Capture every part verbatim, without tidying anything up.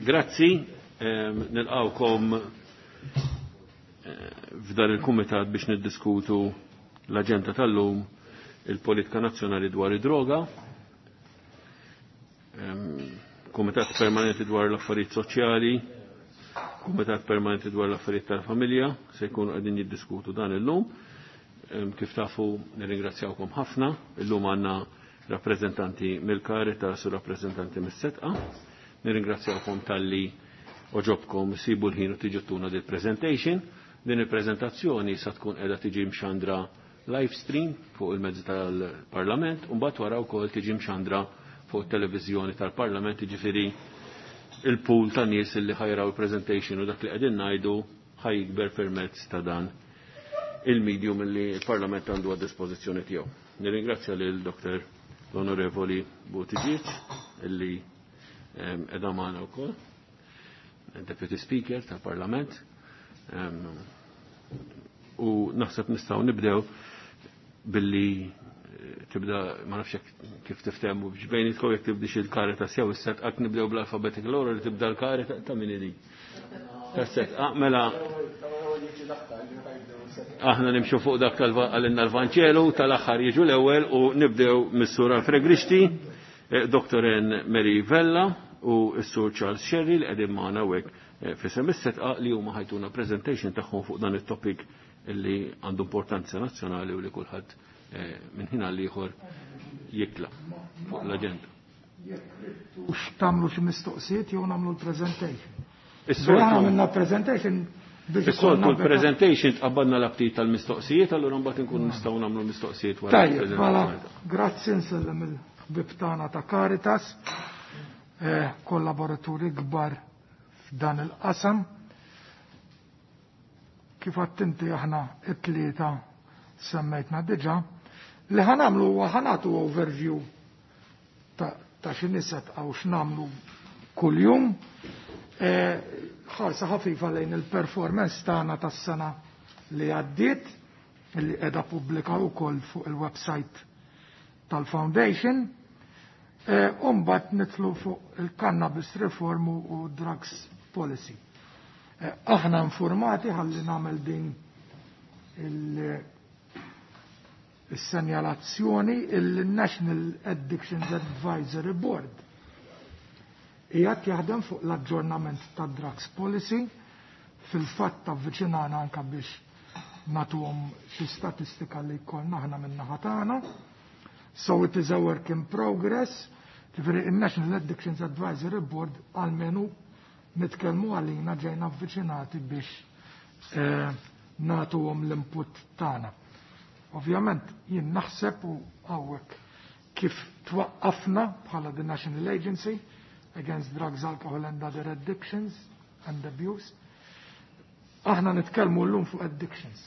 Grazzi, nilqawkom eh, f'dan il-kumitat biex niddiskutu l-aġenda tal-lum, il-politika nazzjonali dwar id-droga, kumitat permanenti dwar l-affarijiet soċjali, kumitat permanenti dwar l-affarijiet tal-familja, se jkunu qegħdin jiddiskutu dan illum. Kif tafu, nirringrazzjawkom ħafna, illum għandna rappreżentanti mill-Caritas u rappreżentanti mis-Setqa. Nirringrazzjawkom talli oġobkom sibu l-ħin u tiġu tuna dil presentation. Din il-prezentazzjoni sa tkun qiegħda tiġi mxandra live stream fuq il-mezzi tal-Parlament u mbagħad wara wkoll tiġi mxandra fuq it-televiżjoni tal-Parlament, jiġifieri il-pool ta' nies li ħajraw il-presentation u dak li qegħdin ngħidu ħajkber permezz ta' dan il-medium li l-Parlament għandu għad dispożizzjoni tiegħu. Nirringrazzja lil Doktor l-Onorevoli Buttigieg illi qiegħda magħna wkoll, Deputy Speaker tal-Parlament. U naħseb nistgħu nibdew billi tibda, ma nafx kif tiftehmu biex bejnietkom jekk tibdix il-Caritas jew is-Setqa, nibdew bl-alphabetical order li tibda l-Caritas ta' min idi. Tas-Setqa, mela aħna nimxu fuq dak għalinna l-Vanċelu, tal-aħħar jiġu l-ewwel u nibdew mis-Sur Alfred Grixti, Doktor N. Mary Vella u s-Sur Charles Scerri li qegħdin magħna hawnhekk f'isem is-Setqa li huma ħajtuna presentation tagħhom fuq dan it-topic li għandu importanza nazzjonali u li kulħadd minn ħin għal ieħor jikla fuq l-aġenda. U x'tagħmlu xi mistoqsijiet jew nagħmlu l-presentation? Aħna għamilna presentation biex Is-soltu l-presentation tqabbadna l-aptit tal-mistoqsijiet, allura mbagħad inkunu nistgħu nagħmlu mistoqsijiet wara. Tajjeb, mela, grazzi, nsellem il-ħbib tagħna ta' Caritas, kollaboraturi kbar f'dan il-qasam. Kif għattinti aħna it-tlieta semmejtna diġà, li ħanamlu huwa ħanatu overview ta' x'inhi Setqa u x'namlu kuljum. Ħarsa ħafifa lejn il-performance tagħna tas-sena li għaddiet, li qiegħda pubblika wkoll fuq il-website tal-Foundation. U mbagħad nitlu fuq il-cannabis reform u drugs policy. Aħna informati ħalli nagħmel din il-senjalazzjoni il-National Addictions Advisory Board qiegħed jaħdem fuq l-aġġornament ta' drugs policy, fil-fatt avviċinana anka biex nagħtuhom xi statistika li jkollna aħna min-naħa tagħna. So it is a work in progress. Ġifieri il-National Addictions Advisory Board għalmenu nitkellmu għalina ġejna avviċinati biex eh, nagħtuhom l-input tagħna. Ovvjament jien naħseb u hawnhekk kif twaqqafna bħala the National Agency Against Drugs, Alcohol and Other Addictions and Abuse. Aħna nitkellmu llum fuq addictions.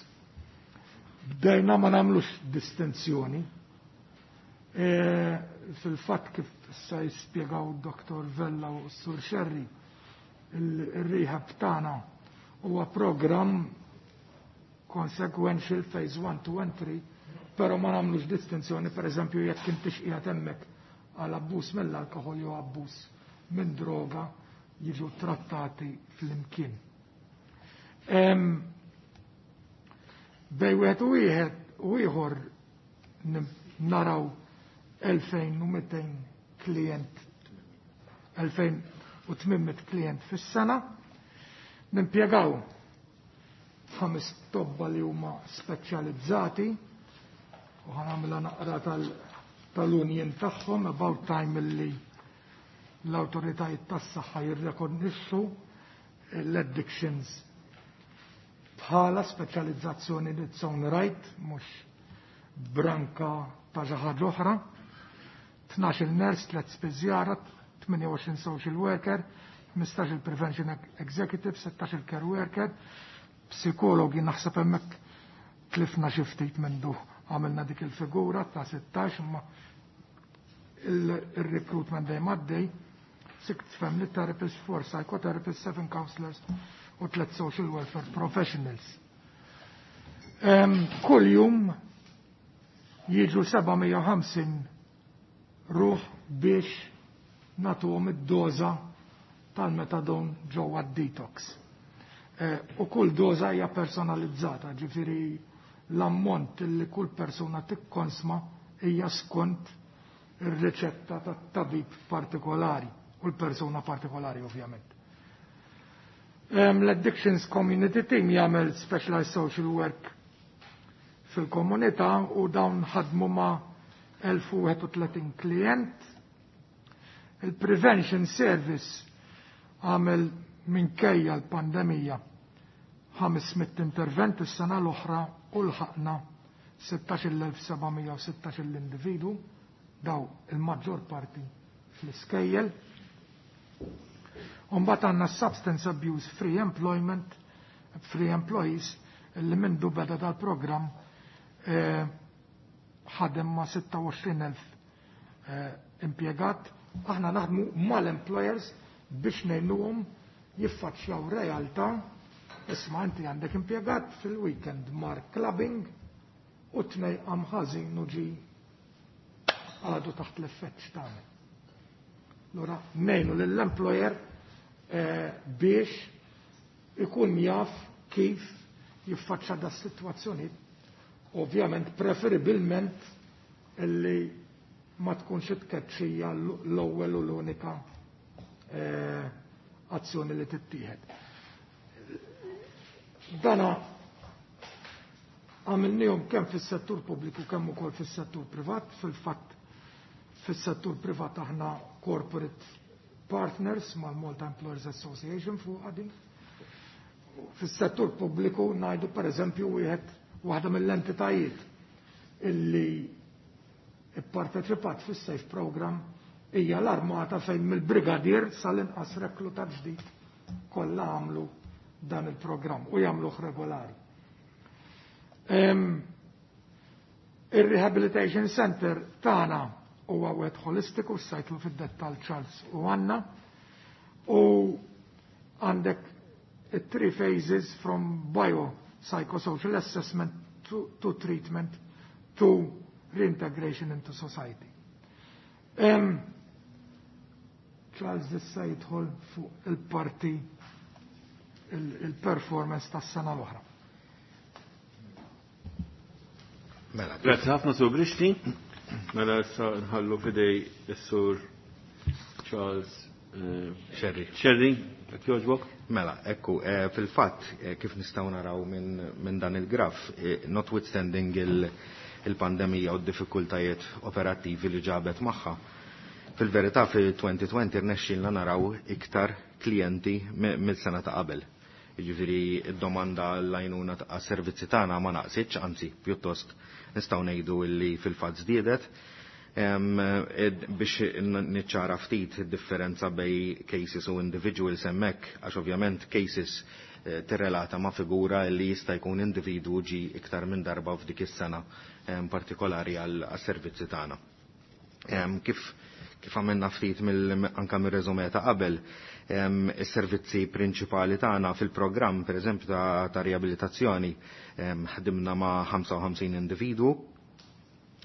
Bdejna ma nagħmlux distinzjoni. E, fil-fatt kif sa jispjegaw Doktor Vella u Sur Scerri, il-rehab tagħna huwa programm consequential phase one, two and three, pero ma nagħmlux distinzjoni, per eżempju, jekk intix qiegħed hemmhekk għal abbuż mill-alkohol jew abbuż minn droga jiġu trattati fl-imkien. Bej wieħed u wieħed u ieħor naraw elfejn u mitejn klient, elfejn u tmien mitt klient fis-sena, nimpjegaw ħames tobba li huma speċjalizzati u ħanamla naqra tal-union tagħhom about time li l-awtoritajiet tas-saħħa jirrekonixxu l-addictions bħala speċjalizzazzjoni in its own right, mhux branka ta' xi ħaġa oħra. Tnax-il nurse, tliet spiżjara, tmienja u għoxrin social worker, ħmistax-il prevention executive, sittax-il care worker, psikologi naħseb hemmhekk tlifna xi ftit mindu għamilna dik il-figura ta' sittax, imma il-recruitment dejjem għaddej, six family therapists, four psychotherapists, seven counselors u tliet social welfare professionals. Kull jum jiġu seba' mija u ħamsin ruħ biex nagħtuhom id-doża tal-metadon ġewwa d-detox. U kull doża hija personalizzata, ġifieri l-ammont li kull persuna tikkonsma hija skont ir-riċetta tat-tabib partikolari u l-persuna partikolari ovvjament. L-Addictions Community Team jagħmel specialized social work fil-komunità u dawn ħadmu ma' elf u wieħed u tletin klient. Il-Prevention Service għamel minkejja l-pandemija ħames mitt intervent is-sena l-oħra u lħaqna sittax-il elf seba' mija u sittax-il individu, daw il-maġġor parti fl-iskejjel. Umbagħad għandna Substance Abuse Free Employment, Free Employees, li mindu beda dal-programm, eh, ħadem ma' sitta u għoxrin elf, eh, impjegat. Aħna naħdmu mal-employers biex ngħinuhom jiffaċċjaw realtà. Isma' inti għandek impjegat fil-weekend mar clubbing u tnej qam ħażin u ġi għadu taħt l-effett x'tagħmel. Allura ngħinu lill-employer, eh, biex ikun jaf kif jiffaċċa da s-sitwazzjoni. Ovvjament preferibilment illi ma tkunx it-tkeċċija l-ewwel u l-unika, eh, azzjoni li tittieħed. Dana għamilnihom kemm fis-settur pubbliku kemm ukoll fis-settur privat. Fil-fatt fis-settur privat aħna corporate partners mal-Malta Employers Association fuq għadin. Fis-settur pubbliku ngħidu pereżempju wieħed waħda mill-entitajiet illi ipparteċipat fis-SAFE program hija l-armata fejn mill-brigadier sal-inqas reklutat ġdid kollha għamlu dan il-programm u jagħmluh regolari. Em, Il-Rehabilitation Center tagħna huwa wieħed holistiku, sajtlu fid-dettall Charles u Anna, u għandek three phases from bio psychosocial assessment to, to treatment to reintegration into society. Em, Charles issa jidħol fuq il-parti il-performance tas-sena l-oħra. Mela, Grazie ħafna Sur Grixti. Mela issa nħallu fidej is-Sur Charles, eh, Scerri. Scerri, jekk jogħġbok. Mela, ekku, eh, fil-fatt, eh, kif nistgħu naraw minn, minn dan il-graf, eh, notwithstanding il-, il-pandemija u d-diffikultajiet operattivi li ġabet magħha, fil-verità fil-twenty twenty rnexxielna naraw iktar klijenti mi-, mill-sena ta' qabel. Jiġifieri id-domanda l-għajnuna ta' servizzi tagħna ma naqsitx, anzi pjuttost nistgħu ngħidu li fil-fatt żdiedet. Em, ed-, biex n-, niċċara ftit id-differenza bej cases u individuals hemmhekk, għax ovvjament cases, eh, tirrelata ma' figura li jista' jkun individwu ġi iktar minn darba f'dik is-sena, em, partikolari għal, għas-servizzi tagħna. Em, kif, kif għamilna ftit mill-, anka mir-reżumè ta' qabel, em, is-servizzi prinċipali tagħna fil-programm, pereżempju ta', ta' riabilitazzjoni, em, ħdimna ma' ħamsa u ħamsin individwu,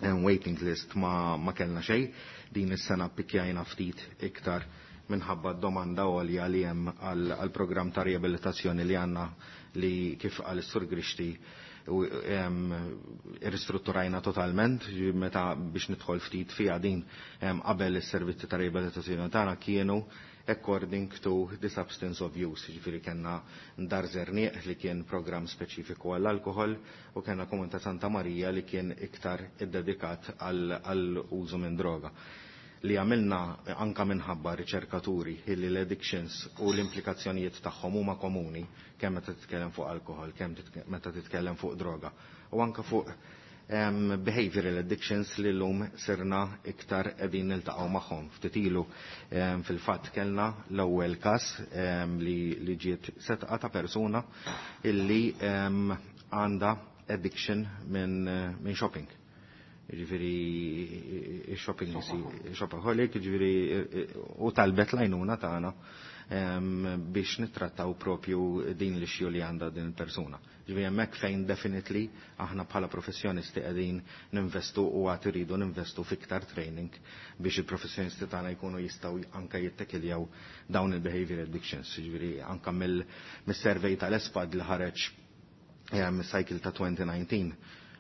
em, waiting list ma, ma kellna xejn, din is-sena pikkjajna ftit iktar minħabba domanda għolja li hemm għal, għal programm ta' riabilitazzjoni li għandna li kif qal is-Sur Grixti u, em, irristrutturajna totalment, meta biex nidħol ftit fiha din, em, qabel is-servizzi ta' riabilitazzjoni tagħna kienu according to the substance of use, jiġifieri kellna Dar Zerniq li kien programm speċifiku għall-alkohol u kellna Komunità Santa Marija li kien iktar iddedikat għal, għal użu minn droga. Li għamilna anka minħabba riċerkaturi illi l-addictions u l-implikazzjonijiet tagħhom huma komuni kemm meta titkellem fuq alkohol, kemm titke-, meta titkellem fuq droga u anka fuq, em, behavioral addictions li llum sirna iktar qegħdin niltaqgħu magħhom. Ftit ilu, em, fil-fatt kellna l-ewwel każ, em, li, li ġiet setqa ta' persuna illi, em, għandha addiction minn, minn shopping. Jiġifieri shopping, shopaholic, jiġifieri u talbet l-għajnuna tagħna, biex nittrattaw propju din l-issue li għandha din il-persuna. Ġifieri hemmhekk fejn definitely aħna bħala professjonisti qegħdin ninvestu u għad iridu ninvestu fiktar training biex il-professjonisti tagħna jkunu jistgħu anke jittekiljaw dawn il-behavior addictions. Ġifieri anke mill-survey tal-ESPAD li ħareġ cycle ta' twenty nineteen,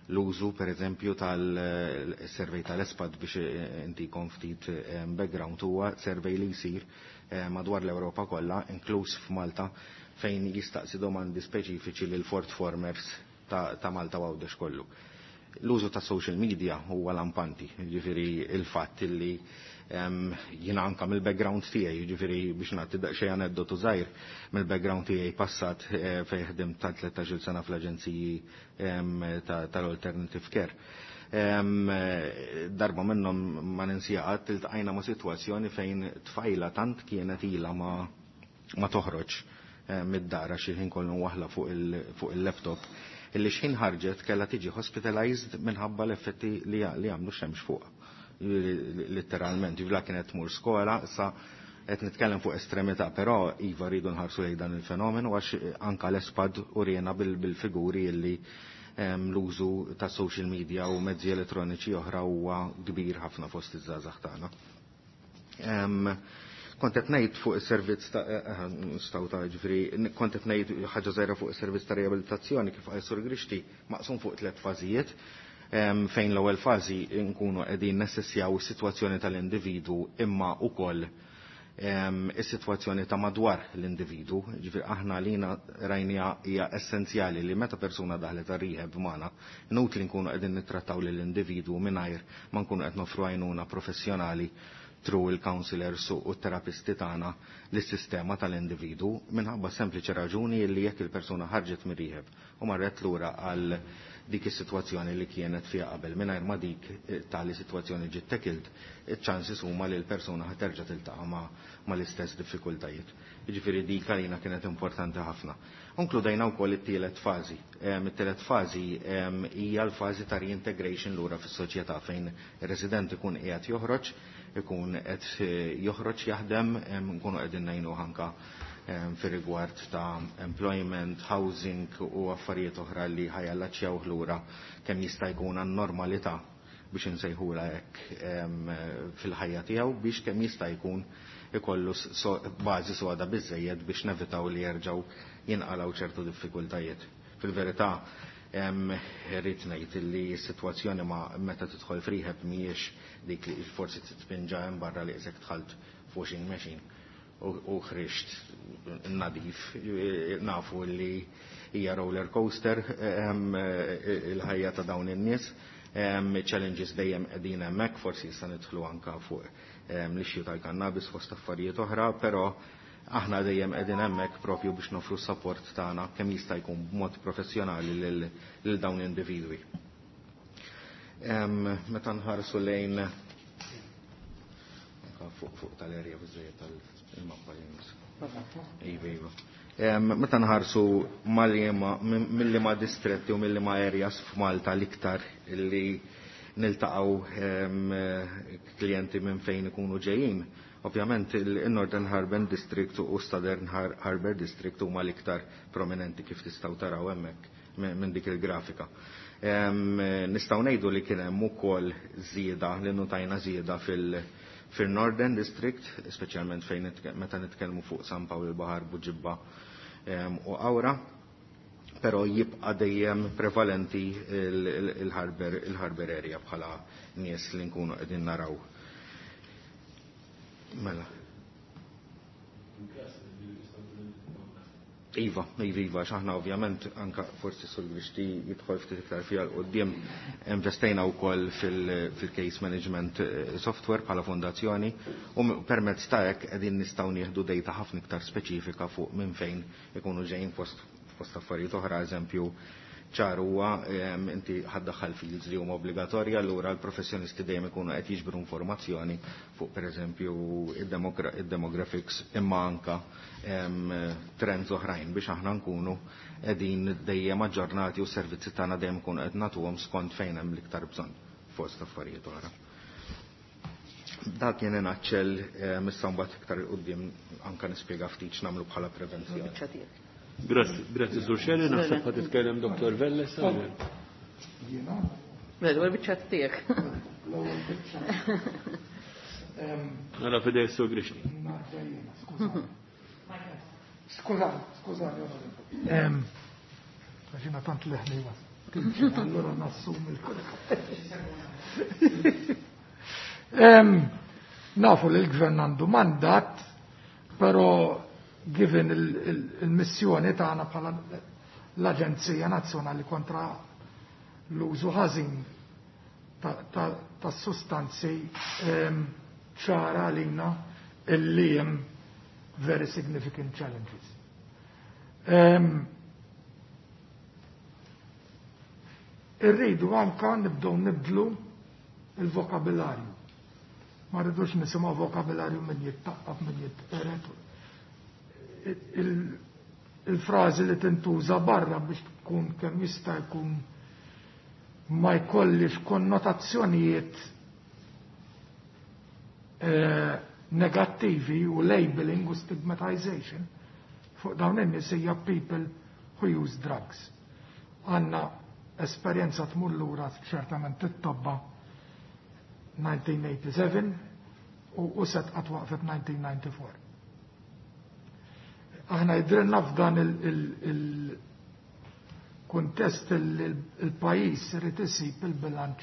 l-użu per eżempju tal-survey tal-ESPAD biex intikom ftit background huwa survey li jsir madwar l-Ewropa kollha, inkluż f'Malta, fejn jistaqsi domandi speċifiċi lil Ford Formers ta', ta Malta u Għawdex kollu. L-użu ta' social media huwa lampanti, jiġifieri il-fatt li jiena anka mill-background tiegħi, jiġifieri biex nagħti daqsxejn aneddotu żgħir, mill-background tiegħi passat fejn ħdimt ta' tlettax-il sena fl-aġenziji tal-Alternative Care. Darba minnhom ma ninsija qatt iltqajna ma' sitwazzjoni fejn tfajla tant kienet ilha ma, ma toħroġ mid-dar għax il-ħin kollu waħla fuq il-laptop, illi xħin ħarġet kellha tiġi hospitalized minħabba l-effetti li għamlu xemx fuqha. Letteralment, ġivla kienet tmur skola, sa qed nitkellem fuq estremità, però iva rridu nħarsu lejn dan il-fenomenu għax anka l-ESPAD urjena bil-figuri illi l-użu ta' social media u mezzi elettroniċi oħra huwa kbir ħafna fost iż-żgħażagħ tagħna. Kont qed ngħid fuq is-servizz ta' nistgħu ta' ġifieri, kont qed ngħid ħaġa żgħira fuq is-servizz ta' riabilitazzjoni kif qal Sur Grixti, maqsum fuq tliet fażijiet, fejn l-ewwel fażi nkunu qegħdin nessessjaw is-sitwazzjoni tal-individwu imma wkoll is-sitwazzjoni ta' madwar l-individwu. Ġifieri aħna lina rajnija hija essenzjali li meta persuna daħlet għar-rehab magħna, inutli nkunu qegħdin nittrattaw lill-individwu mingħajr ma nkunu qed nofru għajnuna professjonali through il-counselors u t-terapisti tagħna lis-sistema tal-individwu minħabba sempliċi raġuni li jekk il-persuna ħarġet mir-rehab u marret lura għal dik is-sitwazzjoni li kienet fiha qabel mingħajr ma dik tali sitwazzjoni ġiet tackled, iċ-chances huma li l-persuna ħa terġa' tiltaqa' ma' l-istess diffikultajiet. Jiġifieri dik għalina kienet importanti ħafna. Inkludejna wkoll it-tielet fażi. It-tielet fażi hija l-fażi ta' reintegration lura fis-soċjetà fejn ir-resident ikun qiegħed joħroġ, ikun qed joħroġ jaħdem, nkunu qegħdin ngħinuh anke fir-rigward ta' employment, housing u affarijiet oħra li ħajallaċċjaw lura kemm jista' jkun għan-normalità biex insejħula hekk fil-ħajja tiegħu biex kemm jista' jkun ikollu bażi soda biżejjed biex nevitaw li jerġgħu jinqalgħu ċertu diffikultajiet. Fil-verità irrid ngħid li s-sitwazzjoni ma meta tidħol f'rehab mhijiex dik li forsi titpinġa hemm barra li qisek dħalt f'washing machine u ħriġt nadif, nafu li hija roller coaster il-ħajja ta' dawn in-nies, challenges dejjem qegħdin hemmhekk, forsi issa nidħlu anke fuq l-issue tal-kannabis fost affarijiet oħra, però aħna dejjem qegħdin hemmhekk propju biex nofru s-support tagħna kemm jista' jkun b'mod professjonali lil dawn l-individwi. Meta nħarsu lejn fuq fuq tal-erja biżejjed tal-mappa li jmiss. Iva, iva. Meta nħarsu mill-liema distretti u mill-liema areas f'Malta l-iktar li niltaqgħu klijenti minn fejn ikunu ġejjin, ovvjament il-Northern Harbour District u Southern Harbour District huma l-iktar prominenti kif tistgħu taraw hemmhekk minn dik il-grafika. Nistgħu ngħidu li kien hemm ukoll żieda li notajna żieda fil- fil-Northern District, speċjalment fejn meta nitkellmu fuq San Pawl il-Baħar, Buġibba u Awra, però jibqa' dejjem prevalenti il-Harbour il-Harbour area bħala nies li nkunu qegħdin naraw. Mela. Iva, iva, iva, xaħna ovvjament anka forsi Sur Grixti jidħol ftit iktar fiha l-qudiem investejna wkoll fil-case management software bħala fondazzjoni u permezz ta' hekk qegħdin nistgħu nieħdu data ħafna iktar speċifika fuq minn fejn ikunu ġejjin fost fost affarijiet oħra, eżempju ċar huwa inti ħaddaħħal fields li huma obbligatorja, allura l-professjonisti dejjem ikunu qed jiġbru informazzjoni fuq pereżempju id-demographics imma anka trends oħrajn biex aħna nkunu qegħdin dejjem aġġornati u s-servizzi tagħna dejjem ikunu qed nagħtuhom skont fejn hemm l-iktar bżonn fost affarijiet oħra. Dak kien inaċċell issa mbagħad iktar 'il quddiem anke nispjega ftit x'nagħmlu bħala prevenzjoni. Grazzi, grazzi Sur Scerri, naħseb ħa titkellem Dottor Vella issa. Jiena? L-ewwel biċċa tiegħek. L-ewwel biċċa. Mela fidej Sur Grixti. Skużani, skużani. Għax jiena tant leħni allura nassumi l-kull. Nafu li l-gvern għandu mandat, però given il-missjoni tagħna bħala l-Aġenzija Nazzjonali kontra l-użu ħażin tas-sustanzi ċara għalina illi hemm very significant challenges. Irridu anka nibdew nibdlu il-vokabularju. Ma rridux nisimgħu vokabularju min jittaqqaf, min jitqeret. Il-frażi li tintuża barra biex tkun kemm jista' jkun ma jkollix konnotazzjonijiet negattivi u labeling u stigmatization fuq dawn in-nies hija people who use drugs. Għandna esperjenza tmur lura ċertament it-tobba nineteen eighty-seven u set qatt waqfet nineteen ninety-four. Aħna jidrilna f'dan il-kuntest il-pajjiż irid isib il-bilanċ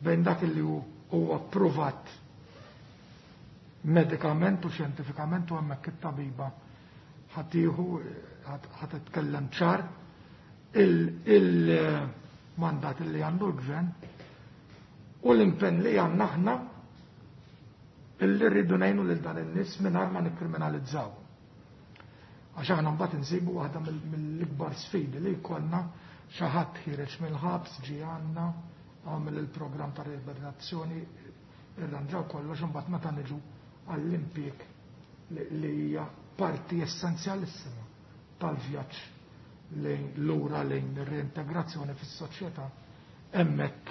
bejn dak li huwa approvat medikament u xjentifikament u hemmhekk it-tabiba ħatiħu ħa titkellem ċar il-mandat li għandu l-gvern u l-impenn li għandna aħna illi rridu ngħinu lil dan in-nies mingħajr ma nikkriminalizzaw. Għax aħna mbagħad insibu waħda mill-ikbar sfidi li jkollna xi ħadd ħireġ mill-ħabs ġie għandna għamel il-programm ta' riabilitazzjoni irranġaw kollox imbagħad meta niġu għall-impjieg li hija parti essenzjalissima tal-vjaġġ lejn lura lejn ir-reintegrazzjoni fis-soċjetà hemmhekk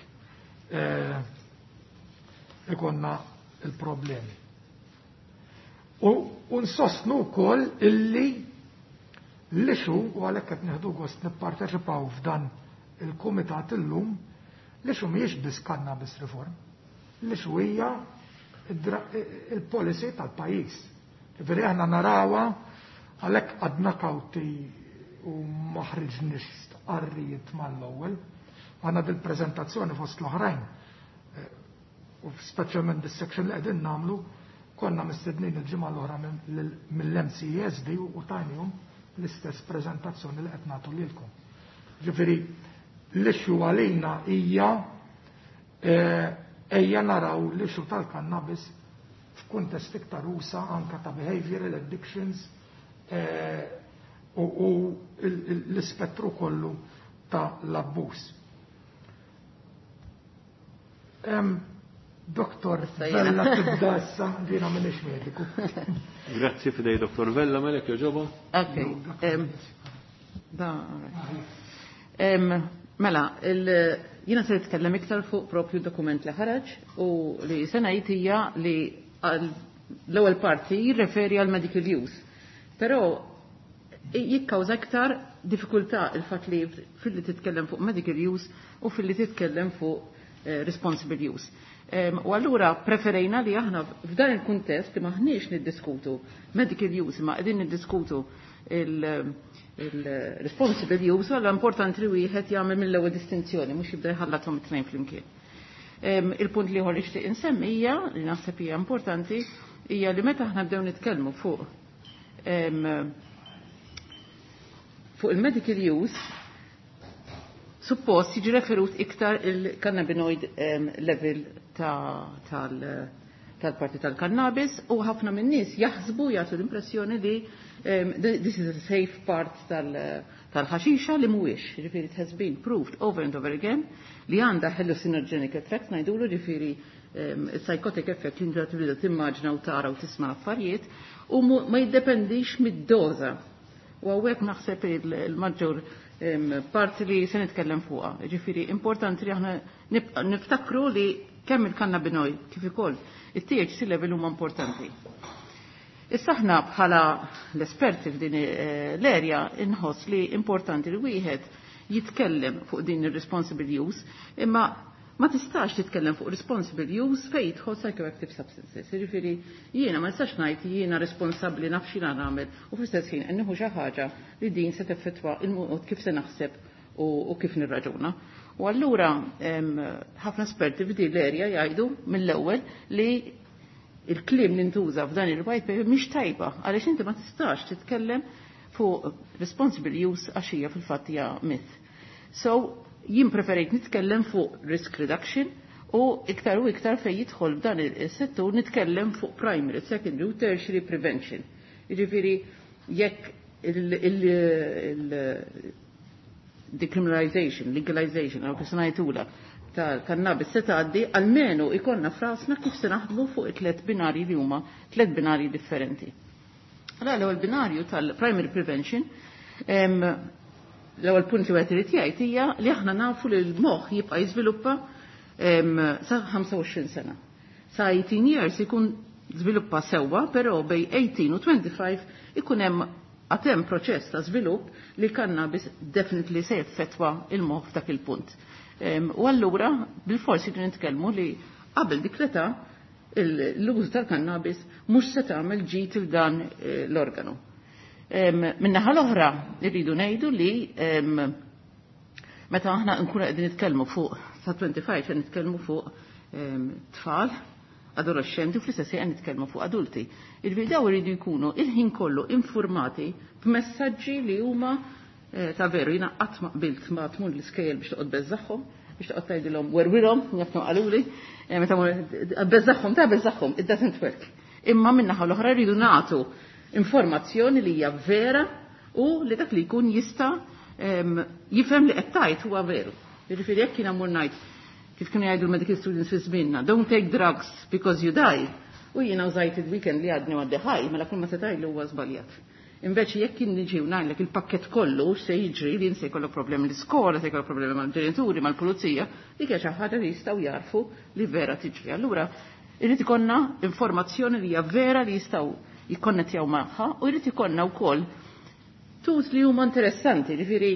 ikonna il-problemi. U nsostnu wkoll illi l-issue, u għalhekk qed nieħdu gost nipparteċipaw f'dan il-kumitat illum, l-issue mhijiex biss cannabis reform, l-issue hija il-policy tal-pajjiż. Ġifieri aħna narawha għalhekk għadna kawti u ma ħriġniex stqarrijiet mal-ewwel. Għandna dil-preżentazzjoni fost l-oħrajn, u speċjalment dis-section li qegħdin nagħmlu, konna mistednin il-ġimgħa l-oħra mill-M C S D u tajnihom l-istess preżentazzjoni li qed nagħtu lilkom. Ġifieri l-issue għalina hija ejja naraw l-issue tal-cannabis f'kuntest iktar usa anka ta' behavioral addictions u l-ispettru kollu ta' l-abbuż. Doktor Vella tibda issa, ġina minix mediku. Grazzi fidej Doktor Vella, melek joġoba. Ok. Da, mela, jina se nitkellem iktar fuq propju dokument li ħareġ u li se ngħid hija li l-ewwel parti jirreferi għal medical use. Però jikkawża iktar diffikultà il-fatt li filli titkellem fuq medical use u filli titkellem fuq responsible use. U allura preferejna li aħna f'dan il-kuntest li maħniex niddiskutu medical use, ma qegħdin niddiskutu il-responsible use, allura importanti li wieħed jagħmel mill-ewwel distinzjoni, mhux jibda jħallathom it-tnejn flimkien. Il-punt li ieħor nixtieq insemmi hija li naħseb hija importanti hija li meta aħna bdew nitkellmu fuq fuq il-medical use, suppost jiġi referut iktar il-cannabinoid level tal-parti tal-cannabis u ħafna minn nies jaħsbu jagħtu l-impressjoni li this is a safe part tal-ħaxixa li mhuwiex, ġifieri it has been proved over and over again li għandha hallucinogenic effect ngħidulu, ġifieri psychotic effect li inti tibda timmaġna u tara u tisma' affarijiet u ma jiddependix mid-doża. U hawnhekk naħseb il-maġġor parti li se nitkellem fuqha. Ġifieri importanti li aħna niftakru li kemm il-cannabinoid kif ukoll it-T H C level huma importanti. Issa aħna bħala l-esperti f'din eh, l-erja inħoss li importanti li wieħed jitkellem fuq din ir-responsible use, imma ma tistax titkellem fuq responsible use fejn jidħol psychoactive substances. Jiġifieri jiena ma nistax ngħid jiena responsabbli, naf x'jiena nagħmel, u fl-istess ħin qed nieħu xi ħaġa li din se teffettwa il-mod kif se naħseb u kif nirraġuna. U allura ħafna esperti f'din l-erja jgħidu mill-ewwel li il-kliem li ntuża f'dan il-white paper mhix tajba, għaliex inti ma tistax titkellem fuq responsible use għax hija fil-fatt hija myth. So jien preferejt nitkellem fuq risk reduction u iktar u iktar fej jidħol f'dan il-settur nitkellem fuq primary, secondary u tertiary prevention. Jiġifieri jekk il-decriminalization, legalization, għaw kif ngħidula, tal-kannabis se tgħaddi, almenu ikonna f'rasna kif se naħdmu fuq it-tlet binari li huma tlet binari differenti. Allora l-ewwel binarju tal-primary prevention, l-ewwel punt li wieħed irid jgħid hija li aħna nafu li l-moħħ jibqa' jiżviluppa sa ħamsa u għoxrin sena. Sa eighteen years ikun żviluppa sewwa, però bejn tmintax u twenty-five ikun hemm għatem proċess ta' żvilupp li cannabis definitely se jeffettwa il-moħħ f'dak il-punt. U allura bil-forsi li nitkellmu li qabel dik l-età l-użu tal-kannabis mhux se tagħmel ġid il dan eh, l-organu. Min-naħa l-oħra irridu ngħidu li meta aħna nkunu qegħdin nitkellmu fuq sa twenty-five, qed nitkellmu fuq tfal, adolescenti, u fl-istess ħin nitkellmu fuq adulti. Il-daw iridu jkunu il-ħin kollu informati b'messaġġi li huma eh, ta' veru. Jiena qatt ma qbilt ma tmur l-iskejjel biex toqgħod beżaħħom, biex toqgħod tgħidilhom werwirhom, jafnu qaluli, eh, meta beżaħħom ta' beżaħħom, it doesn't work. Imma min-naħa l-oħra rridu nagħtu informazzjoni li hija vera u li dak li jkun jista' jifhem li qed tgħid huwa veru. Jiġifieri jekk jiena mmur ngħid, kif kienu jgħidu l-medical students fi żmienna, "Don't take drugs because you die." U jiena użajt il-weekend li għadni għaddi ħaj, mela kull ma se tgħidlu huwa żbaljat. Invece jekk jien niġi u ngħidlek il-pakket kollu se jiġri, li se jkollok problemi l-iskola, se jkollok problemi mal-ġenituri, mal-pulizija, dik hija xi ħaġa li jistgħu jarfu li vera tiġri. Allura irid ikollna informazzjoni li hija vera li jistgħu jikkonnettjaw magħha u jrid ikollna wkoll tools li huma interessanti, ġifieri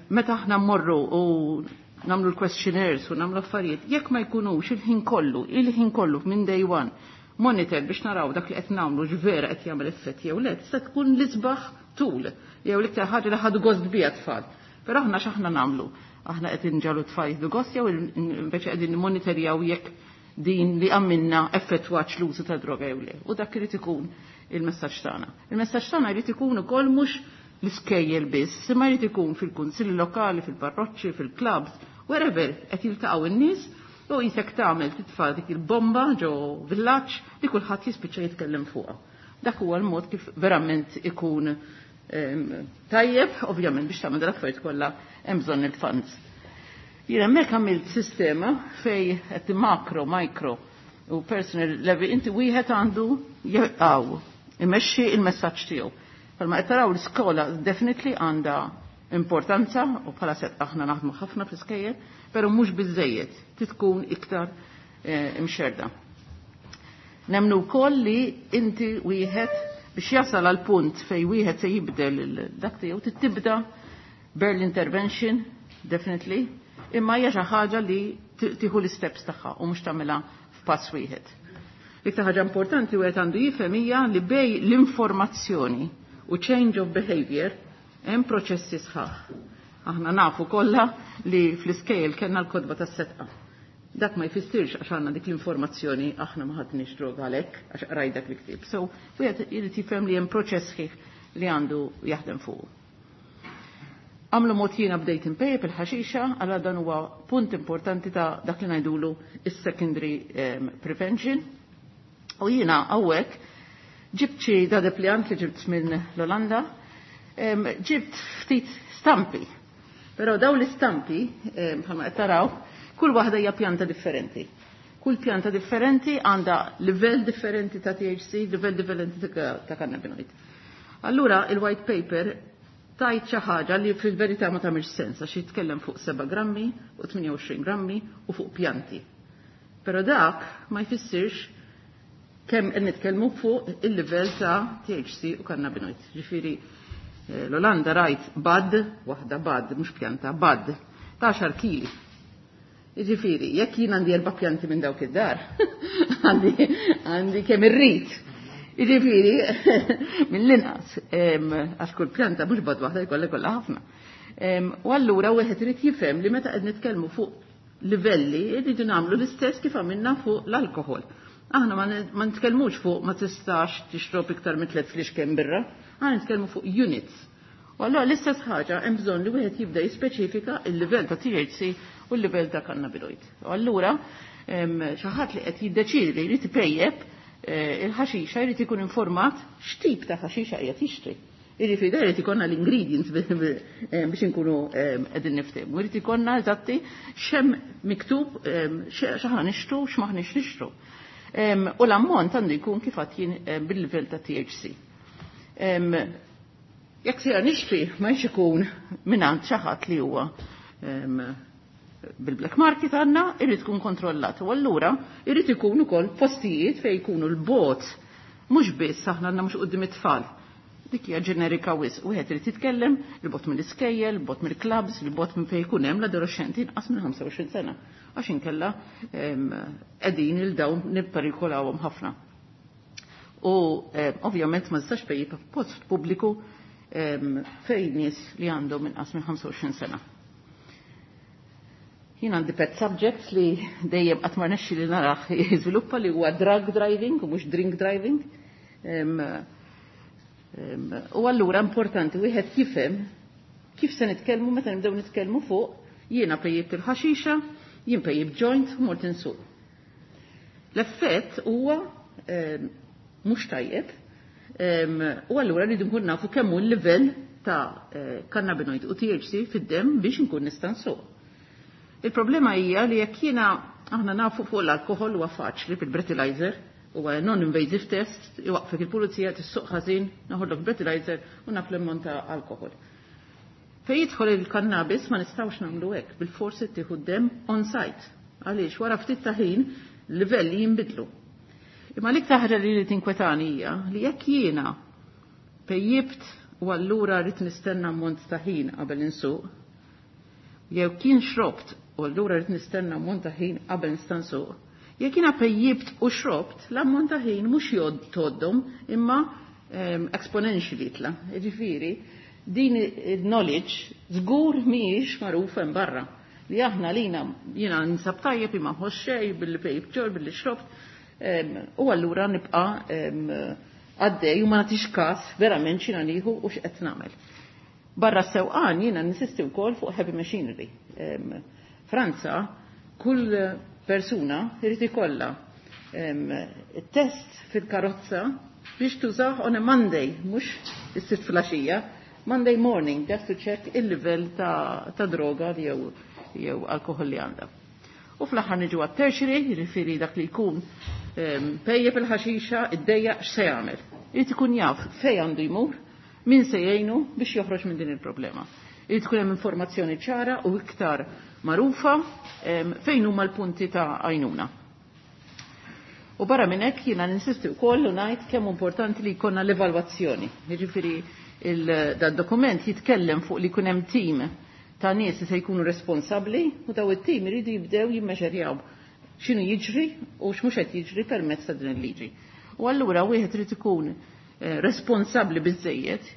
meta aħna mmorru u namlu l-questionnaires u namlu affarijiet, jekk ma jkunux il-ħin kollu, il-ħin kollu minn day one, monitor biex naraw dak li qed nagħmlu x'vera qed jagħmel effett jew le, tista' tkun l-isbaħ tool jew l-iktar ħaġa li ħadu gost biha tfal. Però aħna x'aħna nagħmlu? Aħna qed inġagħlu tfal jieħdu gost jew invece qegħdin nimmonitorjaw jekk din li għamilna effettwax l-użu ta' droga jew le? U dak irid ikun il-messaġġ tagħna. Il-messaġġ tagħna jrid ikun ukoll mhux l-iskejjel biss, imma jrid ikun fil-kunsilli lokali, fil-parroċċi, fil-clubs, wherever qed jiltaqgħu n-nies, u jisek tagħmel titfa' dik il-bomba ġo villaġġ li kulħadd jispiċċa jitkellem fuqha. Dak huwa l-mod kif verament ikun tajjeb, ovvjament biex tagħmel l-affarijiet kollha hemm bżonn il-funds. Jiena hemmhekk għamilt sistema fej qed macro, micro u personal level inti wieħed għandu jaqgħu imexxi il-messaġġ tiegħu. Palma qed taraw, l-iskola definitely għandha importanza u bħala set aħna naħdmu ħafna fl-iskejjel, però mhux biżejjed, tkun iktar eh, imxerda. Nemnu wkoll li inti wieħed biex jasal għal punt fej wieħed se jibdel dak tiegħu tibda early intervention, definitely, imma hija xi ħaġa li tieħu l-steps tagħha u mhux tagħmilha f'pass wieħed. Iktar ħaġa importanti wieħed għandu jifhem hija li bejn l-informazzjoni u change of behavior hemm proċessi sħaħ. Aħna nafu kollha li fl-iskejjel kellna l-kotba tas-Sedqa. Dak ma jfissirx għax għandna dik l-informazzjoni aħna ma ħadniex droga għalhekk għax qraj dak l-ktieb. So wieħed irid jifhem li hemm proċess sħiħ li għandu jaħdem fuq. Għamlu mod jiena bdejt impejjep il-ħaxixa, għala dan huwa punt importanti ta' dak li ngħidulu is-secondary um, prevention. U jiena hawnhekk ġibt xi da deplijant li ġibt minn l-Olanda, ġibt ftit stampi. Però daw l-istampi, bħalma qed taraw, kull waħda hija pjanta differenti. Kull pjanta differenti għandha livell differenti ta' T H C, livell differenti ta' cannabinoid. Allura il-white paper Tajt xi ħaġa li fil-verità ma tagħmilx sens għax jitkellem fuq seba' grammi u tmienja u għoxrin grammi u fuq pjanti. Però dak ma jfissirx kemm qed nitkellmu fuq il-livell ta' T H C u cannabinoid. Ġifieri l-Olanda rajt bad, waħda bad, mhux pjanta, bad, ta' għaxar kili. Ġifieri, jekk jien għandi erba' pjanti minn dawk id-dar, għandi, għandi kemm irrid. Ġifieri, mill-inqas, għax kull pjanta mhux bad waħda jkollha kollha ħafna. U allura wieħed irid jifhem li meta qed nitkellmu fuq livelli irridu nagħmlu l-istess kif għamilna fuq l-alkoħol. Aħna ma n-, ma nitkellmux fuq ma tistax tixrob iktar minn tliet flixken birra, aħna nitkellmu fuq units. U allura l-istess ħaġa hemm bżonn li wieħed jibda jispeċifika l-livell ta' T H C u l-livell ta' cannabinoid. U allura xi ħadd li qed jiddeċiedi li jrid ipejjeb, eh, il-ħaxixa jrid ikun informat x'tip ta' ħaxixa qiegħed jixtri. Jiġifieri da jrid ikollna l-ingredients bi-, bi-, eh, biex inkunu, eh, qegħdin niftehmu. Jrid ikollna eżatti x'hemm miktub, eh, x'aħna nixtru, x'maħniex nixtru. Em, u l-ammont għandu jkun kif għad jien, eh, bil-livell ta' T H C. Em, jekk sejra nixtri ma jx ikun mingħand xi ħadd li huwa, em, bil-black market għandna, irid ikun kontrollat. U allura irid ikun ukoll postijiet fejn jkunu l-bot, mhux biss aħna għandna mhux quddiem it-tfal. Dik hija ġenerika wisq. Wieħed irid jitkellem il-bot mill-iskejjel, il-bot mill-clubs, il-bot minn fejn jkun hemm l-adolescenti inqas minn ħamsa u għoxrin sena. Għax inkella, em, qegħdin il dawn nipperikolawhom ħafna. U, em, ovvjament ma tistax pejjib post pubbliku, em, fejn nies li għandhom inqas minn ħamsa u għoxrin sena. Jien għandi pet subject li dejjem qatt ma rnexxi li narah jiżviluppa li huwa drug driving u mhux drink driving. Em, em, u allura importanti wieħed jifhem kif se nitkellmu meta nibdew nitkellmu fuq jiena pejjibt il-ħaxixa, jien pejjibt joint u mort insuq. L-effett huwa, em, mhux tajjeb, em, u allura rridu nkun nafu kemm hu l-livell ta', eh, cannabinoid u T H C fid-demm biex nkun nista' nsuq. Il-problema hija li jekk jiena aħna nafu fuq l-alkoħol huwa faċli bil-breathalyzer, huwa non-invasive test, iwaqfek il-pulizija tissuq ħażin, naħodlok breathalyzer u naf l-ammont ta' alkoħol. Fejn jidħol il-kannabis ma nistgħux nagħmlu hekk, bil-forsi tieħu d-demm on site. Għaliex wara ftit ta' ħin livelli jinbidlu. Imma l-iktar ħaġa li tinkwetani hija li jekk jiena pejjibt u allura rrid nistenna ammont ta' ħin qabel insuq, jew kien xrobt u allura rrid nistenna ammont ta' ħin qabel nista' nsuq. Jekk jiena pejjibt u xrobt, l-ammont ta' ħin mhux jgħod toddhom imma, ehm, exponentially jitla. Jiġifieri, din il-knowledge żgur mhijiex magħrufa hemm barra. Li aħna lina jiena nsab tajjeb imma nħoss xejn billi pejjibt ġor, billi xrobt, ehm, u allura nibqa', ehm, għaddej u ma nagħtix każ verament x'jiena nieħu u x'qed nagħmel. Barra s-sewqan jiena ninsisti wkoll fuq heavy machinery. Ehm, Franza, kull persuna irid ikollha, ehm, test fil-karozza biex tużah on a Monday, mhux is-sitt filgħaxija, Monday morning, just to check il-livell ta', ta' droga jew, jew alkohol li għandha. U fl-aħħar niġu għat-tertiary, jiġifieri dak li jkun, ehm, pejjeb il-ħaxixa, iddejjaq x'se jagħmel. Irid ikun jaf fejn għandu jmur, min se jgħinu biex joħroġ minn din il-problema. Irid ikun hemm informazzjoni ċara u iktar magħrufa, ehm, fejn huma l-punti ta' għajnuna. U barra minn hekk jiena ninsisti wkoll u ngħid kemm importanti li jkollna l-evalwazzjoni. Jiġifieri il-, dad-dokument jitkellem fuq li jkun hemm tim ta' nies li se jkunu responsabbli u daw it-tim iridu jibdew jimmeġerjaw x'inhu jiġri u x'mhux qed jiġri permezz ta' din il-liġi. U allura wieħed irid ikun, eh, responsabbli biżżejjed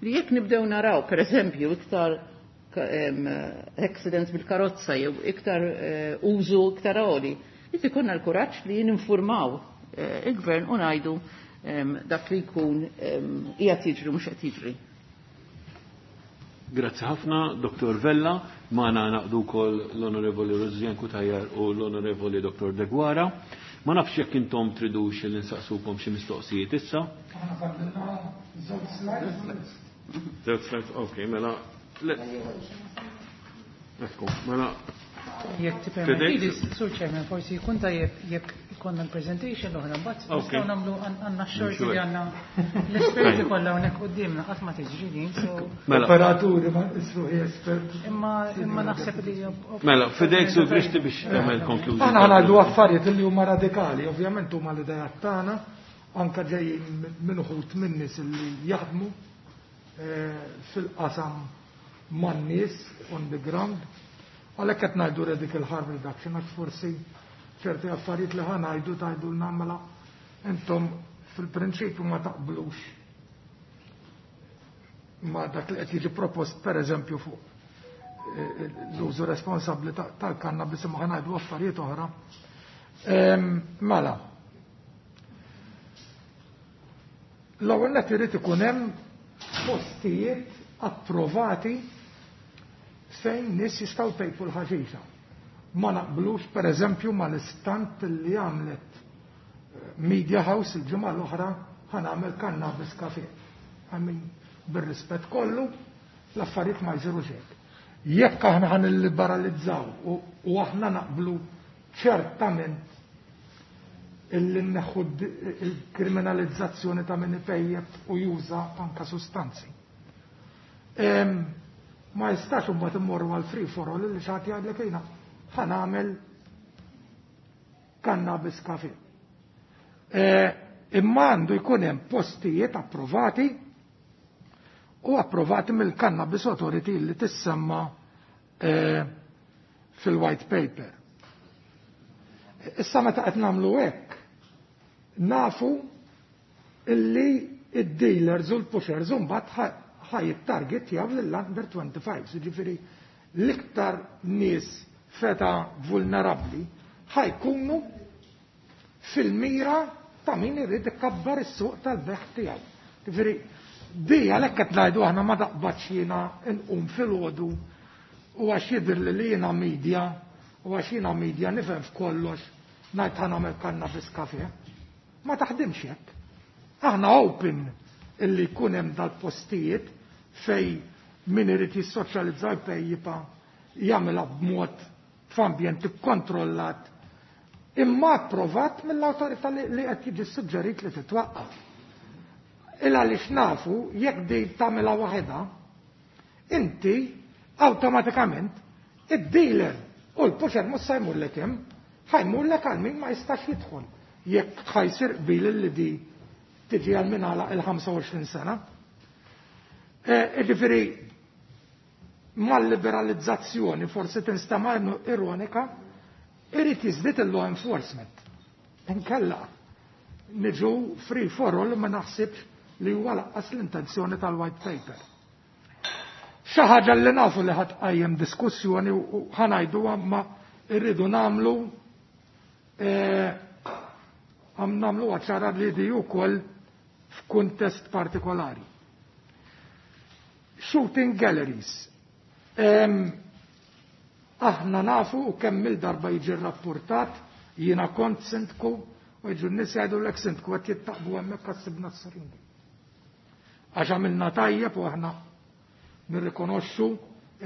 li jekk nibdew naraw pereżempju iktar ka-, em, accidents bil-karozza jew iktar, eh, użu iktar għoli, irid ikollna l-kuraġġ li ninfurmaw, eh, il-gvern u ngħidu, em, dak li jkun, em, qiegħed jiġri mhux qed jiġri. Grazzi ħafna, Doktor Vella, magħna naqdu wkoll l-Onorevoli Rosianne Cutajar u l-Onorevoli Doktor Deguara. Ma nafx jekk intom tridux li nsaqsukom xi mistoqsijiet issa. Aħna fadlilna żewġ slides. Żewġ slides, ok, mela. Le. Ekku, mela Jekk tippermettili, Sur Chairman, forsi jkun tajjeb jekk ikollna l-presentation l-oħra, mbagħad nistgħu nagħmlu għandna x-xorti li għandna l-esperti kollha hawnhekk quddiemna qatt ma tiġri din, so Mela. Operaturi ma nqisuhi esperti. Imma imma naħseb li Mela, fidejk Sur Grixti biex tagħmel konklużjoni. Aħna ngħidu affarijiet li huma radikali, ovvjament huma l-idejat tagħna, anke ġejjin minn uħud minn nies li jaħdmu fil-qasam man-nies on the ground. Għalhekk qed ngħidu radical harm reduction għax forsi ċerti affarijiet li ħa ngħidu tgħidulna mela intom fil-prinċipju ma taqblux ma dak li qed jiġi propost pereżempju fuq l-użu responsabbli tal-kannabis imma ħa ngħidu affarijiet oħra. Mela. L-ewwel nett irid ikun hemm postijiet approvati fejn nies jistgħu jpejpu l-ħaxixa. Ma naqblux pereżempju mal-istant li għamlet Media House il-ġimgħa l-oħra ħa nagħmel cannabis cafe. I mean, bir-rispett kollu, l-affarijiet ma jsirux hekk. Jekk aħna ħa nilliberalizzaw u aħna naqblu ċertament illi nneħħu il-kriminalizzazzjoni ta' min ipejjeb u juża anka sustanzi. Ma jistax imbagħad immorru għal free for all li xi ħadd jgħidlek jiena ħa nagħmel cannabis cafe. Imma għandu jkun hemm postijiet approvati u approvati mill-Cannabis Authority li tissemma fil-white paper. Issa meta qed nagħmlu hekk, nafu illi id-dealers u l-pushers mbagħad ħa jittargetjaw lill-under twenty-five, jiġifieri l-iktar nies feta vulnerabbli ħajkunu fil-mira ta' min irid ikabbar is-suq tal-beħ tiegħu. Jiġifieri di għalhekk qed ngħidu aħna ma taqbadx jiena nqum filgħodu u għax jidher li jiena media u għax jiena media nifhem f'kollox ngħid ħa nagħmel cannabis cafe. Ma taħdimx hekk. Aħna open illi jkun hemm dal-postijiet fej min irid jissoċjalizza jpejjipa jagħmilha b'mod f'ambjent ikkontrollat imma approvat mill-awtorità li qed jiġi suġġerit li titwaqqaf. Il għaliex nafu jekk di tagħmilha waħedha, inti awtomatikament id-dealer u l-pusher mhux se jmurlek hemm, ħajmurlek għal min ma jistax jidħol. Jekk ħajsir qbil li di tiġi għal min għalaq il-ħamsa u għoxrin sena. Jiġifieri mal-liberalizzazzjoni forsi tinstema' ironika, irid jiżdied il-law enforcement. Inkella niġu free for all ma naħsibx li huwa laqqas l-intenzjoni tal-white paper. Xi ħaġa li nafu li ħadd qajjem diskussjoni u ħanajduha ma rridu nagħmlu għam nagħmlu ċara li di wkoll f'kuntest partikolari. Shooting galleries. Aħna nafu u kemm il-darba jiġi rrapportat, jiena kont sindku u jiġu n-nies jgħidulek sindku qed jittaqbu hemmhekk għas-sibna s-siringi. Għax għamilna tajjeb u aħna nirrikonoxxu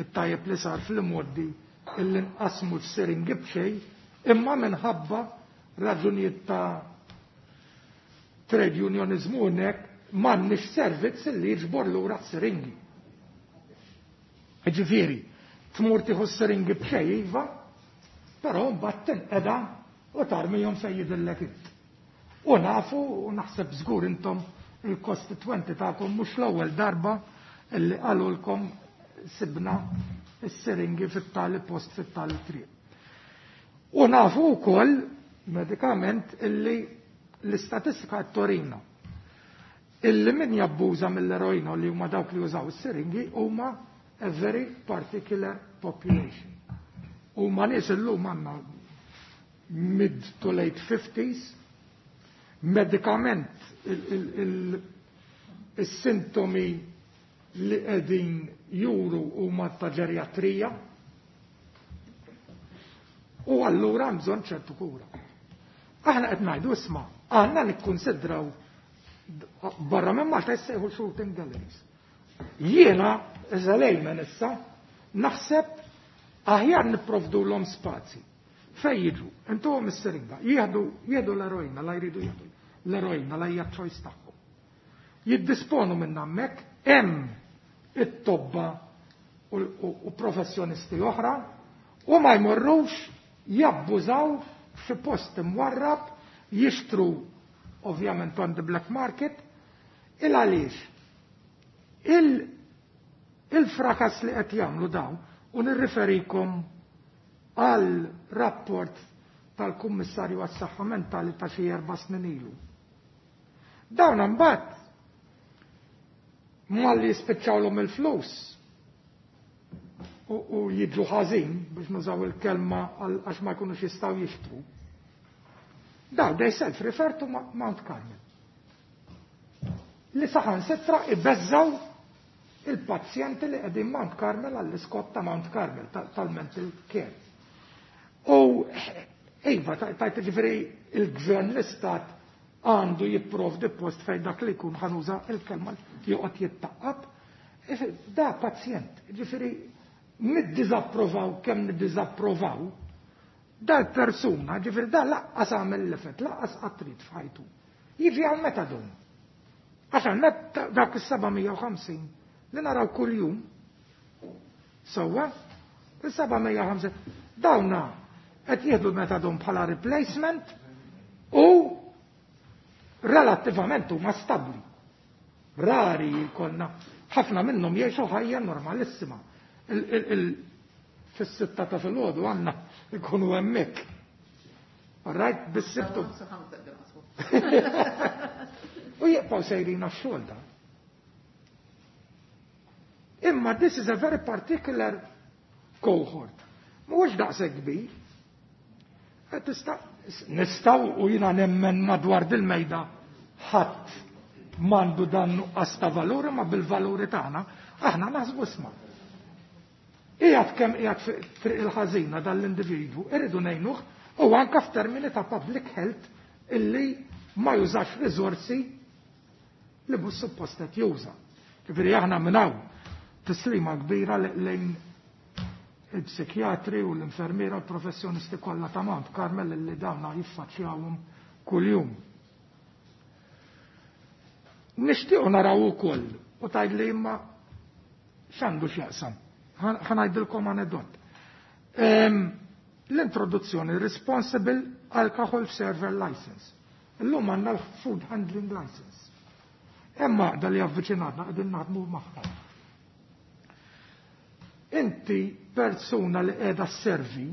it-tajjeb li sar fil-modi illi nqasmu s-siringi b'xejn, imma minħabba raġunijiet ta' trade unionizmu hekk m'għandniex servizz illi jiġbor lura s-siringi. Ġifieri, tmur tieħu s-siringi b'xejn iva, però mbagħad tinqeda u tarmihom fejn jidhirlek int. U nafu u naħseb żgur intom il-kostitwenti tagħkom mhux l-ewwel darba illi qalulkom sibna s-siringi fit-tali post fit-tali triq. U nafu wkoll medikament illi l-istatistika torina illi min jabbuża mill-eroina li huma dawk li jużaw is-siringi huma a very particular population. Huma nies illum għandna mid to late fifties, medikament il-sintomi li qegħdin juru huma ta' ġerjatrija u allura hemm bżonn ċertu kura. Aħna qed ngħidu isma' għandna nikkunsidraw barra minn Malta jissejħu shooting galleries. Jiena, iżda lejmen issa, naħseb Aħjar nipprovdulhom spazji. Fej jiġu, intuhom is-siringa, jieħdu jieħdu l-eroina la jridu jieħdu l-eroina la hija choice tagħhom. Jiddisponu minn hemmhekk hemm it-tobba u, u, u professjonisti oħra u ma jmorrux jabbużaw f'xi post imwarrab jixtru ovvjament on the black market il għaliex il il-frakas li qed jagħmlu dawn u nirriferikom għal rapport tal-Kummissarju għas-Saħħa Mentali ta' xi erba' snin ilu. Dawn imbagħad malli jispiċċawlhom il-flus u, u jiġu ħażin biex nużaw il-kelma għax ma jkunux jistgħu jixtru. Daw they self-refer to Mount Carmel. Li saħansitra ibeżżaw il-pazjenti li qegħdin Mount Carmel għall-iskop ta' Mount Carmel tal-mental care. U iva, tajt ġifieri il-gvern l-istat għandu jipprovdi post fejn dak li jkun ħa nuża il-kelma joqgħod jittaqqab. Da pazjent, ġifieri niddiżapprovaw kemm niddiżapprovaw, dal-persuna, ġifieri da laqqas għamel l-effett, laqqas qatt f'ħajtu. Jiġi għal metadon. Għax għal dak is-seba' mija u ħamsin li naraw kuljum, sewwa, is-seba' mija u ħamsin dawna qed jieħdu metadon bħala replacement u relattivament huma stabbli. Rari jkollna, ħafna minnhom jgħixu ħajja normalissima. Fis-sitta ta' filgħodu għandna ikunu hemmhekk. Right, bis-sibtu. U jibqgħu sejrin għax-xogħol dan. Imma this is a very particular cohort. Mhuwiex daqshekk kbir. Nistgħu u jiena nemmen madwar dil-mejda ħadd m'għandu dan nuqqas ta' valuri, ma bil-valuri tagħna aħna naħsbu isma'. Qiegħed kemm qiegħed triq il-ħażina dan l-individwu, irridu ngħinuh u anke f'termini ta' public health illi ma jużax riżorsi li mhux suppost qed juża. Ġifieri aħna minn hawn tislima kbira lejn il-psikjatri u l-infermiera u l-professjonisti kollha ta' Mount Carmel li dawna jiffaċċjawhom kuljum. Nixtiequ naraw ukoll u tgħid li imma x'għandu x'jaqsam. Ħa ngħidilkom anedot. L-introduzzjoni Responsible Alcohol Server License. Illum għandna l-Food Handling License. Hemm għaqda li avviċinatna qegħdin naħdmu magħha. Inti persuna li qiegħda sservi,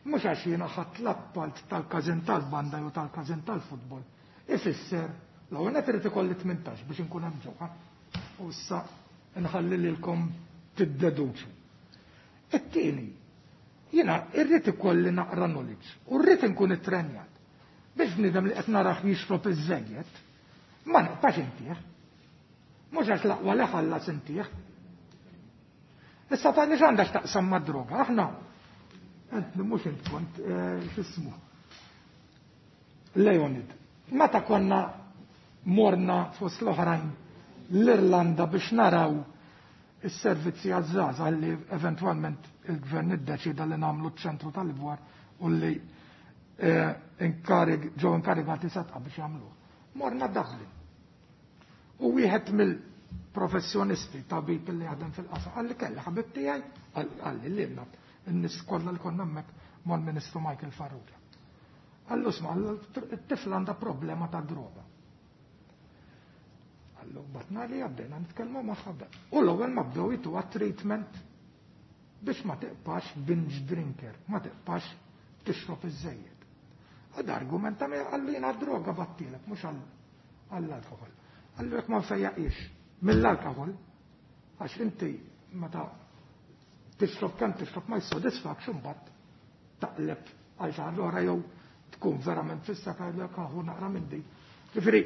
mhux għax jiena ħadd l-appalt tal-każin tal-banda jew tal-każin tal-futbol, ifisser l-ewwel qed irid ikolli tmintax biex inkun hemm ġewwa. U issa nħalli lilkom tiddeduċu. It-tieni, jiena irrid ikolli naqra knowledge u rrid inkun ittrenjat biex bniedem li qed narah jixrob iż-żejjed, ma nibqax intih. Mhux għax l-aqwa li ħallas intih. Issa tgħidli x'għandha x'taqsam mad-droga, aħna ent mhux int kont x'ismu. Leonid, meta konna morna fost l-oħrajn l-Irlanda biex naraw is-servizzi għaż-żgħażagħ li eventwalment il-gvern iddeċida li nagħmlu ċ-ċentru tal-Ibwar u li inkarig ġew inkarigati Sedqa biex jagħmluh. Morna Dublin. U wieħed mill-professjonisti tabib li jaħdem fil-qasam qalli kelli ħabib tiegħi qalli lilna n-nies kollha li konna hemmhekk mal-Ministru Michael Farrugia. Qallu isma' it-tifla għandha problema ta' droga. Qallu batna li għaddejna nitkellmu magħha. U l-ewwel ma bdew jituha treatment biex ma tiqpax binge drinker, ma tiqpax tixrob iż-żejjed. Għad argumenta mi qallu jiena droga battilek, mhux għall-alkohol. Qallu jekk ma nfejjaqix mill-alkohol, għax inti meta tixrob kemm tixrob ma jissodisfakx imbagħad taqleb għal xi ħaġa oħra jew tkun verament fissa jgħidlek aħu naqra minn din. Ġifieri,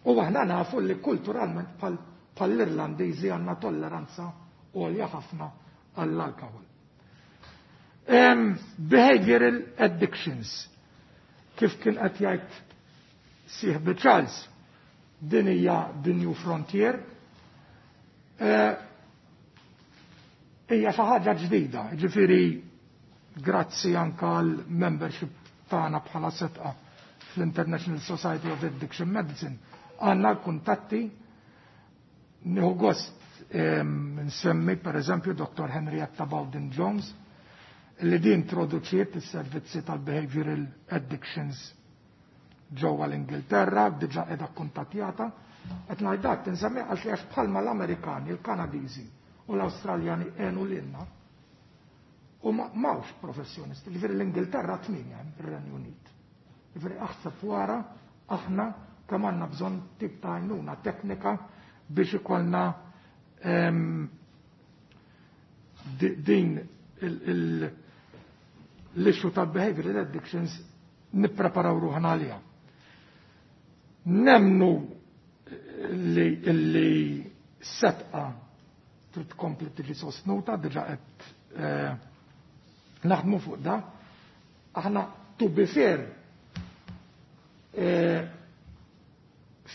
u aħna nafu li kulturalment bħall-Irlandiżi għandna tolleranza għolja ħafna għall-alkohol. Behavioral addictions, kif kien qed jgħid sieħbi Charles, din hija the new frontier. Hija xi ħaġa ġdida, ġifieri grazzi anka għal membership tagħna bħala Sedqa fl-International Society of Addiction Medicine, għandna l-kuntatti. Nieħu gost nsemmi per eżempju Dottor Henrietta Bowden Jones, li din introduċiet is-servizzi tal-Behavioral Addictions ġewwa l-Ingilterra, diġà qiegħda kuntattjata. Qed ngħid dak tinsemmi għax għax bħalma l-Amerikani, il-Kanadiżi u l-Awstraljani għenu lilna u m'hawnx professjonisti, ġifieri l-Ingilterra tminja hemm ir-Renju Unit. Ġifieri aħseb wara aħna kemm għandna bżonn tip ta' għajnuna teknika biex ikollna din l-issue tal-behavioral addictions nippreparaw ruħna għaliha. Nemnu li, li Sedqa trid tkompli tiġi sostnuta, diġà qed eh, naħdmu fuq da. Aħna to be fair eh,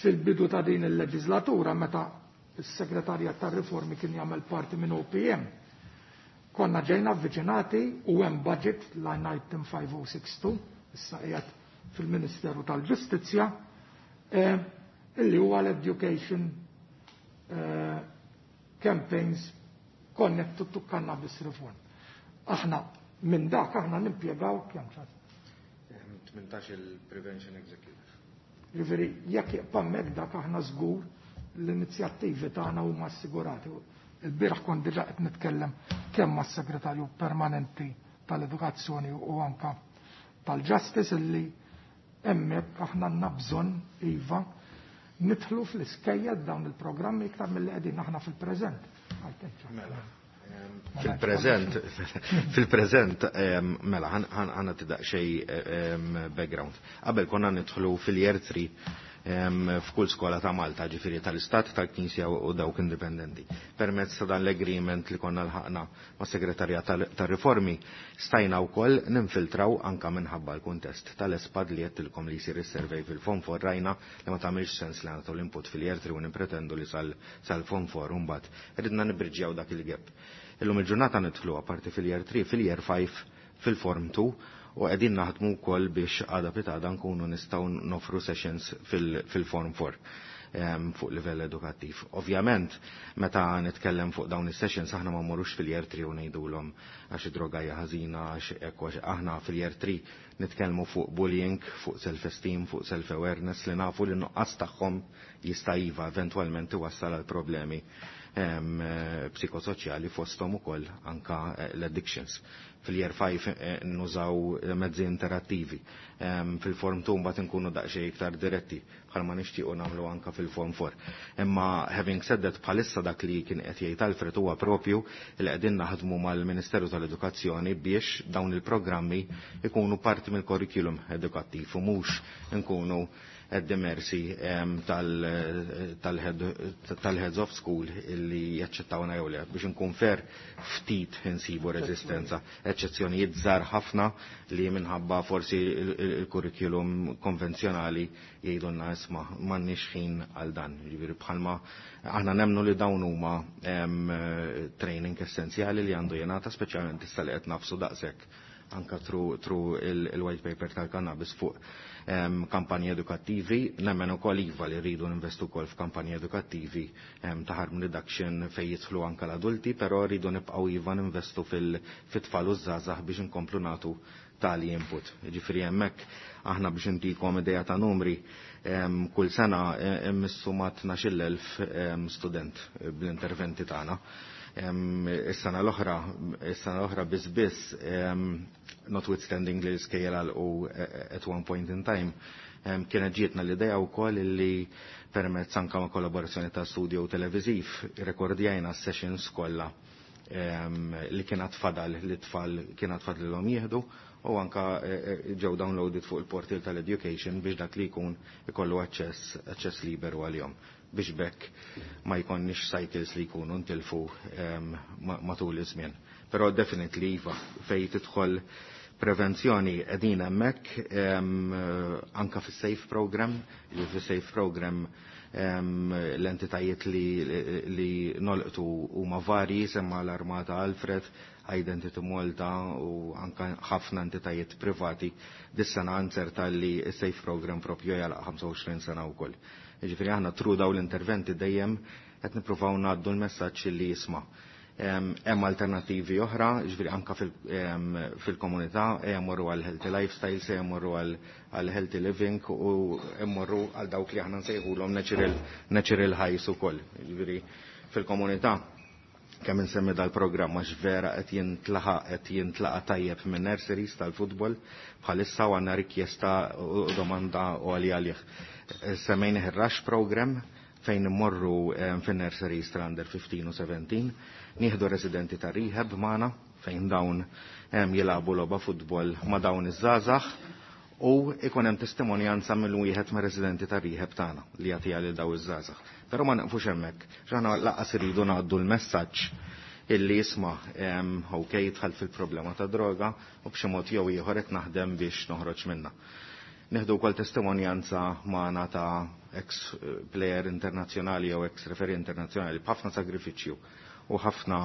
fil-bidu ta' din il-leġislatura meta il-segretarjat tar-riformi kien jagħmel parti minn O P M, konna ġejna avviċinati u hemm budget line item five oh six two, issa qiegħed fil-Ministeru tal-Ġustizzja, eh, illi huwa l-education eh, campaigns connected to cannabis reform. Aħna minn dak aħna nimpjegaw kemm ċas? tmintax il-Prevention Executive. Ġifieri jekk jibqa' hemmhekk dak, aħna żgur l-inizjattivi tagħna huma assigurati. Il-bieraħ kont diġà qed nitkellem kemm mas-segretarju permanenti tal-edukazzjoni u anka tal-Justice illi hemmhekk aħna għandna bżonn iva nidħlu fl-iskejjel dawn il-programmi iktar milli qegħdin aħna fil-preżent. Mela. Fil-preżent, fil-preżent, mela, ħa nagħti xi background. Qabel konna nidħlu fil-year three f'kull skola ta' Malta, ġifieri tal-Istat, tal-Knisja u dawk indipendenti. Permezz ta' dan l-agreement li konna lħaqna ma' segretarjat tar-riformi, stajna wkoll ninfiltraw anka minħabba l-kuntest tal-ESPAD li għedtilkom li jsir is-survey fil-Form Four. Rajna li ma tagħmilx sens li nagħtu l-input fil-year three u nimpretendu li sal-Form Four mbagħad. Ridna nibriġjaw dak il-gap. Illum il-ġurnata nidħlu apparti fil-year three, fil-year five, fil-Form two u qegħdin naħdmu wkoll biex għada pitgħada nkunu nistgħu nofru sessions fil-Form four fuq livell edukattiv. Ovvjament, meta nitkellem fuq dawn is-sessions, aħna ma mmorrux fil-year three u ngħidulhom għax id-droga hija ħażina, għax hekk, għax aħna fil-year three nitkellmu fuq bullying, fuq self-esteem, fuq self-awareness li nafu li nuqqas tagħhom jista' iva eventwalment iwassal għal problemi psikosoċjali, fosthom ukoll anka eh, l-addictions. Fil-year five eh, nużaw mezzi interattivi. Fil-Form two mbagħad inkunu daqsxejn iktar diretti bħalma nixtiequ nagħmlu anka fil-Form four. Imma having said that, bħalissa dak li kien qed jgħid Alfred huwa propju li qegħdin naħdmu mal-Ministeru tal-Edukazzjoni biex dawn il-programmi ikunu parti mill-curriculum edukattiv u mhux nkunu at the mercy tal-heads of school illi jaċċettawna jew le. Biex nkun fair, ftit insibu rezistenza. Eċċezzjonijiet żgħar ħafna li minħabba forsi il-curriculum konvenzjonali jgħidulna, "Isma', m'għandniex ħin għal dan." Ġifieri bħalma aħna nemnu li dawn huma training essenzjali li għandu jingħata, speċjalment issa li qed nagħfsu daqshekk anka through, through il-white paper tal-cannabis fuq um, kampanji edukattivi. Nemmen ukoll iva li rridu ninvestu wkoll f'kampanji edukattivi um, ta' harm reduction fejn jidħlu anka l-adulti, però rridu nibqgħu iva ninvestu fil-tfal u żgħażagħ biex inkomplu nagħtu tali input. Ġifieri hemmhekk aħna, biex intikom idea ta' numri, um, kull sena immissu ma' tnax-il elf student bl-interventi tagħna. Is-sena l-oħra, is-sena l-oħra biss biss, notwithstanding li l-iskejjel u at one point in time, kienet ġietna l-idea wkoll li permezz anka ma' kollaborazzjoni ta' studio televiziv rekordjajna sessions kollha li kienet fadal li tfal kienet fadlilhom jieħdu u anka e, e, ġew downloaded fuq il-portal tal-education biex dak li jkun ikollu aċċess aċċess liberu għalihom biex bekk ma jkonniex cycles li jkunu ntilfu matul iż-żmien. Però definitely iva, fej tidħol prevenzjoni qegħdin hemmhekk, anka fis-SAFE program, li fis-SAFE program l-entitajiet li, li nolqtu huma varji, semma l-Armata Alfred, Identity Malta u anka ħafna entitajiet privati. Dis-sena nzerta li s-Safe Program propju jalaq ħamsa u għoxrin sena wkoll. Jiġifieri aħna tru daw l-interventi dejjem qed nippruvaw ngħaddu l-messaġġ li jisma'. Hemm alternattivi oħra, jiġifieri anka fil-komunità, jmorru għal healthy lifestyles, jmorru għal healthy living u jmorru għal dawk li aħna nsejħulhom natural, natural highs ukoll. Jiġifieri fil-komunità kemm insemmi dal-programm għax vera qed jintlaħaq qed jintlaqa tajjeb minn nurseries tal-futbol bħalissa u għandna rikjesta u domanda għalija għalih. Semmejnih ir-Rush Program fejn immorru fin-nurseries tal-under fifteen u seventeen, nieħdu residenti ta' rehab magħna fejn dawn jilagħbu logħba futbol ma' dawn iż-żgħażagħ u ikun hemm testimonjanza mill wieħed mir residenti ta' rehab tagħna li jagħtiha lil daw iż-żgħażagħ. Però ma naqfux hemmhekk, x'aħna laqas iridu ngħaddu l-messaġġ illi jisma' ok jidħol fil-problema ta' droga u b'xi mod jew ieħor qed naħdem biex noħroġ minnha. Neħdu wkoll testimonjanza magħna ta' ex player internazzjonali jew ex referee internazzjonali b'ħafna sagrifiċċju u ħafna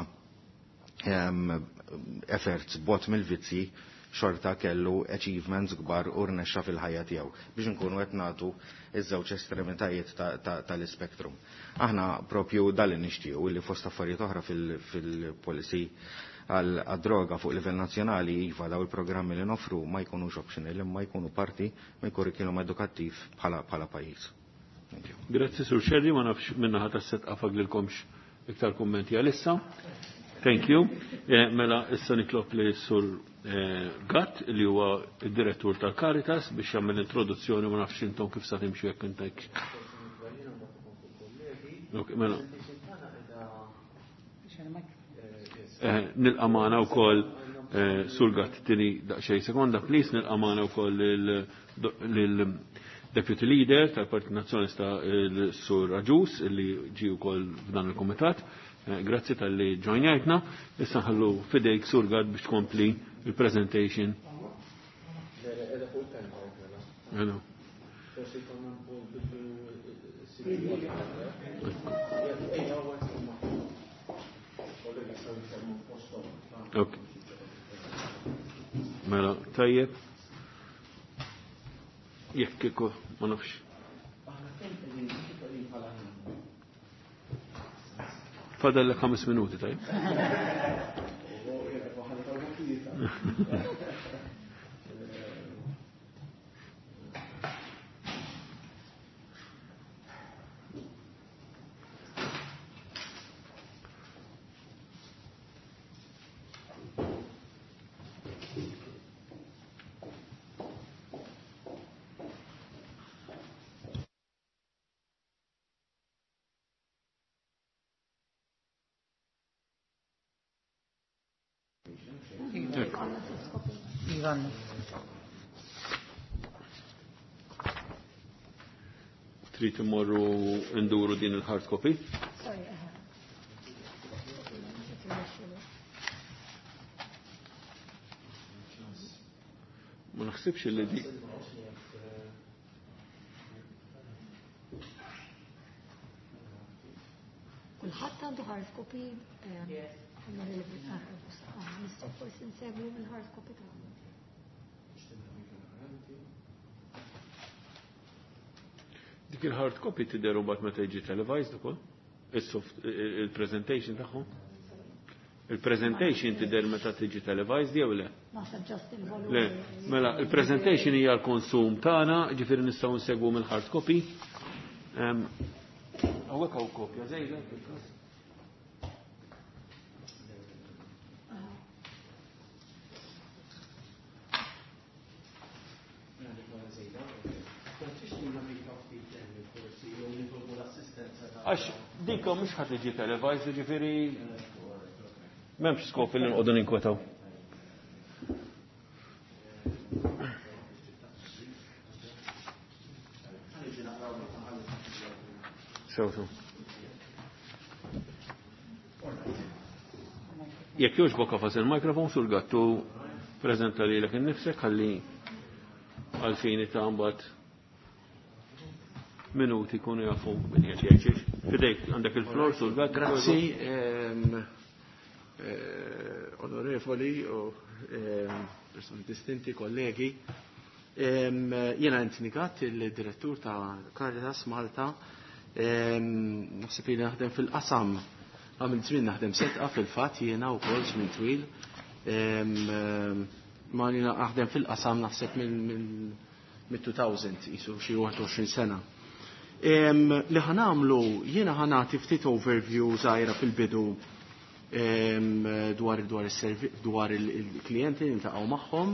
efforts bot mill-vizzi xorta kellu achievements kbar u rnexxa fil-ħajja tiegħu biex nkunu qed nagħtu iż-żewġ estremitajiet tal-ispektrum. Aħna propju dal nixtiequ li fost affarijiet oħra fil-policy għal-droga fuq livell nazzjonali iva daw il-programmi li nofru ma jkunux optional imma jkunu parti minn kurrikulum edukattiv bħala bħala pajjiż. Grazzi Sur Scerri, ma nafx minnaħa tas-set qafag lilkomx iktar kummenti għalissa. Thank you. Eh, mela issa nitlob li Sur eh, Gatt li huwa id-direttur tal-Caritas biex jagħmel introduzzjoni, ma nafx intom kif sa timxu jekk intek. Ok, mela. Eh, nilqa' magħna wkoll eh, Sur Gatt tini daqsxejn sekonda, please, nilqa' magħna wkoll lil Deputy Leader tal-Partit Nazzjonalista il-Sur Agius li ġie wkoll f'dan il-kumitat. Grazzi tal-li ġojnjajtna. Issa nħallu fidejk Sur Gatt biex tkompli il-presentation. Ok. Mela, tajjeb. Jekk kieku, ma nafx. Fadal lek ħames minuti, tajjeb. Trid immorru nduru din il-hard copy? Ma naħsibx li di. Kulħadd għandu hard copy. Nistgħu forsi nsegwu mill-hard copy tagħna. Dik il-hard copy tidher mbagħad meta jiġi televised ukoll? Is-soft il-presentation tagħhom? Il-presentation tidher meta tiġi televised jew le? Naħseb just il-volum. Le, mela il-presentation hija l-konsum tagħna, ġifieri nistgħu nsegwu mill-hard copy. Hawnhekk hawn kopja żejda fil-każ. Għax dikka mhux ħadd tiġi televised, ġifieri m'hemmx skop li nqogħdu ninkwetaw. Sew sew. Jekk jogħġbok qafas il-mikrofon Sur Gattu preżenta lilek innifsek ħalli għalfini ta' mbagħad minuti kunu jafu min qed jgħid. Fidejk għandek il-flor Sur Gatt. Grazzi. eh, onorevoli u eh, persuni distinti, kollegi. Jiena Anthony Gatt, il-direttur ta' Caritas Malta. Naħseb li naħdem fil-qasam, għamil żmien naħdem setqa fil-fatt jiena wkoll żmien twil. Ma jiena naħdem fil-qasam naħseb mill-two thousand, jisu xi wieħed u għoxrin sena. Li ħa nagħmlu, jiena ħa nagħti ftit overview żgħira fil-bidu dwar dwar dwar il-klijenti li niltaqgħu magħhom.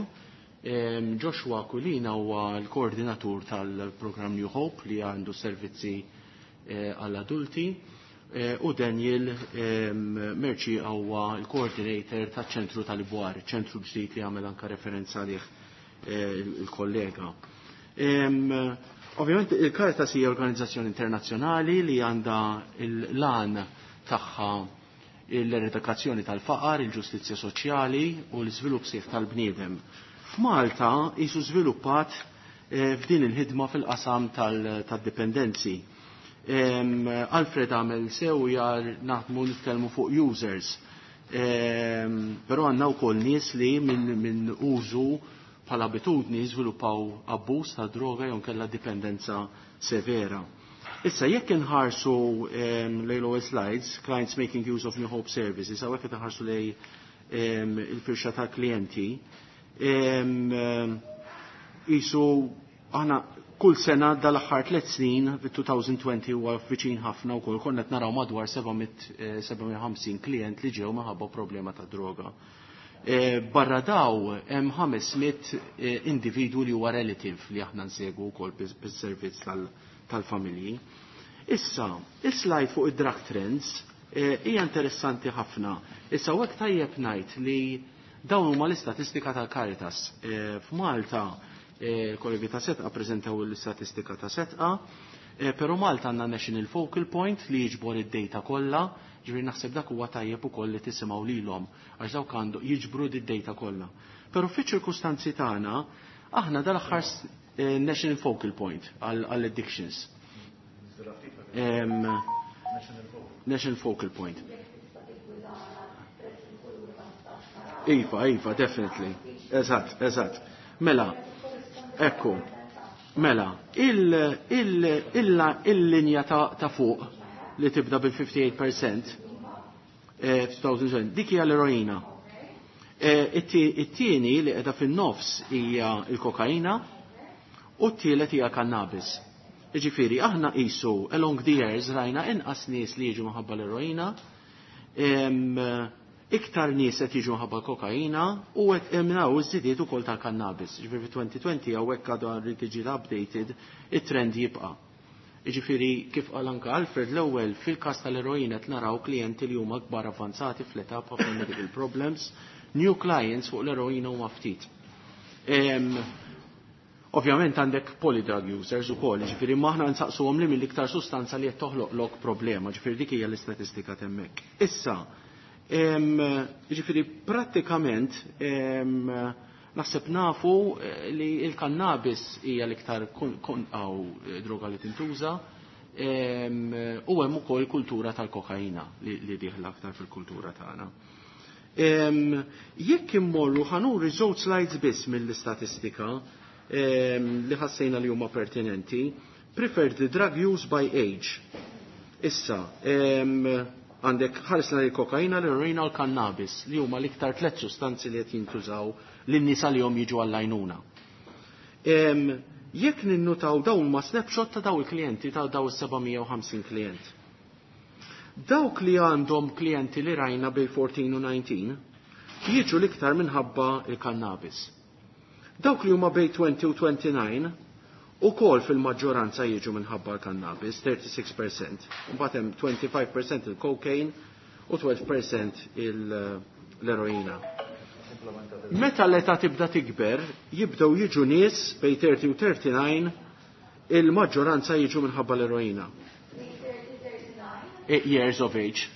Joshua Kulina huwa l-koordinatur tal-programm New Hope li għandu servizzi eh, għall-adulti eh, u Daniel Merci huwa l-coordinator tal-ċentru tal-Ibwar, ċentru ġdid li għamel anka referenza għalih eh, il-kollega. Ovvjament il-Caritas hija organizzazzjoni internazzjonali li għandha l-għan tagħha l-eradikazzjoni tal-faqar, il-ġustizzja soċjali u l-iżvilupp sieħ tal-bniedem. F'Malta jisu żviluppat eh, f'din il-ħidma fil-qasam tad-dipendenzi. Alfred għamel sew jar naħdmu nitkellmu fuq users. Però għandna wkoll nies li minn min użu bħala abitudni żviluppaw abbuż ta' droga jew kellha dipendenza severa. Issa, jekk inħarsu lejn l slides, clients making use of New Hope services, hawnhekk qed inħarsu lejn il-firxa ta' klijenti, jisu aħna kull sena dal-aħħar tliet snin, fit-twenty twenty huwa viċin ħafna wkoll, konna qed naraw madwar seba' mija u ħamsin klient li ġew minħabba problema ta' droga. E, barra daw hemm ħames mitt e, individwu li huwa relative li aħna nsegwu wkoll bis-servizz tal-familji. Issa, is-slide fuq id-drug trends e, hija interessanti ħafna. Issa hekk tajjeb ngħid li dawn huma l-istatistika tal-Caritas. F'Malta kollegi ta' Setqa preżentaw l-istatistika ta' Setqa, però Malta għandna National Focal Point li jiġbor id-data kollha, ġifieri naħseb dak huwa tajjeb ukoll li tisimgħu lilhom għax dawk għandu jiġbru d-data kollha. Però fiċ-ċirkustanzi tagħna aħna dal-aħħar National Focal Point għall-addictions. National Focal Point. Iva, iva, definitely. Eżatt, eżatt. Mela, ekku, mela, il-linja ta' fuq li tibda bil-fifty-eight percent f'twenty twenty, dik hija l-eroina. It-tieni li qiegħda fin-nofs hija l-kokaina u t-tielet hija cannabis. Ġifieri, aħna qisu along the years rajna inqas nies li jiġu minħabba l-eroina, iktar nies qed jiġu minħabba l-kokaina u qed naraw iż-żidiet ukoll tal-cannabis. Ġifieri fi twenty twenty hawnhekk għadu rrid tiġi updated, it-trend jibqa'. Ġifieri kif qal anke Alfred l-ewwel, fil-każ tal-eroina qed naraw klijenti li huma kbar, avanzati fl-età, b'ħafna medical problems, new clients fuq l-eroina huma ftit. Ovvjament għandek polydrug users ukoll, ġifieri aħna nsaqsuhom li mill-iktar sustanza li qed toħloqlok problema, ġifieri dik hija l-istatistika hemmhekk. Issa, ġifieri prattikament naħseb nafu eh, li il-kannabis hija l-iktar għaw eh, droga li tintuża u hemm ukoll kultura tal-kokaina li dieħla aktar fil-kultura tagħna. Jekk immorru, ħa nuri żewġ slides biss mill-istatistika li ħassejna li huma pertinenti. Preferred drug use by age. Issa, għandek ħarisna li kokaina, l-eroina u l-kannabis li huma l-iktar tliet sustanzi li qed jintużaw lin-nies li jom jiġu għall-għajnuna. Jekk ninnutaw, dawn ma snapshot ta' daw il-klijenti, ta' daw is-seba' mija u ħamsin klient. Dawk li għandhom klijenti li rajna bej fourteen u nineteen jiġu l-iktar minħabba il-kannabis. Dawk li huma bej twenty u twenty-nine ukoll fil-maġġoranza jiġu minħabba l-kannabis, thirty-six percent. Mbagħad hemm twenty-five percent il-cocaine u twelve percent l-eroina. Meta l-età tibda tikber, jibdew jiġu nies bej thirty u thirty-nine, il-maġġoranza jiġu minħabba l-eroina. Years of age.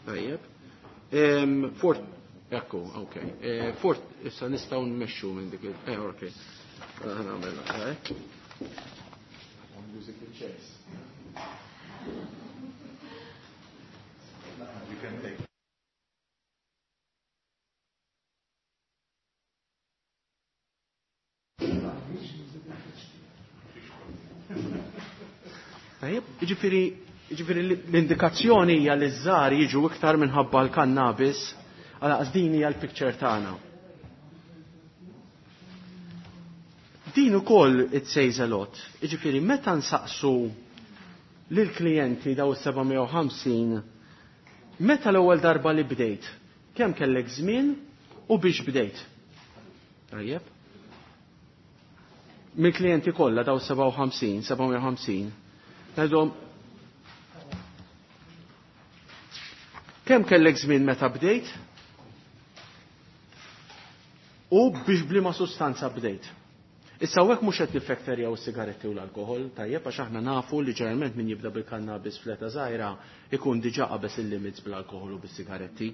Tajjeb. Ekku, ok. Eh, fort, issa nistgħu nmexxu minn dik il- Eh, ok. Ħa nagħmel, eh. Musical chairs. You can take. Tajjeb, jiġifieri jiġifieri l-indikazzjoni hija li ż-żgħar jiġu iktar minħabba l-kannabis, għalaqas din hija l-picture tagħna. Din ukoll it says a lot. Jiġifieri meta nsaqsu lill-klijenti daw is-seba' mija u ħamsin meta l-ewwel darba li bdejt, kemm kellek żmien u biex bdejt. Tajjeb? Mill-klijenti kollha daw seba' u ħamsin, seba' mija u ħamsin, ngħidhom kemm kellek żmien meta bdejt u biex bliema sustanza bdejt. Issa hawnhekk mhux qed niffekterjaw is-sigaretti u l-alkoħol, tajjeb, għax aħna nafu li ġeneralment min jibda bil-kannabis fl-età żgħira ikun diġà qabeż il-limits bl-alkoħol u bis-sigaretti.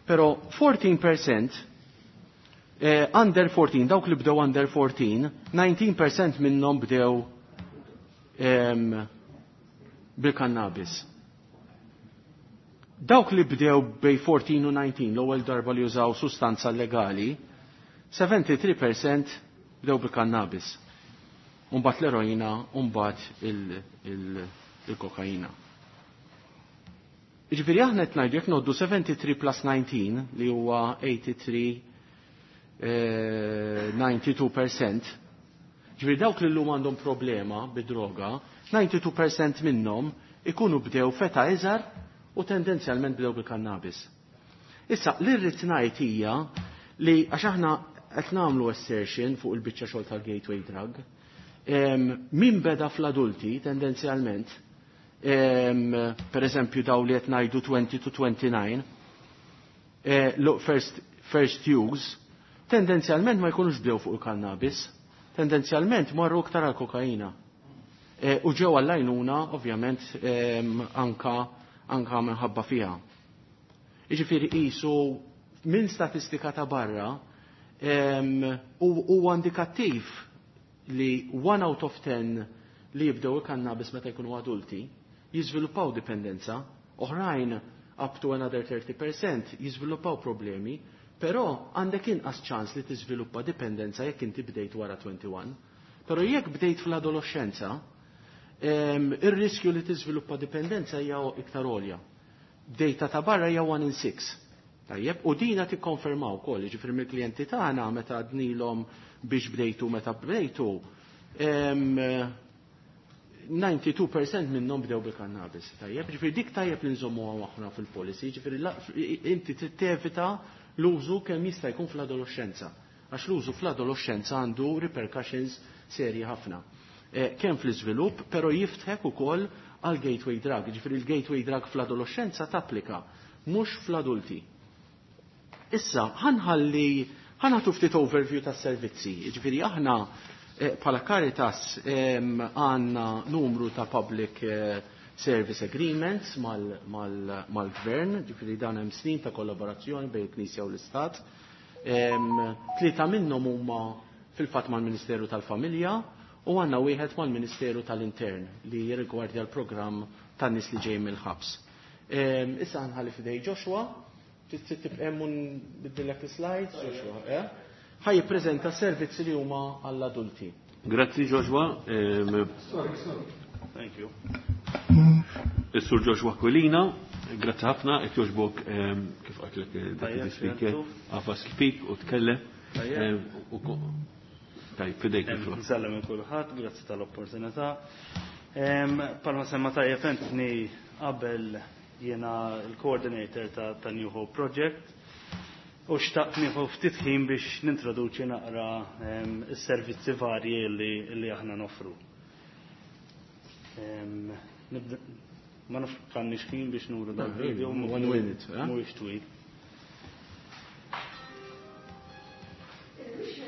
Però fourteen percent, eh, under fourteen, dawk li bdew under fourteen, nineteen percent minnhom bdew, em, bil-kannabis. Dawk li bdew bej fourteen u nineteen, l-ewwel darba li użaw sustanza legali, seventy-three percent bdew bil-kannabis. Umbagħad l-eroina, umbagħad il-, il-, il-kokaina. Jiġifieri aħna qed ngħidu jekk ngħoddu seventy-three plus nineteen li huwa eighty-three, eh, ninety-two percent. Jiġifieri dawk li llum għandhom problema bid-droga, ninety-two percent minnhom ikunu bdew feta iżgħar u tendenzjalment bdew bil-kannabis. Issa, li rrid ngħid hija li għax aħna qed nagħmlu assertion fuq il-biċċa xogħol tal-gateway drug, em, min beda fl-adulti tendenzjalment, em, per eżempju daw li qed ngħidu twenty to twenty-nine, eh, look, first, first use, tendenzjalment ma jkunux bdew fuq il-kannabis, tendenzjalment marru iktar għal-kokaina. Eh, u ġew għall-għajnuna, ovvjament, em, anka, anka minħabba fiha. Jiġifieri qisu minn statistika ta' barra, em, u-, huwa indikattiv li one out of ten li jibdew il-kannabis meta jkunu adulti jiżviluppaw dipendenza, oħrajn up to another thirty percent jiżviluppaw problemi, però għandek inqas ċans li tiżviluppa dipendenza jekk inti bdejt wara twenty-one. Però jekk bdejt fl-adolescenza, em, ir-riskju li tiżviluppa dipendenza hija iktar għolja. Data ta' barra hija one in six. Tajjeb, u dina tikkonfermaw ukoll, jiġifieri mill-klijenti tagħna meta għadnilhom biex bdejtu meta bdejtu, em, ninety-two percent minnhom bdew bil-kannabis. Tajjeb, jiġifieri dik tajjeb li nżommuha aħna fil-policy, jiġifieri la-, inti trid tevita l-użu kemm jista' jkun fl-adolescenza, għax l-użu fl-adolescenza għandu repercussions serji ħafna. Eh, kemm fl-iżvilupp, però jiftħek ukoll għal gateway drug, jiġifieri l-gateway drug fl-adolescenza tapplika, mhux fl-adulti. Issa, ħanħalli, ħanħatu ftit overview tas-servizzi, jiġifieri aħna, eh, bħala Caritas, em, għandna numru ta' public, eh, service agreements mal-, mal-, mal-gvern, jiġifieri dan hemm snin ta' kollaborazzjoni bejn il-Knisja u l-Istat. Em, tlieta minnhom huma fil-fatt mal-Ministeru tal-Familja u għandna wieħed mal-Ministeru tal-Intern li jirrigwardja l-programm tan-nies li ġej mill-ħabs. Em, issa ħanħalli f'idej Joshua, trid tibqa' hemm u nbiddillek is-slides, Joshua, eh? Ħaj jippreżenta servizzi li huma għall-adulti. Grazzi Joshua. Em, Sorry, sorry. Thank you. Is-Sur Joshua Aquilina, grazzi ħafna, qed jogħġbok, em, kif qaltlek, eh, Tajjeb, Deputy Speaker, Xentu. għafas il-pik u tkellem. Tajjeb. Em, u ko-, tajjeb, fidejk Em, il-flok. Nsellem il kulħadd, grazzi tal-opportunità. Em, palma semma tajjeb Anthony qabel jiena l-coordinator ta', ta' New Hope Project u xtaqt nieħu ftit ħin biex nintroduċi naqra, em, is-servizzi varji li, li aħna noffru. Em, nibda, ma nafx kanniex ħin biex nuru dal-video, One minute, eh? mhuwiex twil. Thank you.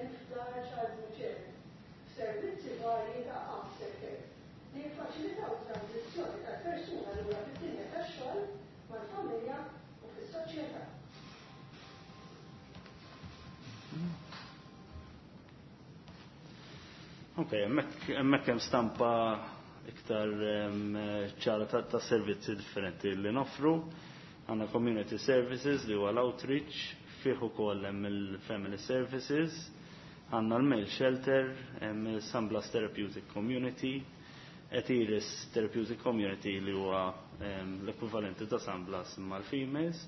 żmien f'Dar Charles Miceli, f'servizzi varji ta' aftercare li jiffaċilitaw transizzjoni tal-persuna lura fid-dinja tax-xogħol, mal-familja u fis-soċjetà. Ok, hemmhekk hemm stampa iktar ċara ta' servizzi differenti li noffru. Għandna community services li huwa l-outreach, fih ukoll hemm il-family services, għandna l-male shelter, hemm il-San Blas Therapeutic Community, Etiris Therapeutic Community li huwa l-ekwivalenti ta' San Blas mal-females,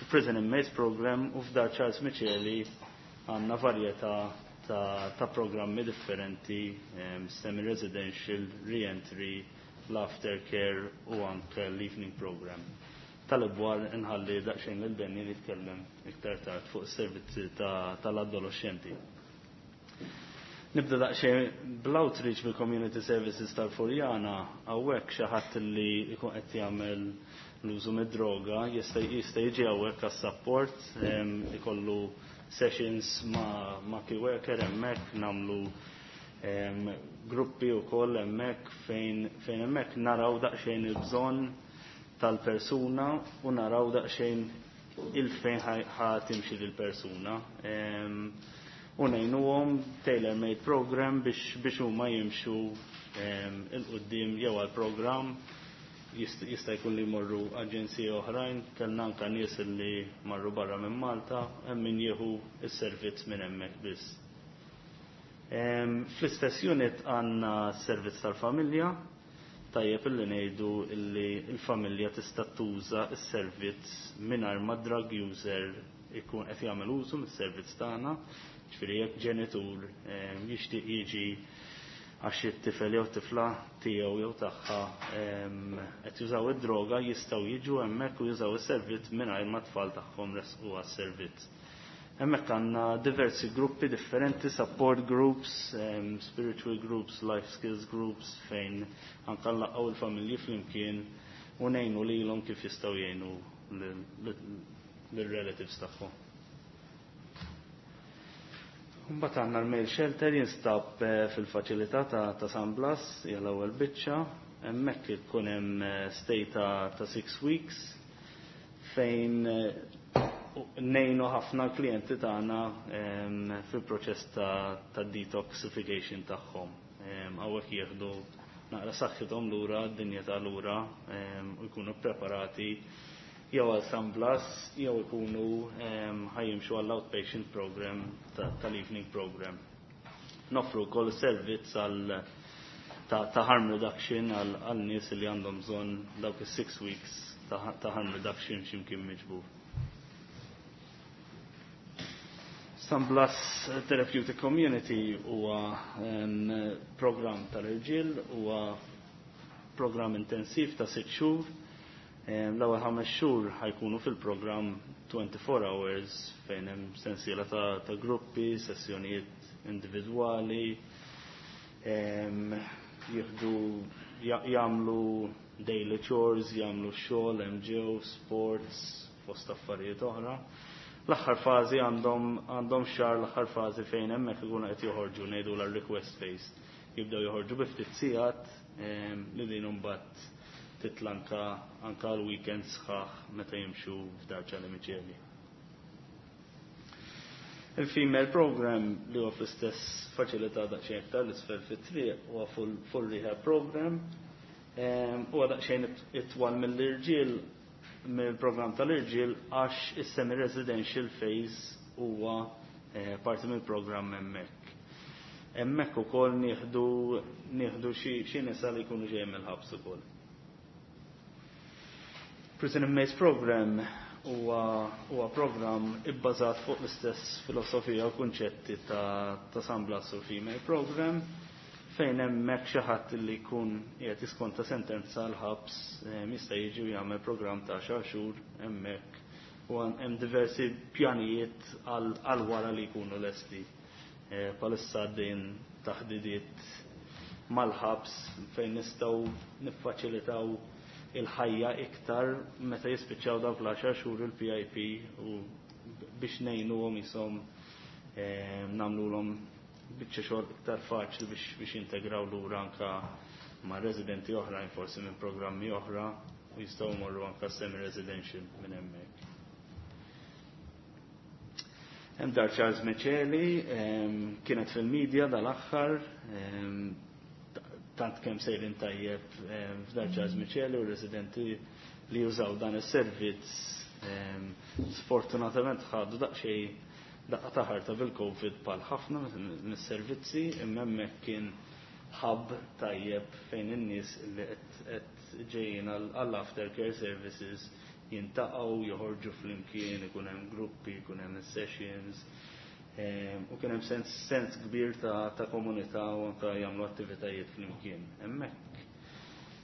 il-Prison Inmates Program u f'Dar Charles Miceli għandna varjetà ta', ta programmi differenti, um, semi-residential, re-entry, l-aftercare u anke l-evening program. Tal-ibwar nħalli daqsxejn lil Benny li jitkellem iktar tard fuq is-servizzi tal-adolescenti. Nibda daqsxejn bl-outreach bil-community services tal-Furjana, hawnhekk xi ħadd li jkun qed jagħmel l-użu mid-droga jista' jista' jiġi hawnhekk għas-support, ikollu sessions ma', ma key worker hemmhekk nagħmlu um, gruppi wkoll hemmhekk fejn fejn hemmhekk naraw daqsxejn il-bżonn tal-persuna u naraw daqsxejn il-fejn ħa timxi lill-persuna. Um, u ngħinuhom tailor-made program biex biex huma jimxu um, il-qudiem jew għall-programm jista' jkun li jmorru aġenziji oħrajn, kellna anke nies li marru barra minn Malta, hemm min jieħu s-servizz minn hemmhekk biss. Fl-istess unit għandna s-servizz tal-familja, tajjeb illi ngħidu illi l-familja tista' tuża s-servizz mingħajr ma drug user ikun qed jagħmel użu mis-servizz tagħna, ġifieri jekk ġenitur jixtieq jiġi għax it-tifel jew tifla tiegħu jew tagħha qed jużaw id-droga jistgħu jiġu hemmhekk u jużaw is-servizz mingħajr ma tfal tagħhom resqu għas-servizz. Hemmhekk għandna diversi gruppi differenti, support groups, um, spiritual groups, life skills groups, fejn anke nlaqgħu il-familji flimkien u ngħinu lilhom kif jistgħu jgħinu lill-relatives tagħhom. Mbagħad għandna l-mail shelter jinstab fil-faċilità ta', ta' San Blas, hija l-ewwel biċċa, hemmhekk ikun hemm stay ta', ta' six weeks fejn ngħinu ħafna klijenti tagħna fil-proċess ta', ta' detoxification tagħhom. Hawnhekk jieħdu naqra saħħithom lura, d-dinja ta' lura u jkunu preparati jew għal San Blas, jew ikunu ħajjimxu għall outpatient program tal-evening program. Noffru wkoll servizz għal ta', ta' harm reduction għal nies li għandhom bżonn dawk is-six weeks ta', ta' harm reduction x'imkien miġbur. San Blas Therapeutic Community huwa program tal-irġiel, huwa program intensiv ta' sitt xhur. L-ewwel ħames xhur ħajkunu fil-programm twenty-four hours fejn hemm sensiela ta', ta' gruppi, sessjonijiet individwali, jieħdu jagħmlu daily chores, jagħmlu xogħol, hemm ġew, sports, fost affarijiet oħra. L-aħħar fażi għandhom għandhom xahar l-aħħar fażi fejn hemmhekk ikunu qed joħorġu ngħidu l request phase. Jibdew joħorġu bi ftit sigħat li din imbagħad titlanka anka l-weekend sħaħ meta jimxu f'Dar Charlie Miceli. Il-female program li huwa fl-istess faċilità daqsxejn iktar l-isfel fit-triq huwa full, full rehab program. Huwa daqsxejn itwal mill-irġiel mill-program tal-irġiel għax is-semi-residential phase huwa eh, parti mill-programm hemmhekk. Hemmhekk ukoll nieħdu nieħdu xi nisa li jkunu ġejjin mill-ħabs ukoll. Prison Inmates Program huwa huwa program ibbażat fuq l-istess filosofija u kunċetti ta', ta' San Blas u Female Program fejn hemmhekk xi ħadd li jkun qiegħed jiskonta sentenza l-ħabs jista' jiġi u jagħmel programm ta' xar xhur hemmhekk u hemm diversi pjanijiet għal wara li jkunu lesti. Palissa għaddejn taħdidiet mal-ħabs fejn nistgħu niffaċilitaw il-ħajja iktar meta jispiċċaw dawk l-għaxar xhur il-P I P u biex ngħinuhom jisom nagħmluhom biċċa xogħol iktar faċli biex biex jintegraw lura anka ma' residenti oħrajn forsi minn programmi oħra u jistgħu jmorru anka semi-residential minn hemmhekk. Hemm Dar Charles Miceli, kienet fil-medja dal-aħħar, tant kemm sejrin tajjeb f'Dar Charles Miceli u residenti li jużaw dan is-servizz sfortunatament ħadu daqsxejn daqqa ta' ħarta bil-Covid bħal ħafna mis-servizzi, imma hemmhekk kien hub tajjeb fejn in-nies li qed ġejjin għall-aftercare services jintaqgħu, joħorġu flimkien, ikun hemm gruppi, ikun hemm sessions, u kien hemm sens, sens kbir ta', ta' komunità u anke jagħmlu attivitajiet flimkien. Hemmhekk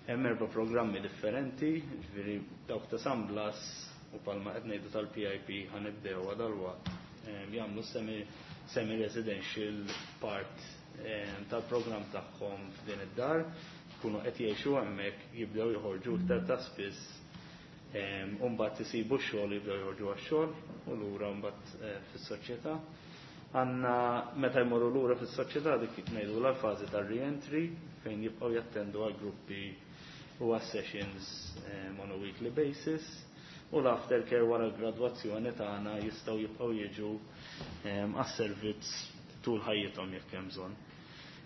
hemm erba' programmi differenti, ġifieri dawk ta' San Blas u palma qed ngħidu tal-P I P ħanibdew dalwaqt jagħmlu semi, semi-residential part tal-programm tagħhom f'din id-dar, jkunu qed jgħixu hemmhekk, jibdew joħorġu iktar ta' spiss, u mbagħad isibu x-xogħol, jibdew joħorġu għax-xogħol u lura mbagħad fis-soċjetà. Għandna meta jmorru lura fis-soċjetà dik ngħidu l-fażi tar-re-entry fejn jibqgħu jattendu għal gruppi u għas sessions on a weekly basis, u l-aftercare wara l-gradwazzjoni tagħna jistgħu jibqgħu jiġu għas-servizz tul ħajjithom jekk hemm bżonn.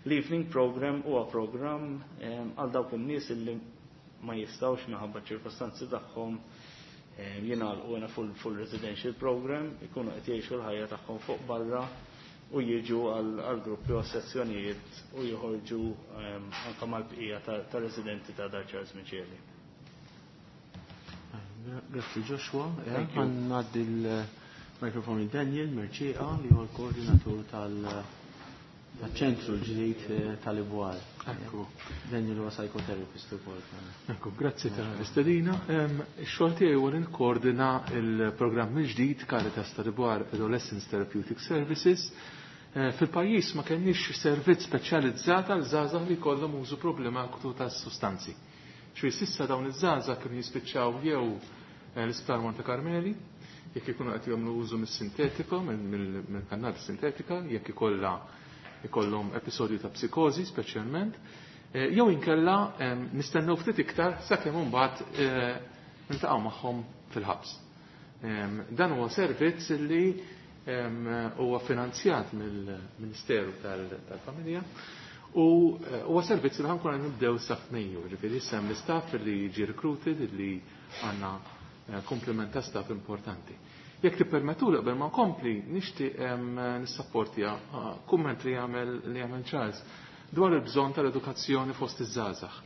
L-evening program huwa program għal dawk in-nies illi ma jistgħux minħabba ċirkostanzi tagħhom jingħalqu in a full, full residential program, ikunu qed jgħixu l-ħajja tagħhom fuq barra u jiġu għal gruppi u sessjonijiet u joħorġu anke mal-bqija ta' residenti ta' Dar Charles Miceli. Grazzi Joshua. Għandna il-mikrofon Daniel Mercieca li huwa l-koordinatur tal-ċentru l-ġdid tal-Ibwar. Ekku. Daniel huwa psychotherapist ukoll. Ekku, grazzi tal-istedina. Ix-xogħol tiegħi huwa li nikkoordina l-programm il-ġdid Caritas tal-Ibwar Adolescence Therapeutic Services. Fil-pajjiż ma kenniex servizz speċjalizzat għal żgħażagħ li jkollhom użu problematiku tas-sustanzi. Xi sissa dawn iż-żgħażagħ kienu jispiċċaw jew l-Isptar Monte Carmeli, jekk ikunu qed jagħmlu użu mis-sintetiko, mill-kannabis sintetika, jekk ikollha ikollhom episodju ta' psikożi speċjalment, jew inkella nistennew ftit iktar sakemm imbagħad niltaqgħu magħhom fil-ħabs. Dan huwa servizz li huwa finanzjat mill-Ministeru tal-Familja u huwa servizz li ħankun nibdew sa f'Mejju, ġifieri issa hemm l-istaff li jiġi recruited li għandna komplement ta' staff importanti. Jekk tippermettu li qabel ma nkompli nixtieq nissapportja kumment li jagħmel li jagħmel Charles dwar il-bżonn tal-edukazzjoni fost iż-żgħażagħ.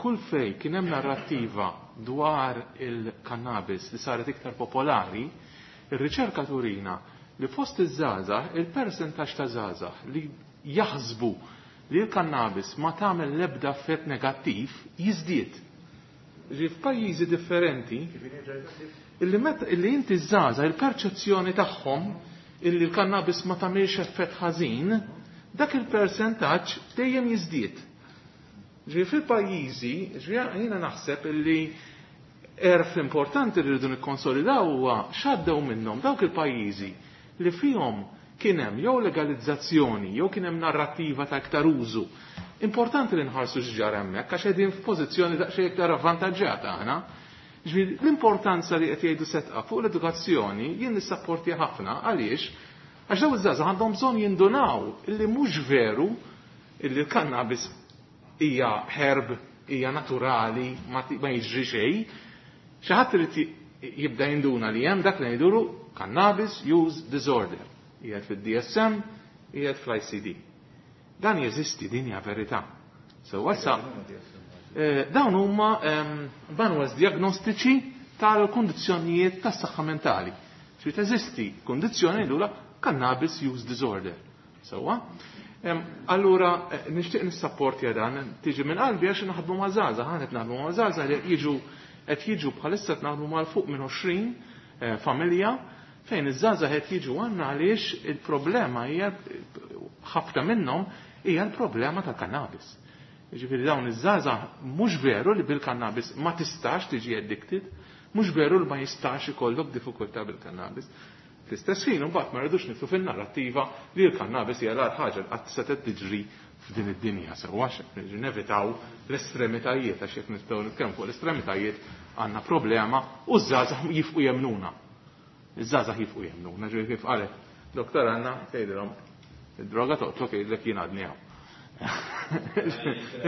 Kull fej kien hemm narrattiva dwar il-kannabis li saret iktar popolari, ir-riċerka turina li fost iż-żgħażagħ il-persentaġġ ta' żgħażagħ li jaħsbu li l-kannabis ma tagħmel l-ebda effett negattiv jiżdied. Ġi f'pajjiżi differenti illi meta illi inti żgħażagħ il-perċezzjoni tagħhom illi l-kannabis ma tagħmilx effett ħażin, dak il-persentaġġ dejjem jiżdied. Ġi fil-pajjiżi, ġi jiena naħseb illi erf importanti li rridu nikkonsolidaw huwa x'għaddew minnhom dawk il-pajjiżi li fihom kien hemm jew legalizzazzjoni jew kien hemm narrattiva ta' iktar użu. Importanti li nħarsu x'ġara hemmhekk għax qegħdin f'pożizzjoni daqsxejn iktar avvantaġġjata aħna. Ġifieri l-importanza li qed jgħidu setqa fuq l-edukazzjoni jien nissapporti ħafna għaliex għax dawn iż-żgħażagħ għandhom bżonn jindunaw illi mhux veru illi l-kannabis hija herb, hija naturali, ma jiġri xejn. Xi ħadd irid jibda jinduna li hemm dak li ngħidulu cannabis use disorder. Qiegħed fid-D S M, qiegħed fl-I C D. Dan jeżisti, din hija verità. So wassa dawn huma manuals diagnostiċi tal-kundizzjonijiet tas-saħħa mentali. Xi teżisti kundizzjoni lura cannabis use disorder. Sewwa? Allura nixtieq nissapporti dan, tiġi minn qalbi għax naħdmu ma' żgħażagħ, aħna qed naħdmu ma' żgħażagħ li jiġu qed jiġu bħalissa qed naħdmu mal fuq minn għoxrin familja fejn iż-żgħażagħ qed jiġu għandna għaliex il-problema hija ħafna minnhom hija l-problema tal-kannabis. Jiġifieri dawn iż-żgħażagħ mhux veru li bil-kannabis ma tistax tiġi addicted, mhux veru li ma jistax ikollok diffikultà bil-kannabis. Fl-istess ħin imbagħad ma rridux nidħlu fin-narrattiva li l-kannabis hija l-agħar ħaġa li qatt setgħet tiġri f'din id-dinja sewwa, nevitaw l-estremitajiet, għax jekk nistgħu nitkellmu fuq l-estremitajiet għandna problema u ż-żgħażagħ jifqu jemnuna. Iż-żgħażagħ jifqu jemnuna, ġifieri kif qalet Doktor Anna, tgħidilhom id-droga toqtlok, jgħidlek jien għadni hawn.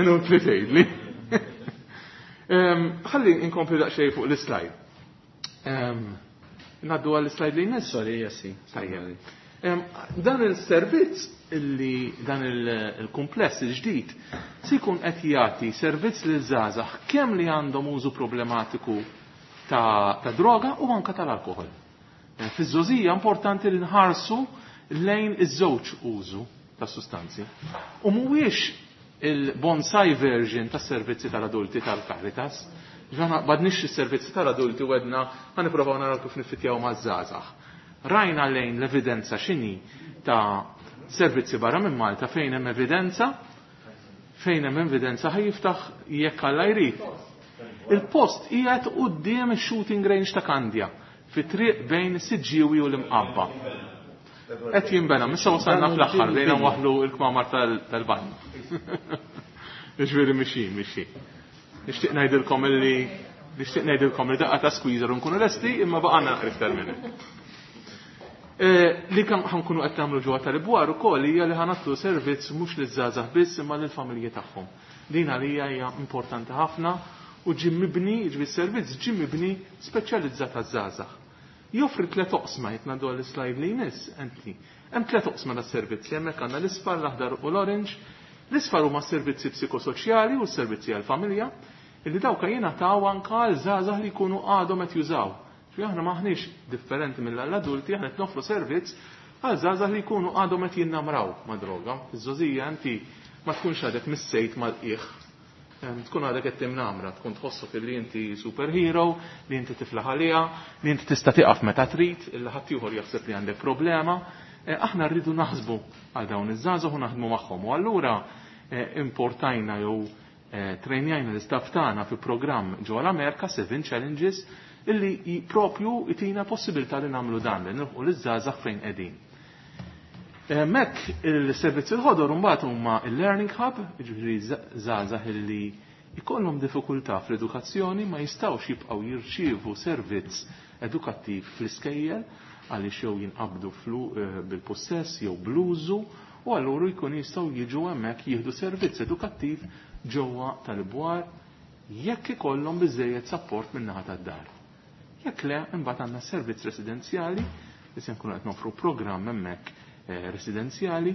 Inutli tgħidli. Ħalli inkompli daqsxejn fuq l-slide. Ngħaddu għall-slide li jmiss? Sorry, jessi. Tajjeb. Dan il-servizz illi dan il-kumpless il-ġdid se jkun qed jagħti servizz lil żgħażagħ kemm li għandhom użu problematiku ta', ta droga u anka tal-alkoħol. Fiż-żgħożija importanti li nħarsu lejn iż-żewġ użu ta' sustanzi. U mhuwiex il-bonsai version tas servizzi tal-adulti tal-Caritas. Ġana badnix is-servizzi tal-adulti u għedna ħa nippruvaw naraw kif niffitjaw maż-żgħażagħ. Rajna lejn l-evidenza x'inhi ta' servizzi barra minn Malta fejn hemm evidenza, fejn hemm evidenza ħaj jiftaħ jekk Alla jrid. Il-post qiegħed quddiem ix-shooting range ta' Kandja, fi triq bejn Siġġiewi u l-Imqabba. Qed jinbena, missa wasalna fl-aħħar bejna waħlu l-kmamar tal-banju. Ġifieri mixi, mixi. Nixtieq ngħidilkom illi nixtieq ngħidilkom li daqqa ta' squeezer u nkunu lesti, imma baqgħna naqra iktar minn hekk. Li ħankunu qed nagħmlu ġewwa tal-ibwar ukoll hija li ħanatlu servizz mhux liż-żgħażagħ biss imma lill-familji tagħhom. Din għalija hija importanti ħafna u ġie mibni, ġifieri servizz ġie mibni speċjalizzat għaż-żgħażagħ. Joffri tliet oqsma, jekk ngħaddu għall-slide li jmiss, Anthony. Hemm tliet oqsma tas-servizzi, hemmhekk għandna l-isfar, l-aħdar u l-orange. L-isfar huma s-servizzi psikosoċjali u s-servizzi għall-familja, illi dawk jingħataw anke għal żgħażagħ li jkunu għadhom qed jużaw. Ġifieri aħna m'aħniex differenti mill-adulti, aħna qed noffru servizz għal żgħażagħ li jkunu għadhom qed jinnamraw ma' droga. Iż-żgħożija inti ma tkunx għadek missejt mal-qiegħ. Tkun għadek qed timnamra, tkun tħossok li inti superhero, li inti tiflaħ għaliha, li inti tista' tieqaf meta trid, illi ħadd ieħor jaħseb li għandek problema. Aħna rridu naħsbu għal dawn iż-żgħażagħ u naħdmu magħhom. U allura importajna jew trejnjajna l-istaff tagħna fi programm ġewwa l-Amerika, Seven Challenges, illi propju itina possibilità li nagħmlu dan, li nilħqu liż-żgħażagħ fejn qegħdin. Mek il-servizzi l-ħodor mbagħad huma il-Learning Hub, jiġifieri żgħażagħ illi jkollhom diffikultà fl-edukazzjoni ma jistgħux jibqgħu jirċievu servizz edukattiv fl-iskejjel għaliex jew jinqabdu bil-possess jew bl-użu, u allura jkun jistgħu jiġu hemmhekk jieħdu servizz edukattiv ġewwa tal-bwar jekk ikollhom biżejjed sapport min-naħa tad-dar. Jekk le, imbagħad għandna servizz residenzjali li se nkunu qed nofru programm hemmhekk residenzjali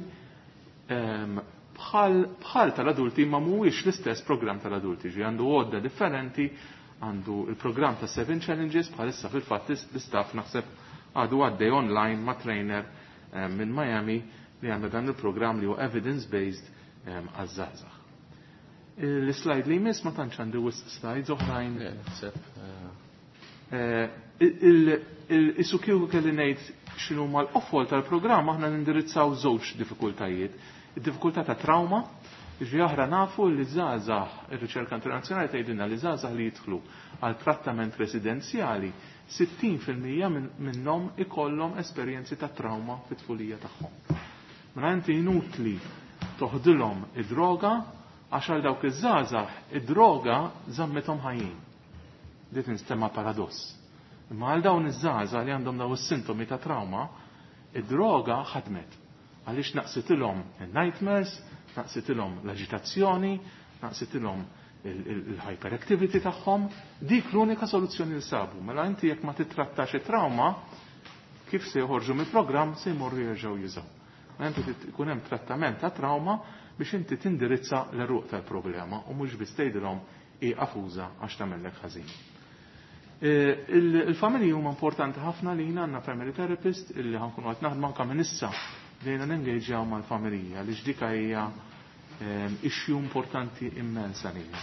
bħal bħal tal-adulti, ma mhuwiex l-istess programm tal-adulti, ġi għandu għodda differenti, għandu il-programm ta' Seven Challenges, bħalissa fil-fatt l-istaff naħseb għadu għaddej online ma' trainer minn Miami li għandha dan il-programm li huwa evidence-based għaż-żgħażagħ. L-slide li jmiss ma tantx għandi wisq slides oħrajn. Isu kieku kelli ngħid x'inhu mal-qofol tal-programm, aħna nindirizzaw żewġ diffikultajiet. Id-diffikultà ta' trauma, ġifieri aħna nafu li żgħażagħ, ir-riċerka internazzjonali tgħidilna li żgħażagħ li jidħlu għal trattament residenzjali, sittin fil-mija minnhom ikollhom esperjenzi ta' trauma fit-tfulija tagħhom. Mela inti inutli toħdilhom id-droga għax għal dawk iż-żgħażagħ id-droga żammithom ħajjin. Dit tinstema' paradoss. Imma għal dawn iż-żgħażagħ li għandhom dawn is-sintomi ta' trauma, id-droga ħadmet. Għaliex naqsitilhom il-nightmares, naqsitilhom l-aġitazzjoni, naqsitilhom il-hyperactivity tagħhom, dik l-unika soluzzjoni li sabu. Mela inti jekk ma titrattax it-trauma, kif se joħorġu mill-programm se jmorru jerġgħu jużaw. Mela inti trid ikun hemm trattament ta' trauma biex inti tindirizza l-eruq tal-problema u mhux biss tgħidilhom ieqaf uża għax tagħmellek ħażin. Il-familji huma importanti ħafna li jien għandna family therapist illi ħankunu qed naħdmu anke minn issa bdejna nengaġġjaw mal-familja li dik hija issue importanti immensa lilna.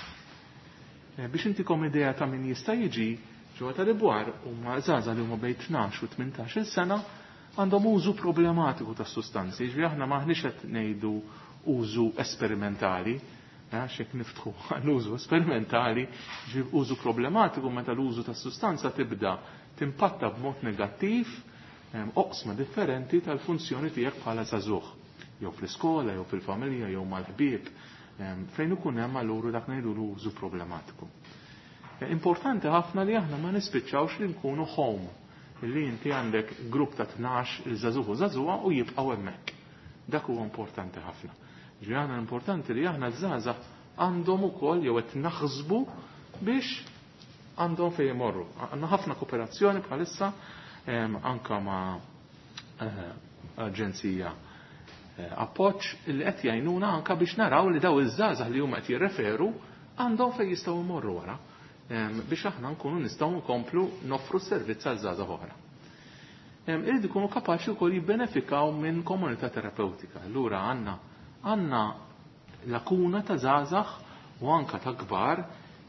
Biex intikom idea ta' min jista' jiġi ġewwa tal-ibwar huma żgħażagħ li huma bejn tnax u tmintax-il sena għandhom użu problematiku tas sustanzi, ġifieri aħna m'aħniex qed ngħidu użu esperimentali, għax jekk niftħu għall-użu esperimentali, ġifieri użu problematiku meta l-użu tas sustanza tibda timpatta b'mod negattiv oqsma differenti tal-funzjoni tiegħek bħala żagħżugħ, jew fl-iskola, jew fil-familja, jew mal-ħbieb, fejn ikun hemm allura dak ngħidu l-użu problematiku. Importanti ħafna li aħna ma nispiċċawx li nkunu home, li inti għandek grupp ta' tnax il-żagħżugħ u żagħżugħa u jibqgħu hemmhekk. Dak huwa importanti ħafna. Ġifieri aħna importanti li aħna żgħażagħ għandhom ukoll jew qed naħsbu biex għandhom fejn imorru. Għandna ħafna kooperazzjoni bħalissa anka ma' aġenzija appoġġ li qed jgħinuna anka biex naraw li daw iż-żgħażagħ li huma qed jirreferu għandhom fejn jistgħu jmorru wara biex aħna nkunu nistgħu nkomplu noffru servizz għal żgħażagħ oħra. Irid ikunu kapaċi wkoll jibbenefikaw minn komunità terapeutika. Allura għandna għandna lakuna ta' żgħażagħ u anka ta' kbar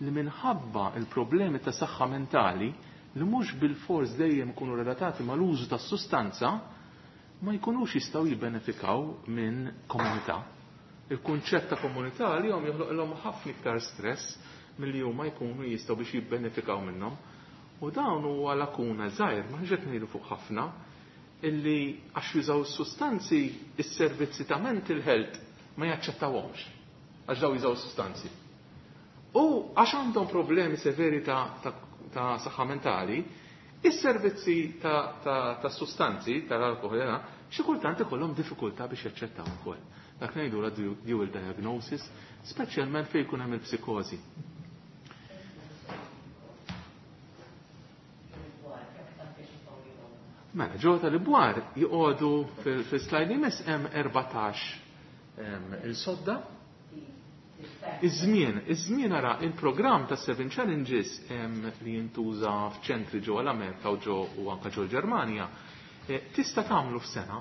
li minħabba il-problemi ta' saħħa mentali li mhux bil-fors dejjem ikunu relatati mal-użu tas-sustanza ma jkunux jistgħu jibbenefikaw minn komunità. Il-kunċett ta' komunità li jom joħloqilhom ħafna iktar stress milli huma jkunu jistgħu biex jibbenefikaw minnhom. U dawn huwa lakuna żgħir, ma ħġet ngħidu fuq ħafna, illi għax jużaw is-sustanzi is-servizzi ta' mental health ma jaċċettawhomx għax daw jużaw is-sustanzi. U għax għandhom problemi severi ta', ta, ta' saħħa mentali, is-servizzi ta', ta, ta' sustanzi tal-alkohol xi kultant ikollhom diffikultà biex jaċċettaw ukoll. Dak ngħidu la dual diagnosis, speċjalment fejn jkun hemm il-psikożi. Mela, ġo tal-ibwar joqogħdu fil-slide li jmiss hemm erbatax il-sodda. Iż-żmien, iż-żmien ara il-programm ta' Seven Challenges li jintuża f'ċentri ġo l-Amerika u ġo u anke ġo l-Ġermanja, tista' tagħmlu f'sena,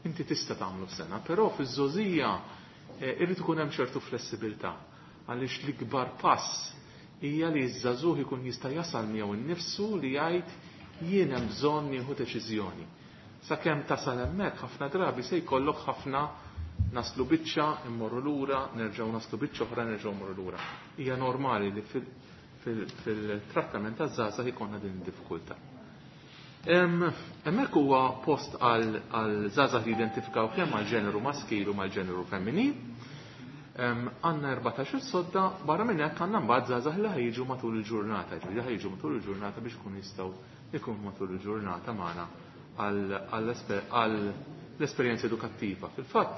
inti tista' tagħmlu f'sena, però fiż-żogħżija irid ikun hemm ċertu flessibilità għaliex l-ikbar pass hija li ż-żagħżugħ ikun jista' jasal miegħu nnifsu li jgħid jien hemm bżonn nieħu deċiżjoni. Sakemm tasal hemmhekk ħafna drabi se jkollok ħafna naslu biċċa, immorru lura, nerġgħu naslu biċċa oħra, nerġgħu mmorru lura. Hija normali li fil-trattament taż-żgħażagħ ikollna din id-diffikultà. Hemmhekk huwa post għal żgħażagħ li jidentifikaw kemm mal-ġeneru maskil u mal-ġeneru femminil. Għandna erbatax il-sodda, barra minn hekk għandna mbagħad żgħażagħ li ħajġu matul il-ġurnata, ġifieri ħajġu matul il-ġurnata biex ikunu jistgħu ikunu matul il-ġurnata magħna għall-esperjenza edukattiva. Fil-fatt,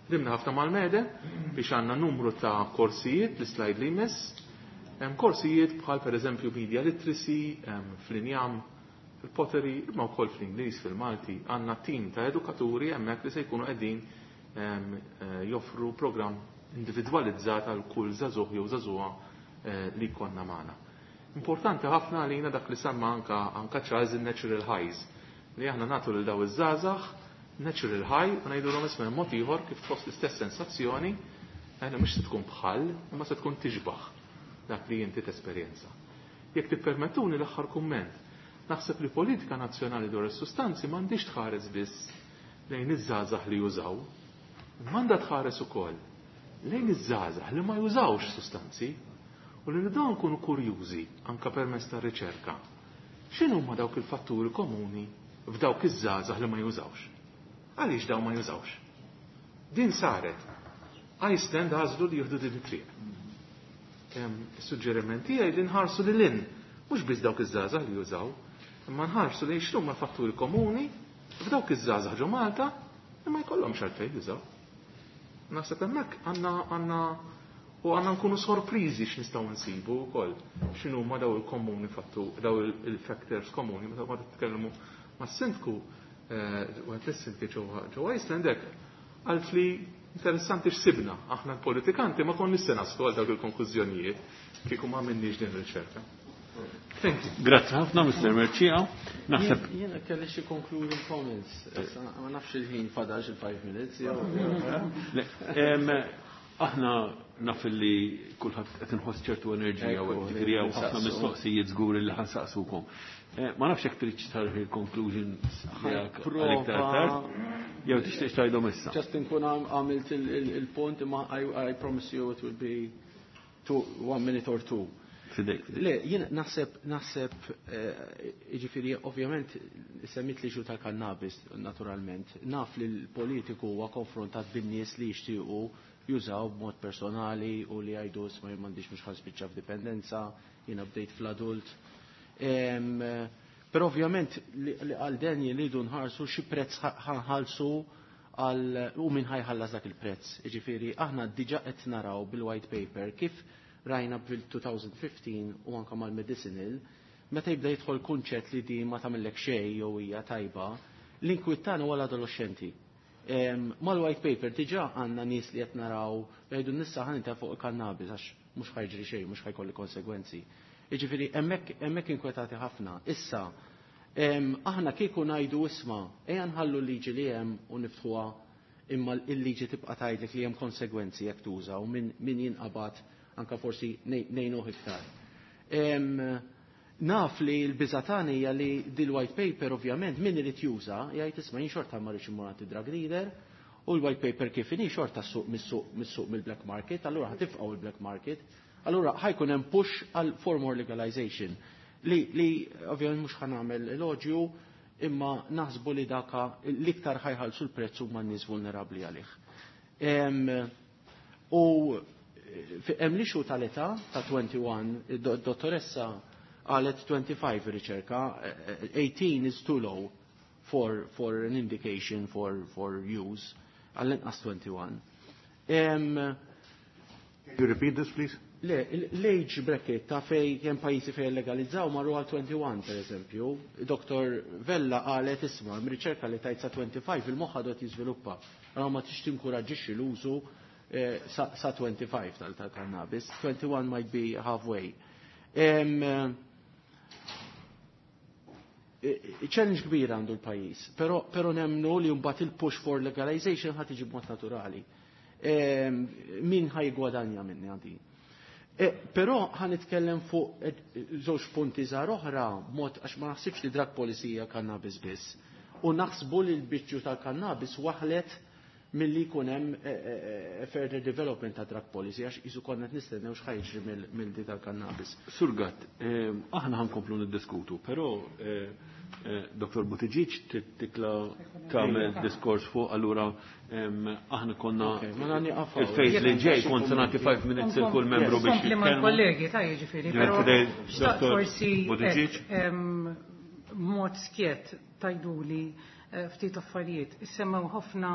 ħdimna ħafna mal-mede biex għandna numru ta' korsijiet, l-slide li jmiss, hemm korsijiet bħal pereżempju media literacy, fl-injam, fil-pottery, imma wkoll fl-Ingliż, fil-Malti, għandna tim ta' edukaturi hemmhekk li se jkunu qegħdin joffru programm individwalizzat għal kull żagħżugħ jew żagħżugħa li jkollna magħna. Importanti ħafna għalina dak li semma anka anka Charles il-natural highs, li aħna nagħtu lil daw iż-żgħażagħ natural high u ngħidulhom isma' mod ieħor kif tħoss l-istess sensazzjoni, aħna mhux se tkun bħal, imma se tkun tixbaħ dak li inti tesperjenza. Jekk tippermettuni l-aħħar kumment, naħseb li politika nazzjonali dwar is-sustanzi m'għandix tħares biss lejn iż-żgħażagħ li jużaw, imma għandha tħares ukoll lejn iż-żgħażagħ li ma jużawx sustanzi u li dawn nkunu kurjużi anka permezz tar-riċerka. X'inhuma dawk il-fatturi komuni f'dawk iż-żgħażagħ li ma jużawx? Għaliex dawn ma jużawx? Din saret. Iceland għażlu li jieħdu din it-triq. Is-suġġeriment tiegħi li nħarsu lil hinn, mhux biss dawk iż-żgħażagħ li jużaw, imma nħarsu lejn x'huma fatturi komuni f'dawk iż-żgħażagħ ġo Malta li ma jkollhomx għalfejn jużaw. Naħseb hemmhekk għandna għandna u għandna nkunu sorpriżi x'nistgħu nsibu wkoll x'inhuma daw il-komuni fattu, daw il-factors komuni meta ma titkellmu mas-sindku wieħed lis-sindki ġewwa Iceland hekk għalt li interessanti x'sibna aħna l-politikanti ma konniex se naslu għal dawk il-konklużjonijiet kieku ma għamilniex din ir-riċerka. Thank you. Grazzi ħafna Mister Mercieca. Naħseb jiena kelli xi concluding comments. Ma nafx il-ħin fadal xi five minutes jew. Aħna naf li kulħadd qed inħoss ċertu enerġija u qed tikrija u ħafna mistoqsijiet żgur li ħansaqsukom. Ma nafx jekk trid tarħi il-conclusion tiegħek għal iktar tard, jew tixtieq tgħidhom issa. Just inkun għamilt il-punt imma I promise you it will be two, one minute or two. Fidejk. Le, jien naħseb, naħseb, jiġifieri, ovvjament, semmit li ġu tal-kannabis, naturalment. Naf li l-politiku huwa konfrontat bin-nies li jixtiequ jużaw b'mod personali u li jgħidu isma' jien m'għandix mhux ħa nispiċċa f'dipendenza, jiena bdejt fl-adult. Però ovvjament li għal den li nħarsu xi prezz ħanħallsu għal u min ħajħallas dak il-prezz. Jiġifieri aħna diġà qed naraw bil-white paper kif rajna bil-twenty fifteen u anka mal-medicinal, meta jibda jidħol kunċett li di ma tagħmellek xejn jew hija tajba, l-inkwiet tagħna huwa l-adolescenti. Mal-white paper diġà għandna nies li qed naraw jgħidu nissa ħa nita fuq il-kannabis għax mhux ħajġri xejn, mhux ħajkolli konsegwenzi. Jiġifieri hemmhekk hemmhekk inkwetati ħafna. Issa, aħna kieku ngħidu isma' ejja nħallu l-liġi li hemm u niftħuha, imma l-liġi tibqa' tgħidlek li hemm konsegwenzi jekk tuża u min, min jinqabad anka forsi ngħinuh iktar. Naf li l-biża' tagħna hija li dil-white paper, ovvjament, min irid juża jgħid isma' jien xorta ma rridx immur għand drug dealer u l-white paper kif inhi xorta suq mis-suq mis-suq mill-black market, allura ħa tifqgħu il-black market, allura ħa jkun hemm push għal for more legalization. Li, li ovvjament mhux ħa nagħmel elogju, imma naħsbu li daka l-iktar ħa jħallsu l-prezz huma n-nies vulnerabbli għalih. U hemm l-issue tal-età ta' wieħed u għoxrin, id-dottoressa qalet twenty-five riċerka, eighteen is too low for, for an indication for, for use, għall-inqas twenty-one. Um, Can you repeat this, please? Le, l-age bracket ta' fej hemm pajjiżi fej legalizzaw marru għal wieħed u għoxrin, per eżempju. Doktor Vella qalet isma' riċerka li tajt sa twenty-five il-moħħ għadu jiżviluppa. Allora ma tix tinkoraġġixxi l-użu eh, sa, sa twenty-five tal-cannabis. twenty-one might be halfway. Um, challenge kbira għandu l-pajjiż, pero, pero nemnu li mbagħad il-push for legalization ħa tiġi b'mod naturali. Min ħa jiggwadanja minni għandi. E, però ħa nitkellem fuq żewġ punti żgħar oħra mod għax ma naħsibx li drug policy hija cannabis biss. U naħsbu li l-biċċu tal-cannabis waħlet milli jkun hemm further development ta' drug policy għax jisu konna qed nistennew x'ħa jiġri mill-di tal-cannabis. Sur Gatt, aħna ħankomplu niddiskutu, però Doktor Buttigieg titla tagħmel diskors fuq, allura aħna konna il-phase li ġej kont se nagħti five minutes il kull membru biex Kompli mal-kollegi, ta' jiġifieri, però forsi mod skjet tajduli ftit affarijiet. Issemmew ħafna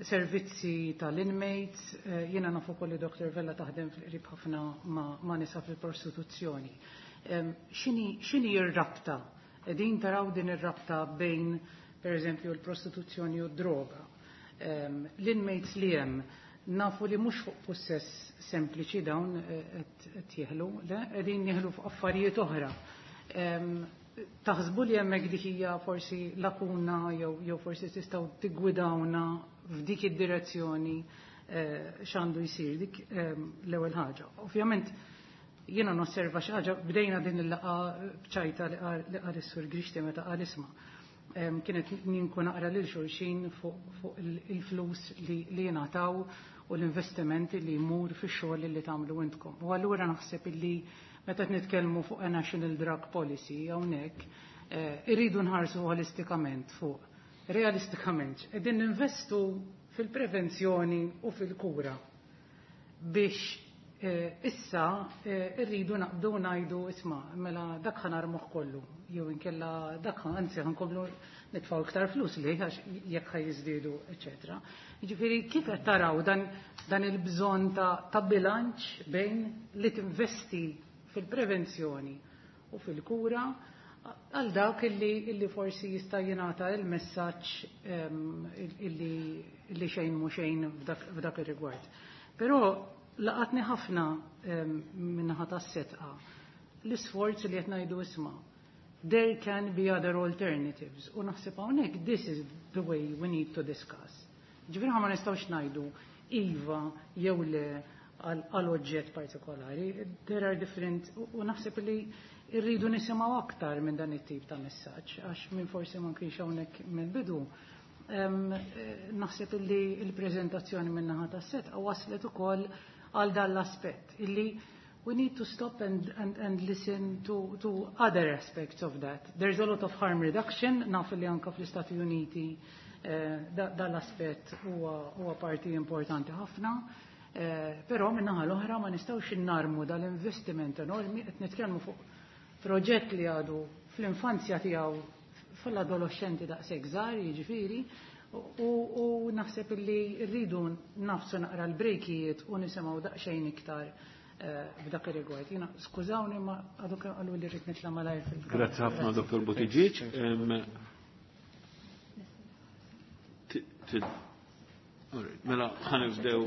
servizzi tal-inmates, jiena nafu ukoll li Doktor Vella taħdem fil-qrib ħafna ma' nisa fil-prostituzzjoni. X'inhi r-rabta? Din taraw din ir-rabta bejn, per eżempju, l-prostituzzjoni u d-droga. L-inmates li hemm nafu li mhux fuq possess sempliċi dawn qed jeħlu, le, qegħdin jeħlu fuq affarijiet oħra. Taħsbu li hemmhekk dik hija forsi lakuna jew jew forsi tistgħu tiggwidawna f'dik id-direzzjoni x'għandu jsir? Dik l-ewwel ħaġa. Ovvjament jiena nosserva xi ħaġa, bdejna din il-laqgħa b'ċajta li qal is-Sur Grixti meta qal isma'. Kienet ninku naqra lil xulxin fuq il-flus li jingħataw u l-investimenti li jmur fix-xogħol li tagħmlu intkom. U allura naħseb illi meta nitkellmu fuq a national drug policy hawnhekk irridu nħarsu holistikament fuq realistikament qegħdin ninvestu fil-prevenzjoni u fil-kura biex issa irridu naqbdu ngħidu isma' mela dak ħa narmuh kollu jew inkella dak anzi ħankomplu nitfgħu iktar flus li għax jekk ħa jiżdiedu, eċetera. Jiġifieri kif qed taraw dan, dan il-bżonn ta', ta' bilanċ bejn li tinvesti fil-prevenzjoni u fil-kura għal dak illi, illi forsi jista' jingħata il-messaġġ illi, illi xejn mhu xejn f'dak, f'dak ir-rigward. Però laqatni ħafna min-naħa tas-Sedqa l-isforz li qed ngħidu isma' there can be other alternatives, u naħseb hawnhekk this is the way we need to discuss. Ġifieri ma nistgħux ngħidu iva jew le għal oġġett partikolari, there are different, u naħseb li irridu nisimgħu aktar minn dan it-tip ta' messaġġ għax minn forsi ma kienx hawnhekk mill-bidu. Naħseb li l-preżentazzjoni min-naħa tas-Sedqa waslet ukoll għal dan l-aspett illi we need to stop and, and, and listen to, to other aspects of that. There's a lot of harm reduction, naf li anka fl-Istati Uniti eh, dal-aspett huwa parti importanti ħafna, eh, però min-naħa l-oħra ma nistgħux innarmu dal-investiment enormi, qed nitkellmu fuq proġett li għadu fl-infanzja tiegħu fl-adolescenti daqshekk żgħar, jiġifieri, u, u naħseb li rridu nagħfsu naqra l-brejkijiet u nisimgħu daqsxejn iktar f'dak ir-rigward. Jiena skużawni ma għadu kemm qalu li rrid nitla' malajr fil. Grazzi ħafna Dottor Buttigieg. Mela ħa nibdew,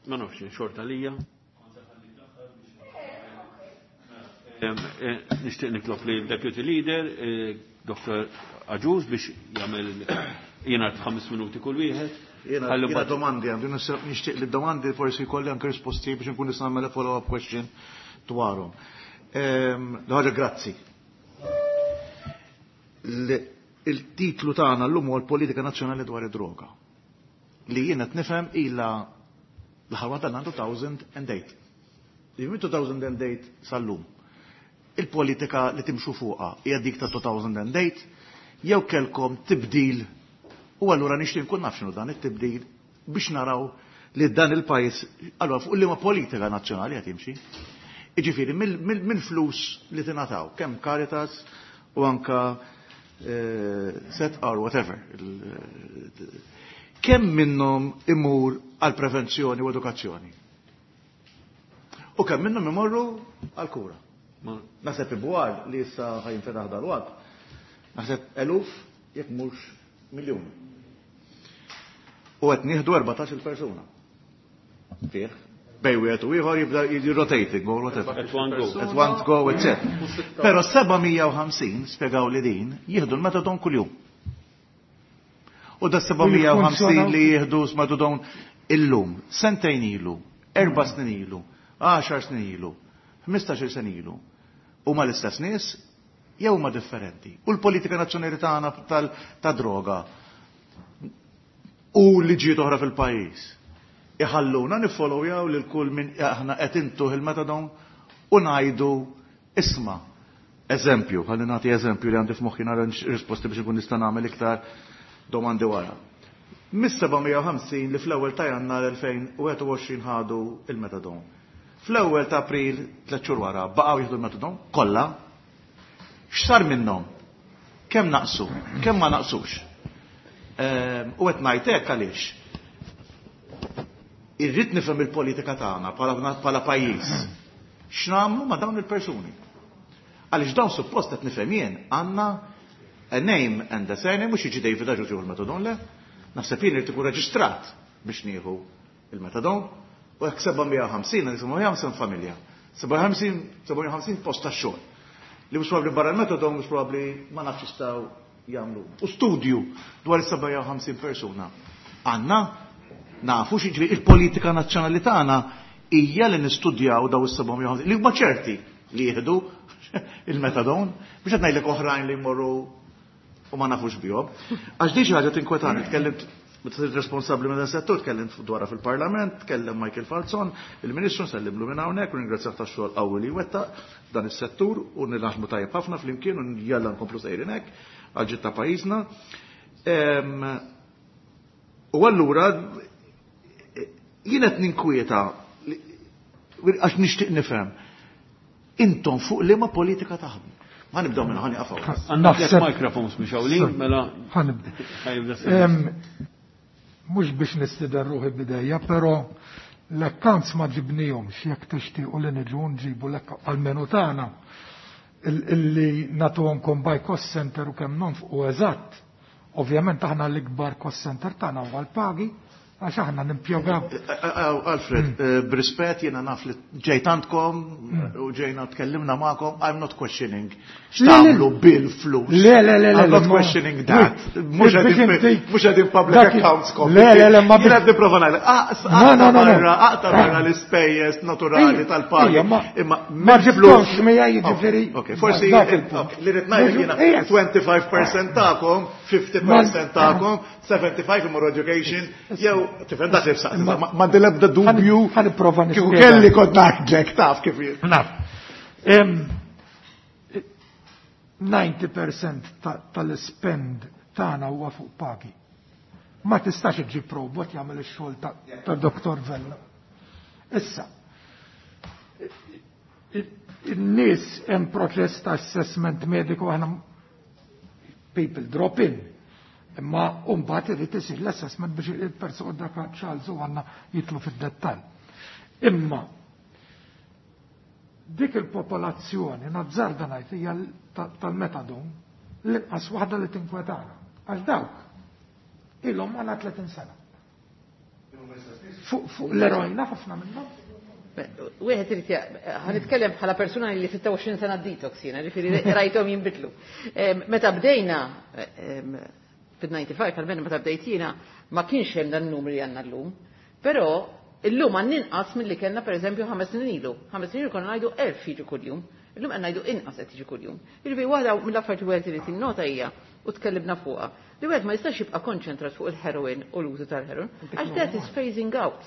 ma nafx xorta lija. Nixtieq nitlob li Deputy Leader, Dottor Agius, biex jagħmel jiena ħames minuti kull wieħed. Jiena domandi għandu, nixtieq li domandi forsi jkolli anke risposti biex nkun nista' nagħmel follow-up question dwarhom. L-ħaġa grazzi. Il-titlu tagħna llum huwa l-Politika Nazzjonali dwar id-droga. Li jiena qed nifhem ilha l-ħarwa tagħna two thousand and eight. Li minn two thousand and eight sal-lum. Il-politika li timxu fuqha hija dik ta' two thousand and eight jew kelkom tibdil. U allura nixtieq nkun naf x'inhu dan it-tibdil biex naraw li dan il-pajjiż allura fuq liema politika nazzjonali qed jimxi. Jiġifieri mill-flus li tingħataw kemm Caritas u anka set or whatever. Kemm minnhom imur għal prevenzjoni u edukazzjoni? U kemm minnhom imorru għal kura? Naħseb ibwar li issa ħajinfetaħ dal-waqt. Naħseb eluf jekk mhux miljun. U qed nieħdu erbatax il-persuna. Fih. Bej wieħed u ieħor jibda rotating or whatever. At one go. At one go, et cetera. Però seba' mija u ħamsin spjegaw li din jieħdu l-metadon kuljum. U da seba' mija u ħamsin li jieħdu metadon illum, sentejn ilu, erba' snin ilu, għaxar snin ilu, ħmistax-il sena ilu. Huma l-istess nies jew huma differenti. U l-politika nazzjonali tagħna ta' droga u liġijiet oħra fil-pajjiż iħalluna niffollowjaw lil kull min aħna qed intuh il-metadon u ngħidu isma' eżempju, ħalli nagħti eżempju li għandi f'moħħi nara risposti biex ikun nista' nagħmel iktar domandi wara. Mis-seba' mija u ħamsin li fl-ewwel ta' Jannar elfejn u wieħed u għoxrin ħadu il-metadon. Fl-ewwel ta' April tliet xhur wara baqgħu jieħdu l-metadon kollha. X'sar minnhom? Kemm naqsu? Kemm ma naqsux? Ehm, u qed ngħid hekk għaliex. Irrid nifhem il-politika tagħna bħala pajjiż. X'nagħmlu ma' dawn il-persuni? Għaliex dawn suppost qed nifhem jien għandna a name and a surname, mhux jiġi David Agius jieħu l-metadon le. Naħseb jien irid ikun reġistrat biex nieħu il-metadon. U hekk seba' mija u ħamsin, għandek seba' mija u ħamsin familja. Seba' mija u ħamsin, seba' mija u ħamsin post tax-xogħol. Li mhux probabbli barra l-metadon, mhux probabbli ma nafx jistgħu jagħmlu. U studju dwar is-seba' mija u ħamsin persuna. Għandna nafu x'jiġri il-politika nazzjonali tagħna hija li nistudjaw daw is-seba' mija u ħamsin li huma ċerti li jieħdu il-metadon biex qed ngħidlek oħrajn li jmorru u ma nafux bihom. Għax di xi ħaġa tinkwetani, tkellimt meta sirt responsabbli minn dan settur, tkellimt dwarha fil-Parlament, tkellem Michael Falzon, il-Ministru nsellimlu minn hawnhekk u ringrazzjah tax-xogħol qawwi li wettaq dan is-settur u nilħmu tajjeb ħafna flimkien u jalla nkomplu sejrin hekk għal ġid ta' pajjiżna. Ehm, u allura jien qed ninkwieta għax nixtieq nifhem. Intom fuq liema politika taħdmu? Ħa nibdew minn ħani qafaw. Għandna tliet microphones mhux hawnlin, mela Ħa nibda. Ħa jibda Ehm, mhux biex nistieden ruħi bidejja, però l-accounts ma ġibnihomx jekk tixtiequ li niġu nġibu l-accounts għall-menu tagħna illi nagħtuhomkom by cost center u kemm nonfqu eżatt. Ovvjament aħna l-ikbar cost center tagħna huwa l-pagi, għax aħna nimpjegaw. Alfred, b'rispett jiena naf li ġejt għandkom u ġejna tkellimna magħkom, I'm not questioning x'tagħmlu bil-flus. Le, le, le, le, I'm not ma- questioning that. Mhux Mhux qegħdin biex inti- mhux qegħdin public dak- accounts Le, le, le, ma Jiena biex- qed nipprova ngħidlek, ah, No, no, no, no. barra, aqta' barra l-ispejjeż naturali Ejja, tal-pagi. ejja, ma- Imma ma mill-flus- ġibtomx miegħi, jiġifieri, Ok, forsi dak il-punt. ok, li rrid ngħidlek jiena Ejja. twenty-five percent tagħkom, fifty percent tagħkom, seventy-five imorru education, jew Tifhem dak li fsaqsi, ma dilebda dubju. Ħa nipprova Kieku kelli kont ngħidlek taf kif jien. Naf. ninety percent tal-spend tagħna huwa fuq pagi. Ma tistax iġib robot jagħmel ix-xogħol ta' Doktor Vella. Issa, in-nies hemm proċess ta' assessment mediku, aħna people drop in. Imma mbagħad irid isir l-assessment biex il-persuna, dak Charles u għandna jitlu fid-dettall. Imma dik il-popolazzjoni, nazzarda ngħid, hija tal-metadon l-inqas waħda li tinkwetana. Għax dawk ilhom għal tletin sena. Fuq l-eroina ħafna minnhom. Wieħed irid, ħa nitkellem bħala persuna li sitta u għoxrin sena detox jiena, ġifieri rajthom jinbidlu. Meta bdejna fid-disgħa u disgħin, almenu meta bdejt jiena, ma kienx hemm dan numri li għandna llum. Però illum għandna inqas milli kellna, pereżempju, ħames snin ilu. Ħames snin ilu konna ngħidu elf jiġu kuljum. Illum qed ngħidu inqas qed jiġu kuljum. Jiġifieri waħda mill-affarijiet wieħed irid jinnota hija, u tkellimna fuqha, li wieħed ma jistax jibqa' konċentrat fuq il-heroin u l-użu tal-heroin, għax that is phasing out.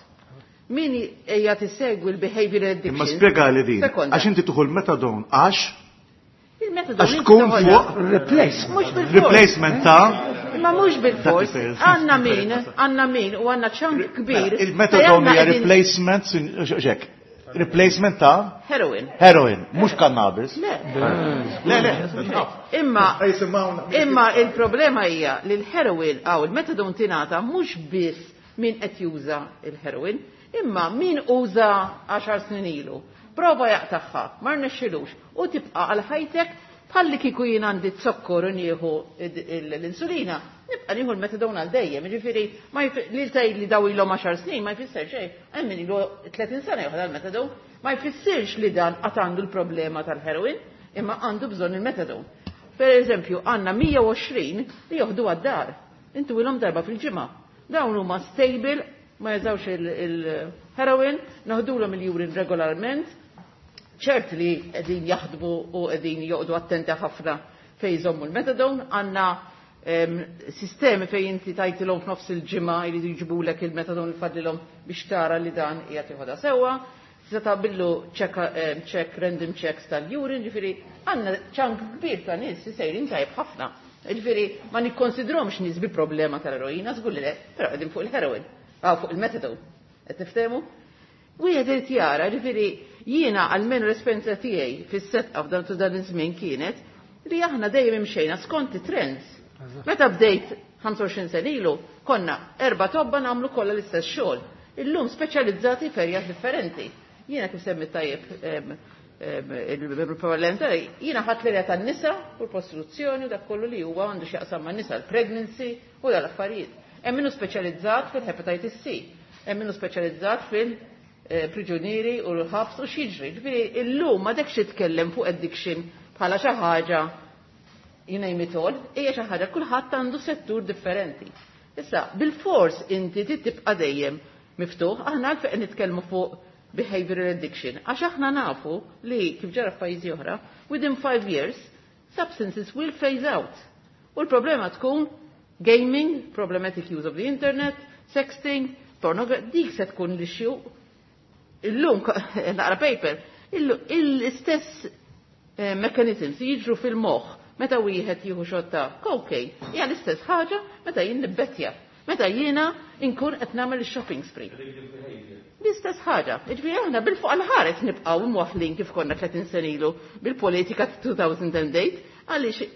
Min ejja tissegwi l-behavior addiction. Imma spjega li din. Sekonda. Għax inti tuħu l-metadon għax Il-metadon għax tkun fuq replacement. Mhux bil-fors. Replacement ta' Imma mhux bil-fors. Dak li Għandna min, għandna min u għandna chunk kbir. Il-metadon fejn hija għandna replacement, xek, replacement ta' heroin. Heroin, mhux cannabis. Le. Le, le. Imma imma il-problema hija li l-heroin aw il-metadon tingħata mhux biss min qed juża il-heroin, imma min uża għaxar snin ilu. Prova jaqtagħha, ma rnexxilux u tibqa' għal ħajtek bħalli kieku jien għandi zokkor u nieħu l-insulina, nibqa' nieħu l-metadon għal dejjem, jiġifieri ma li tgħid li daw ilhom għaxar snin ma jfisser xejn, hemm min ilu tletin sena joħod l-metadon, ma jfissirx li dan qatt għandu l-problema tal-heroin, imma għandu bżonn il-metadon. Per eżempju, għandna mija u għoxrin li joħdu għad-dar. Intu ilhom darba fil-ġimgħa. Dawn huma stable, ma jużawx il-heroin, naħdulhom il-urine regolarment, ċert li qegħdin jaħdmu u qegħdin joqogħdu attenti ħafna fejn jżommu l-metadon, għandna sistemi fejn inti tajtilhom f'nofs il-ġimgħa jridu jġibulek il-metadon li fadlilhom biex tara li dan qiegħed joħodha sewwa. Tista' tagħmillu check, check random checks tal-urine, ġifieri għandna chunk kbir ta' nies li sejrin tajjeb ħafna. Ġifieri ma nikkonsidromx nies bi problema tal-eroina, żgur li le, però qegħdin fuq il-heroin, aw fuq il-metadon. Qed niftehmu? Wieħed irid jara, ġifieri jiena almenu l-esperjenza tiegħi fis-setqa f'dan dan iż-żmien kienet li aħna dejjem imxejna skont it-trends. Meta bdejt ħamsa u għoxrin sena ilu, konna erba' tobba nagħmlu kollha l-istess xogħol. Illum speċjalizzati f'areas differenti. Jiena, kif semmi tajjeb il-membru parlamentari, jiena ħadt l-area tan-nisa u l-prostituzzjoni u dak kollu li huwa għandu x'jaqsam man-nisa, l-pregnancy u dal-affarijiet. Hemm minnu speċjalizzat fil-hepatitis C, hemm minnu speċjalizzat fil-priġunieri u l-ħabs u x'jiġri. Ġifieri illum ma dekx titkellem fuq addiction bħala xi ħaġa you name it all, hija xi ħaġa kulħadd għandu settur differenti. Issa, bil-fors inti tibqa' dejjem miftuħ, aħna għalfejn nitkellmu fuq behavioral addiction, għax aħna nafu li kif ġara f'pajjiżi oħra, within five years, substances will phase out. U l-problema tkun gaming, problematic use of the internet, sexting, pornography, dik se tkun l-issue. Illum, naqra paper, l-istess eh, mechanisms jiġru fil-moħħ meta wieħed jieħu shot ta' cocaine, hija l-istess ħaġa meta jien nibbettja, meta jiena inkun qed nagħmel shopping spree. L-istess ħaġa. Jiġifieri aħna bil-fuq għal-ħares nibqgħu imwaħlin kif konna tletin sena ilu bil-politika elfejn u tmienja, għaliex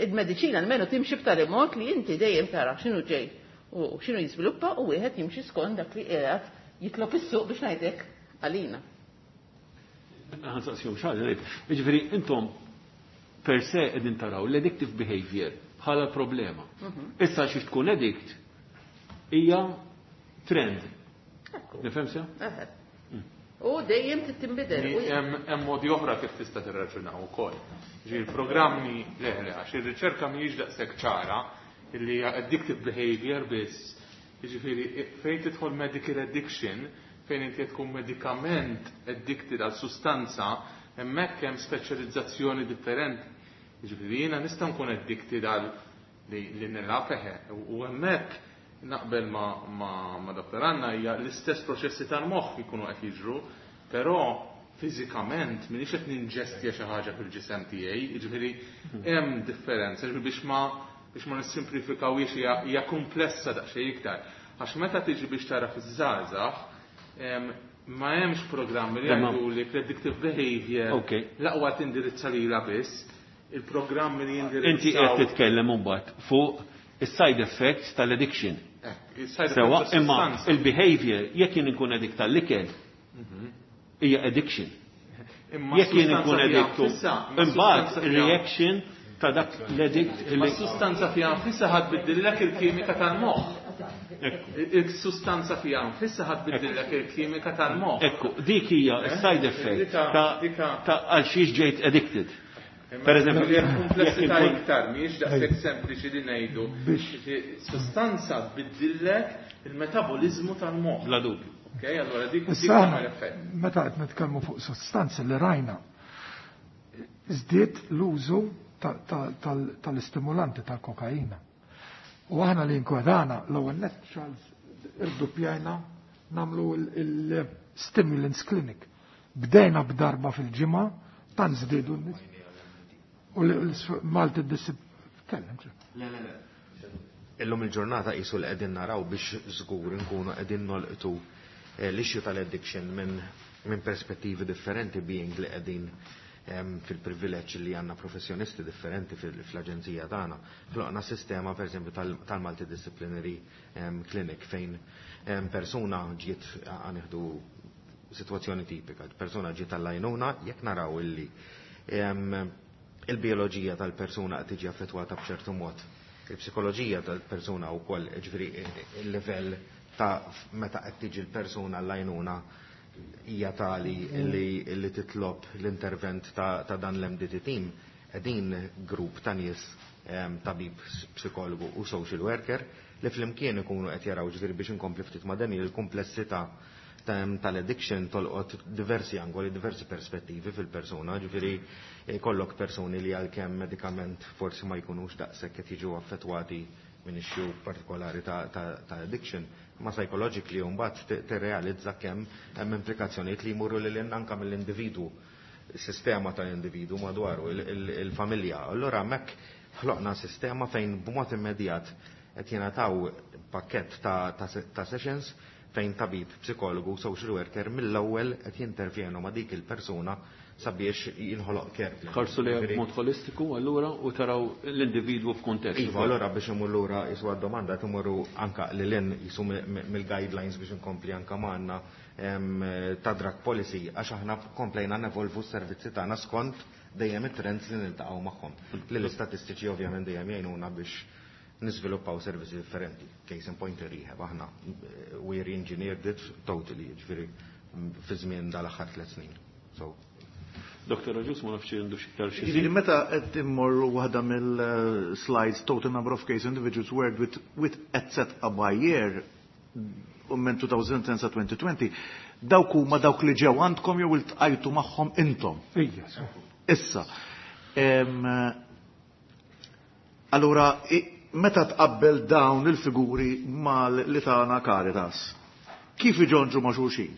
il-mediċina almenu timxi b'tali mod li inti dejjem tara x'inhu ġej u x'inhu jiżviluppa u wieħed jimxi skont dak li qiegħed jitlob is-suq, biex ngħidlek, għalina. Ħa nsaqsihom xi ħaġa. Jiġifieri intom per se qegħdin taraw l-addictive behavior bħala problema. Mhm. Issa xi tkun addict hija trend. Nifhem sew? U dejjem tinbidel. Hemm modi oħra kif tista' tirraġunaw ukoll. Ġi il-programmi, le le, għax ir-riċerka mhijiex daqshekk ċara illi hija addictive behavior biss. Jiġifieri fejn tidħol medical addiction, fejn inti tkun medikament addicted għal sustanza, hemmhekk hemm speċjalizzazzjoni differenti. Jiġifieri jiena nista' nkun addicted għal li li nilgħab, eħe, u hemmhekk Naqbel ma, ma, ma Doktor Anna, hija l-istess proċessi tal-moħħ jkunu qed jiġru, però fiżikament m'iniex qed ninġestja xi ħaġa fil-ġisem tiegħi, jiġifieri hemm differenza, jiġifieri biex ma biex ma nissimplifikawhiex, hija, hija komplessa daqsxejn iktar. Għax meta tiġi biex tara fiż-żgħażagħ, em, ma hemmx programmi li Imma- jgħidu li addictive behavior Ok. l-aqwa tindirizza lilha biss, il-programmi li jindirizzaw. Inti qed titkellem imbagħad fuq is-side effects tal-addiction. Eh, il-side Sewa, effects imma tas-sustanza. il-behavior, jekk jien inkun addict tal-ikel, hija addiction. Imma Jekk jien s-sustanza inkun fiha addictu, nfisha, imma imbagħad s-sustanza fiha- il-reaction ta' dak l-addict Imma li s-sustanza fiha nfisha ħa tbiddillek il-kimika tal-moħħ. Il-sustanza fiha nfisha ħa tbiddillek il-kimika tal-moħħ. Ekku, dik hija s-side effect Dika- ta' dika- ta' għal xiex ġejt addicted. Imma Per eżempju, li hemm komplessità jekk inkun- iktar, mhijiex daqshekk sempliċi li ngħidu. Sustanza tbiddillek il-metabolizmu tal-moħħ. Bla dubju. Ok, allora dik dik Issa aħna, tagħmel effett. meta qed nitkellmu fuq sostanzi li rajna, żdied l-użu ta- ta- tal- tal-istimulanti tal-kokaina. U aħna li nkwedana l-ewwel nett, Charles, irduppjajna nagħmlu il-stimulants clinic. Bdejna b'darba fil-ġimgħa, tant żdiedu n-nies. U l-Malti disip... Kellem, Le, le, le. Illum il-ġurnata qisu li qegħdin naraw biex żgur nkunu qegħdin nolqtu eh, l-issue tal-addiction minn min perspettivi differenti, being li qegħdin em, fil-privileġġ li għandna professjonisti differenti fil- fl-aġenzija tagħna. Ħloqna sistema, per eżempju, tal-multidisciplinary em, clinic fejn em, persuna ġiet, ħa nieħdu situazzjoni tipika, persuna ġiet għall-għajnuna, jekk naraw illi em, il-bioloġija tal-persuna qed tiġi affettwata b'ċertu mod, il-psikoloġija tal-persuna wkoll, ġifieri il-livell ta' meta qed tiġi l-persuna l-għajnuna hija tali li, li titlob l-intervent ta', ta' dan l-M D T team, qegħdin grupp ta' nies, em, tabib, psikologu u social worker li flimkien ikunu qed jaraw, ġifieri biex inkompli ftit ma' Daniel, il-komplessità tal-addiction tolqot diversi angoli, diversi perspettivi fil-persuna, ġifieri kollok persuni li għalkemm medikament forsi ma jkunux daqshekk qed jiġu affettwati minn issue partikolari ta', ta, ta addiction, ma psychologically mbagħad tirrealizza kemm hemm implikazzjonijiet li jmurru lil anka mill-individwu, sistema tal-individu madwaru, il-familja. Allura hemmhekk ħloqna sistema fejn b'mod immedjat qed jingħataw pakkett ta', ta, ta sessions fejn tabib, psikologu, social worker mill-ewwel qed jintervjenu ma' dik il-persuna sabiex jinħoloq care plan. Ħarsu li b'mod holistiku allura u taraw l-individwu f'kuntest. Iva, allura biex imur lura jisu għad-domanda, timurru anka li l jisu mill-guidelines biex inkompli anka magħna ta' drug policy, għax aħna komplejna nevolvu s-servizzi tagħna skont dejjem it-trends li niltaqgħu magħhom. Li l-istatistiċi ovvjament dejjem jgħinuna biex niżviluppaw servizzi differenti. Case in point, rehab, aħna we re-engineered it totally, ġifieri fi żmien dal-aħħar tliet snin. So, Doktor Agius, ma nafx għandu xi iktar xi. Ġifieri meta qed immorru waħda mill-slides, total number of case individuals worked with, with et cetera by year u minn elfejn u għaxra sa elfejn u għoxrin, dawk huma dawk li ġew għandkom jew iltqajtu magħhom intom? Ija. Issa. Em, Allura, i- meta tqabbel dawn il-figuri mal li tagħna Caritas, kif iġonġu ma' xulxin?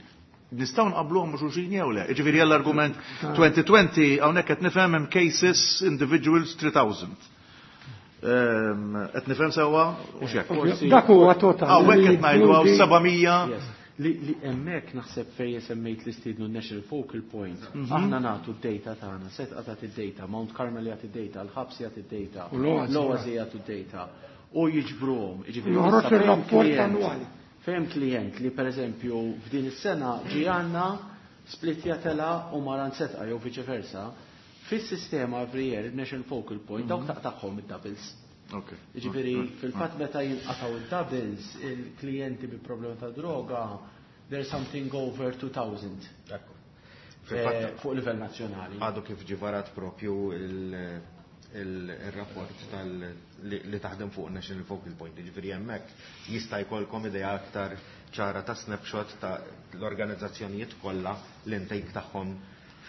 Nistgħu nqabluhom ma' xulxin jew le? Jiġifieri l-argument elfejn u għoxrin hawnhekk qed nifhem hemm cases individuals tliet elef. Ehm, Qed nifhem sewwa u x'hekk? Dak huwa total. Hawnhekk qed ngħidu hawn seba' mija. Yes. Li, li hemmhekk naħseb fejn semmejt li stidnu National Focal Point, Mhm. aħna nagħtu d-data tagħna, Sedqa tagħti d-data, Mount Carmel jagħti d-data, l-ħabs jagħti d-data, U l-Oasi. l-Oasi jagħtu d-data. U jiġbruhom, jiġifieri Joħroġ issa fejn ir-rapport klient- annwali. Fejn klient li pereżempju f'din is-sena ġi għandna splitja tela u maran Sedqa jew viċe versa, fis-sistema every year, il-National Focal Point, dawk taqtagħhom id-doubles. Okay. Ġifieri, fil-fatt meta jinqataw il-doubles, il-klijenti bi problema ta' droga, there's something over two thousand. Ekku. Eh, Fil-fatt fuq livell nazzjonali. Għadu kif ġie varat propju il- il- il-rapport tal li li taħdem fuq National Focal Point, ġifieri hemmhekk jista' jkollkom idea aktar ċara ta' snapshot ta' l-organizzazzjonijiet kollha, l-intake tagħhom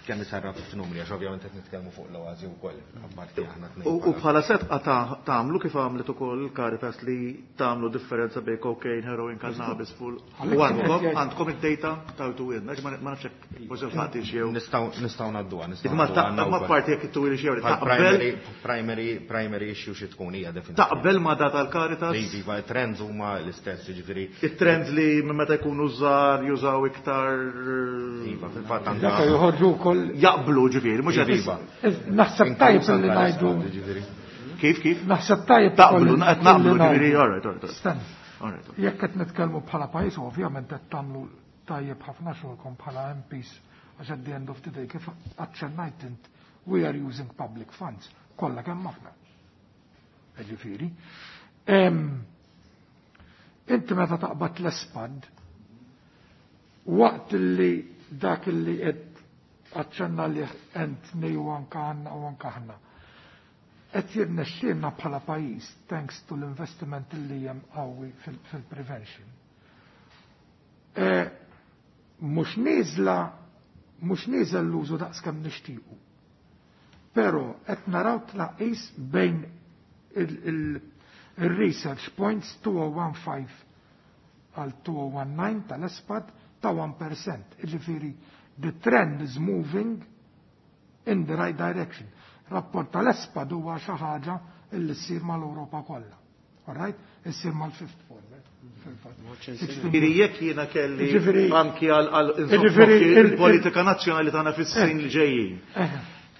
kemm isarraf f'numri, għax ovvjament qed nitkellmu fuq l-Oasi wkoll, apparti aħna tnejn. U bħala Sedqa tagħmlu kif għamlet ukoll il-Caritas li tagħmlu differenza bejn cocaine, heroin, cannabis full. U għandkom għandkom id-data tawtuhielna, ma nafx hekk forsi l-ħadd jew. Nistgħu nistgħu ngħadduha, nistgħu. Ma parti jekk ittuwili xi jew taqbel. Primary primary issue xi tkun hija definitively. Taqbel ma data l-Caritas? Iva, trends huma l-istess, jiġifieri. It-trends li meta jkunu żgħar jużaw iktar. Iva, fil-fatt għandha. Joħorġu wkoll jaqblu ġifieri, mhux qed. Naħseb tajjeb li ngħidu. Kif kif? Naħseb tajjeb taqblu, qed naqblu ġifieri, all right, all right. Stenna. Jekk qed nitkellmu bħala pajjiż, ovvjament qed tagħmlu tajjeb ħafna xogħolkom bħala M Ps, għax at the end of the day, kif aċċennajt int, we are using public funds, kollha kemm aħna. Ġifieri. Inti meta taqbad l-ESPAD, waqt li dak li qed aċċenna li ent u anka għanna u anka aħna. Qed jirnexxielna bħala pajjiż, thanks to l-investiment li hemm qawwi fil-prevention. Mhux nieżla, mhux nieżel l-użu daqs kemm nixtiequ. Però qed naraw tnaqqis bejn il-research points two thousand fifteen għal twenty nineteen tal-ESPAD ta' one percent. Ġifieri, the trend is moving in the right direction. Rapport tal-ESPAD huwa xi ħaġa illi ssir mal-Ewropa kollha. All right? Issir mal-fifth former. Ġifieri jekk jiena kelli anki għal il-politika nazzjonali tagħna fis-snin li ġejjin.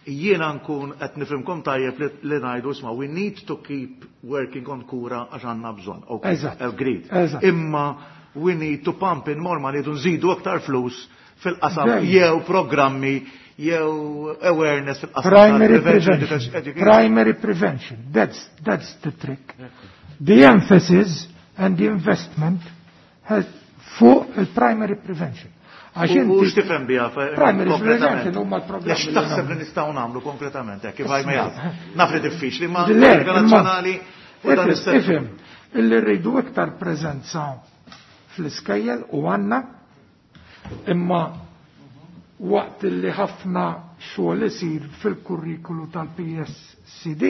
Jiena nkun qed nifhimkom tajjeb li ngħidu, isma', we need to keep working on Kura għax għandna bżonn. Okay, agreed. Imma we need to pump in more money, nżidu aktar flus fil-qasam jew programmi jew awareness fil-qasam. Primary prevention. Primary prevention. That's, that's the trick. The emphasis and the investment has fuq il-primary prevention. Għax inti x'tifhem biha? Primary prevention huma l-programmi. Għax taħseb li nistgħu nagħmlu konkretament hekk kif ma jaf. Naf li diffiċli ma nazzjonali u dan. Ifhem, illi rridu iktar preżenza fl-iskejjel u għandna, imma waqt li ħafna xogħol isir fil-kurrikulu tal-P S C D,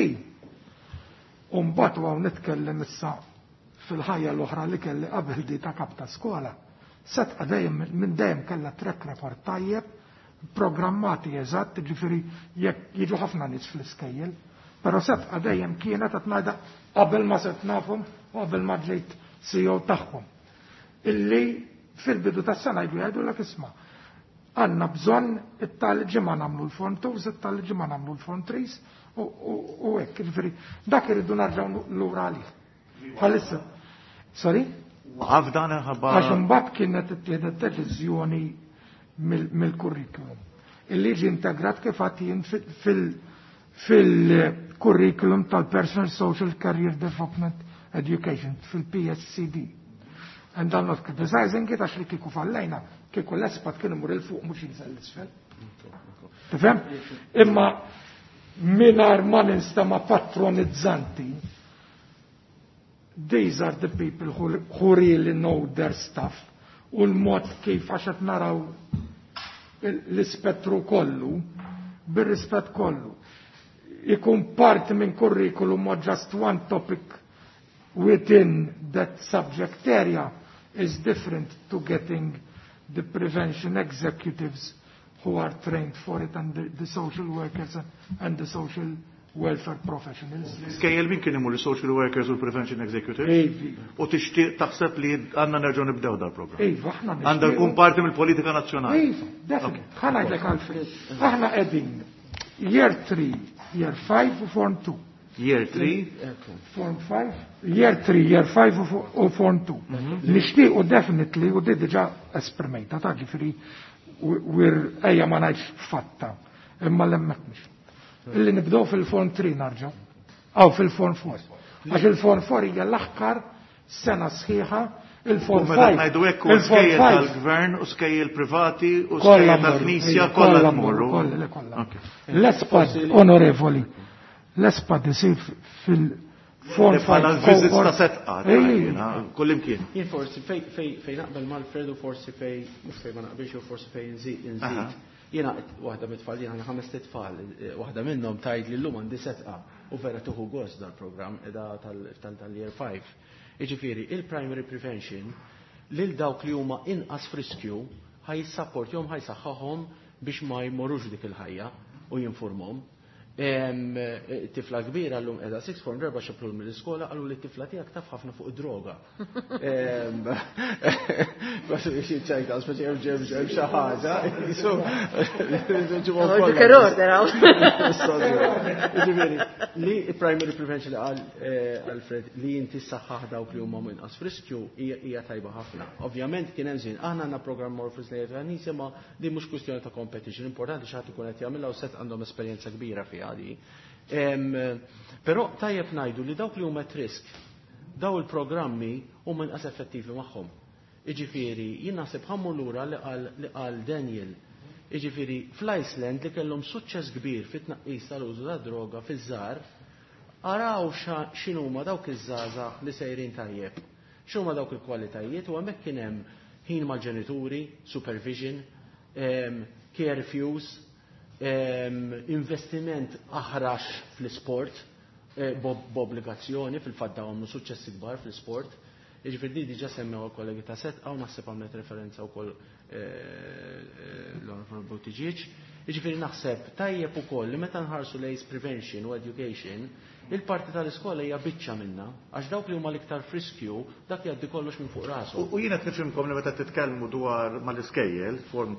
u mbagħad hawn nitkellem issa fil-ħajja l-oħra li kelli qabel di ta' kap ta' skola. Sedqa dejjem minn dejjem kellha track record tajjeb, programmati eżatt, ġifieri jekk jiġu ħafna nies fl-iskejjel, però Sedqa dejjem kienet qed ngħidha qabel ma sirt nafhom u qabel ma ġejt C E O tagħhom. Illi fil-bidu tas-sena jgħidu jgħidulek, isma', għandna bżonn it-tali ġimgħa nagħmlu l-form twos, it-tali ġimgħa nagħmlu l-form threes u hekk, ġifieri dak irridu nerġgħu lura għalih. Bħalissa. Sorry? Waqaf dan ħabba. Għax imbagħad kienet ittieħdet deċiżjoni mill-kurrikulum. Illi ġi integrat kif jien fil-kurrikulum tal-Personal Social Career Development Education, fil-P S C D. And I'm not criticizing it, għax li kieku fallejna, kieku l-ESPAD kienu mur il-fuq mhux jinżel l-isfel. Tifhem? Imma mingħajr ma ninstama patronizzanti, these are the people who, who really know their stuff u l-mod kif għax qed naraw l-ispettru kollu, bir-rispett kollu. Ikun parti minn curriculum or just one topic within that subject area is different to getting the prevention executives who are trained for it and the, the social workers and, and the social welfare professionals. Skejjel min kien imur, social workers u prevention executives? Iva. U tixtieq taħseb li għandna nerġgħu nibdew dal-programm? Iva, aħna Għandha jkun parti mill-politika nazzjonali. Iva, definitely. Ħa ngħidlek, Alfred. Aħna qegħdin year three, year five u form two. Year three? Form five, year three, year five u form two. Nixtiequ definitely, u di diġà esprimejta, ta' ġifieri, wir ejja ma ngħidx fatta, imma l-emmek mhux. Illi nibdew fil-form three narġgħu, aw fil-form four. Għax il-form four hija l-aħkar sena sħiħa, il-form five. five. Ngħidu hekk u skejjel tal-gvern u skejjel privati u skejjel tal-Knisja kollha tmorru. Kollha, kollha. L-ESPAD, onorevoli, l-ESPAD isir fil-form five. Bħala l-visits ta' Sedqa, kullimkien. Jien forsi fej fej naqbel mal-Fredu, forsi fej mhux fej ma naqbilx u forsi fej nżid. Jiena waħda mit-tfal, jiena għandi ħames tfal, waħda minnhom tgħid li llum għandi Sedqa u vera tieħu gost dal-programm qiegħda tal-year five. Jiġifieri il-primary prevention lil dawk li huma inqas f'riskju ħa jissapportjahom, ħa jsaħħahom biex ma jmorrux dik il-ħajja u jinformhom. Tifla kbira llum qiegħda sixth form, darba xeplu mill-iskola, qalu li t-tifla tiegħek taf ħafna fuq id-droga. Ċajta, speċi hemm ġem ġem xi ħaġa. Ġifieri, li primary prevention li qal Alfred li inti saħħaħ dawk li huma inqas f'riskju hija tajba ħafna. Ovvjament kien hemm żmien, aħna għandna programm Morphus li qed ma di mhux kwistjoni ta' competition, importanti xi ħadd ikun qed jagħmilha u set għandhom esperjenza kbira fiha di. Però tajjeb ngħidu li dawk li huma at risk, daw il-programmi huma inqas effettivi magħhom. Iġifieri, jien naħseb ħa mmur lura li qal Daniel. Iġifieri, fl-Iceland li kellhom suċċess kbir fit-tnaqqis tal-użu ta' droga fiż-żgħar, araw x'inhuma dawk iż-żgħażagħ li sejrin tajjeb. X'huma dawk il-kwalitajiet u hemmhekk kien hemm ħin mal-ġenituri, supervision, curfews, investiment aħrax fl-sport, b'obbligazzjoni, fil-fatt dawn għamlu suċċessi kbar fl-sport. Jiġifieri di diġà semmew il-kollegi ta' Sedqa u naħseb għamlet referenza wkoll l-Onorevole Buttigieg. Jiġifieri naħseb tajjeb ukoll li meta nħarsu lejn prevention u education, il-parti tal-iskola hija biċċa minna, għax dawk li huma l-iktar friskju, dak jgħaddi kollox minn fuq rasu. U jiena qed nifhimkom li meta titkellmu dwar mal-iskejjel, form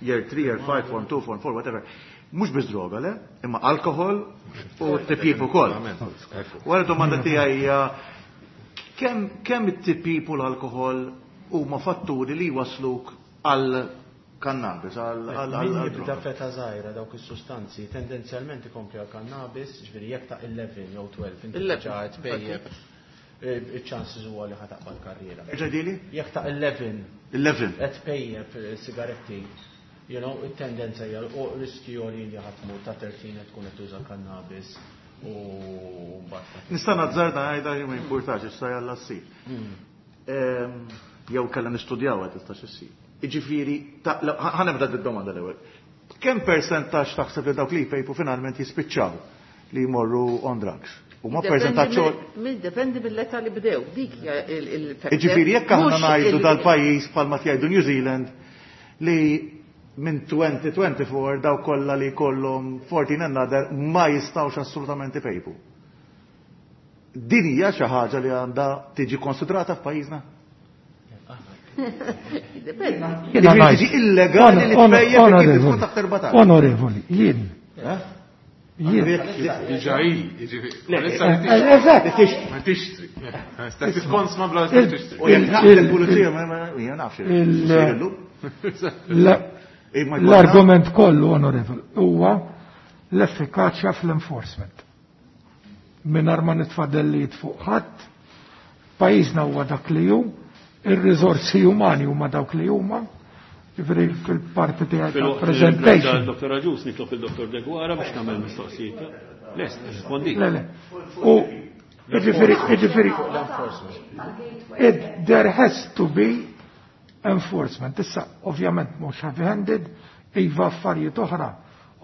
year three, year five, form two, form four, whatever, mhux biss droga, le? Imma alkohol u tipjip ukoll. Wara domanda tiegħi hija kemm kemm it-tipjip u l-alkohol huma fatturi li wasluk għal kannabis, għal Min jibda f'età żgħira dawk is-sustanzi tendenzjalment ikompli għal kannabis, ġifieri jekk ta' eleven jew twelve inti diġà qed tpejjep, iċ-chances huwa li ħa taqbad karriera. Ġedili? Jekk ta' eleven eleven. qed tpejjep sigaretti, you know, it-tendenza hija u riski għoli li ħa tmur ta' thirteen qed tkun qed tuża kannabis u mbagħad. Nista' nazzarda ngħidha li ma jimpurtax issa jalla ssir. Jew kellha nistudjaw qed tistax issir. Jiġifieri, ħa nibda d-domanda l-ewwel. Kemm persentaġġ taħseb li dawk li jpejpu finalment jispiċċaw li jmorru on drugs? U ma persentaġġ Dependi mill-età li bdew, dik hija il-factor. Jiġifieri jekk aħna ngħidu dal-pajjiż bħalma jgħidu New Zealand li minn twenty twenty-four daw kollha li jkollhom fourteen and other ma jistgħux assolutament ipejpu. Din hija xi ħaġa li għandha tiġi konsidrata f'pajjiżna? Jiġi illegali li tpejjep kif tkun taħt erbatax. Onorevoli, jien. Jien. Diġà hi, jiġifieri. Eżatt. Ma tixtri. Sta tikkonsma bla tixtri. U jekk naqbel il-pulizija ma jien nafx. L-argument kollu, onorevoli, huwa l-effikaċja fl-enforcement. Mingħajr ma nitfadellijiet fuq ħadd, pajjiżna huwa dak li hu, ir-riżorsi umani huma dawk li huma, ġifieri fil-parti tiegħi tal-presentation. Dottor Agius, nitlob il-Dottor Deguara biex nagħmel mistoqsijiet. Lest, rispondi. Le, le. U ġifieri, ġifieri, it, there has to be enforcement. Issa, ovvjament, mhux heavy-handed, iva affarijiet oħra,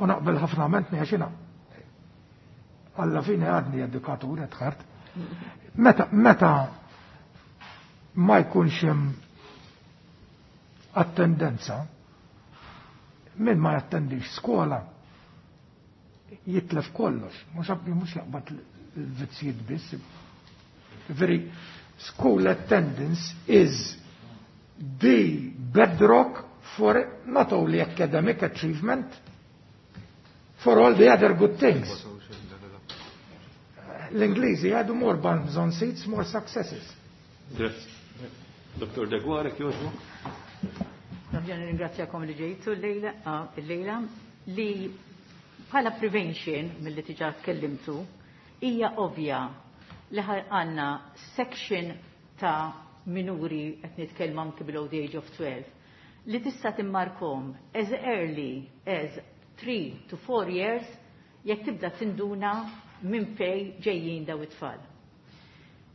u naqbel ħafna ment għax jiena alla fine għadni edukatur etħart. Meta, meta ma jkunx hemm attendenza, min ma jattendix skola jitlef kollox, mhux mhux jaqbad il-vizzjiet biss. Very school attendance is the bedrock for not only academic achievement, for all the other good things. L-Ingliżi għadu more bums on seats, more successes. Grazie. Dottor Deguara, kjoġbu. Nerġa' nirringrazzjakom li ġejtu l-lejla li bħala prevention mill-li diġà tkellimtu hija ovvja li għandna section ta' minuri qed nitkellmu anki below the age of twelve li tista' timmarkom as early as three to four years jekk tibda tinduna minn fej ġejjin daw it-tfal.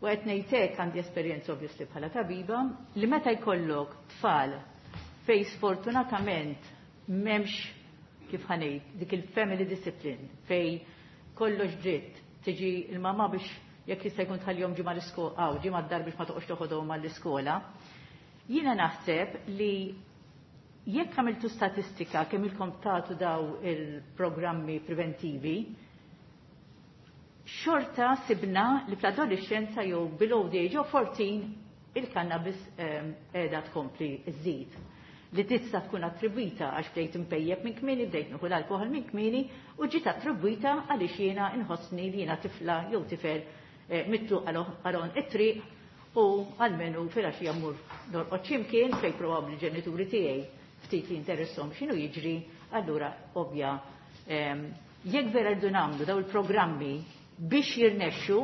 U qed ngħidlek għandi esperjenza obviously bħala tabiba li meta jkollok tfal fej sfortunatament M'hemmx kif ħa ngħid dik il-family discipline fej kollox dritt tiġi il-mama biex jekk jista' jkun tħallihom ġimgħa l-iskola, aw ġimgħa d-dar biex ma toqgħodx toħodhom għall-iskola. Jiena naħseb li jekk għamiltu statistika kemm ilkom tagħtu daw il-programmi preventivi, xorta sibna li fl-adolescenza jew below the age of fourteen il-cannabis qiegħda tkompli żżid. Li tista' tkun attribwita għax bdejt impejjeb minn kmieni, bdejt nieħu l-alkoħol minn kmieni u ġiet attribwita għaliex jiena inħossni li jiena tifla jew tifel mitluq għalon it-triq u għalmenu filgħaxija mmur norqod x'imkien fejn probabbli ġenituri tiegħi ftit li interesshom x'inhu jiġri, allura ovvja jekk vera rridu nagħmlu daw il-programmi biex jirnexxu,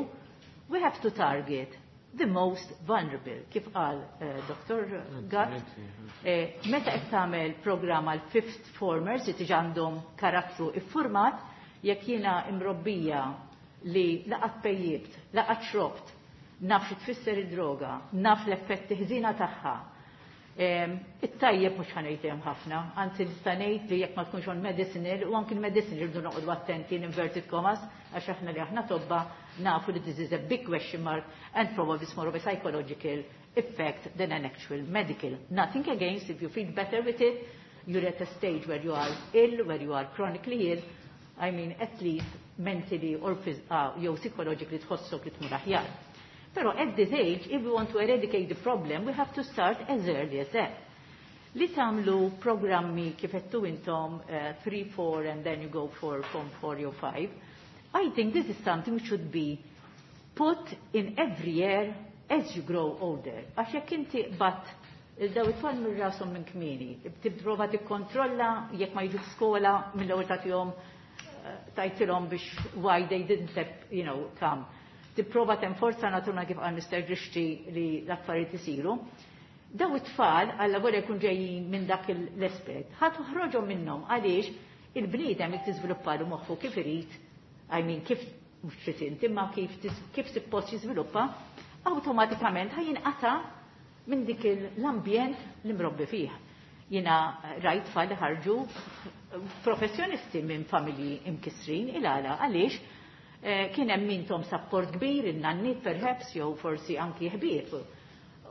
we have to target the most vulnerable, kif qal uh, Doctor Gatt, eh, meta qed tagħmel programm għal fifth formers li tiġi għandhom karattru iffurmat, jekk jiena imrobbija li laqat pejjibt, laqat xrobt, naf xi tfisser id-droga, naf l-effetti ħżina tagħha. It-tajjeb mhux ħa ngħid hemm ħafna, anzi nista' ngħid li jekk ma tkunx on medicinal, u anki l-medicinal irridu noqogħdu attenti in inverted commas, għax aħna li aħna tobba nafu li this is a big question mark and probably it's more of a psychological effect than an actual medical. Nothing against if you feel better with it, you're at a stage where you are ill, where you are chronically ill, I mean at least mentally or uh, jew psychologically tħossok li tmur aħjar. Pero at this age, if we want to eradicate the problem, we have to start as early as that. Li tagħmlu programmi kif għedtu intom three, four, and then you go for form four or five, I think this is something which should be put in every year as you grow older. Għax jekk inti bat il-daw it-tfal minn rashom minn kmieni, tipprova tikkontrolla jekk ma jiġu skola mill-ewwel tagħtihom tajtilhom biex why they didn't you know, come. Tipprova tenforza naturna kif qal Mister Grixti li l-affarijiet isiru. Daw it-tfal alla volja jkun ġejjin minn dak l-aspett, ħa toħroġhom minnhom għaliex il-bniedem jekk tiżviluppalu moħħu kif irid, I mean kif mhux trid inti, imma kif kif suppost jiżviluppa, awtomatikament ħa jinqata' minn dik l-ambjent li mrobbi fih. Jiena rajt tfal li ħarġu professjonisti minn familji imkisrin il-għala għaliex kien hemm mintom support kbir, in-nanniet perhaps, jew forsi anki ħbieb.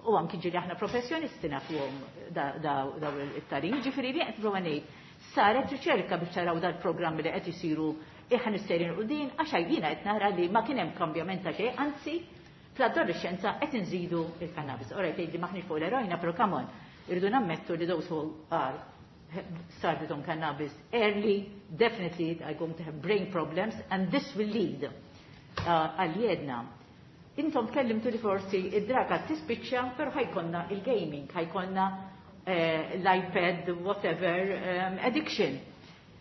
U anki ġieli aħna professjonisti nafuhom daw it-tarim. Ġifieri li qed prova ngħid, saret riċerka biex taraw dal-programmi li qed isiru iħan sejrin u din, għax jiena qed nara li ma kien hemm kambjament ta' xejn, anzi fl-adolescenza qed inżidu il-cannabis. Ora tgħidli maħniex fuq l-erojna, però come on, irridu nammettu li those who are started on cannabis early, definitely are going to have brain problems, and this will lead għal jedna. Intom tkellimtu li forsi id-draga tispiċċa, però ħa jkollna il-gaming, ħa jkollna l-iPad, whatever, um, addiction.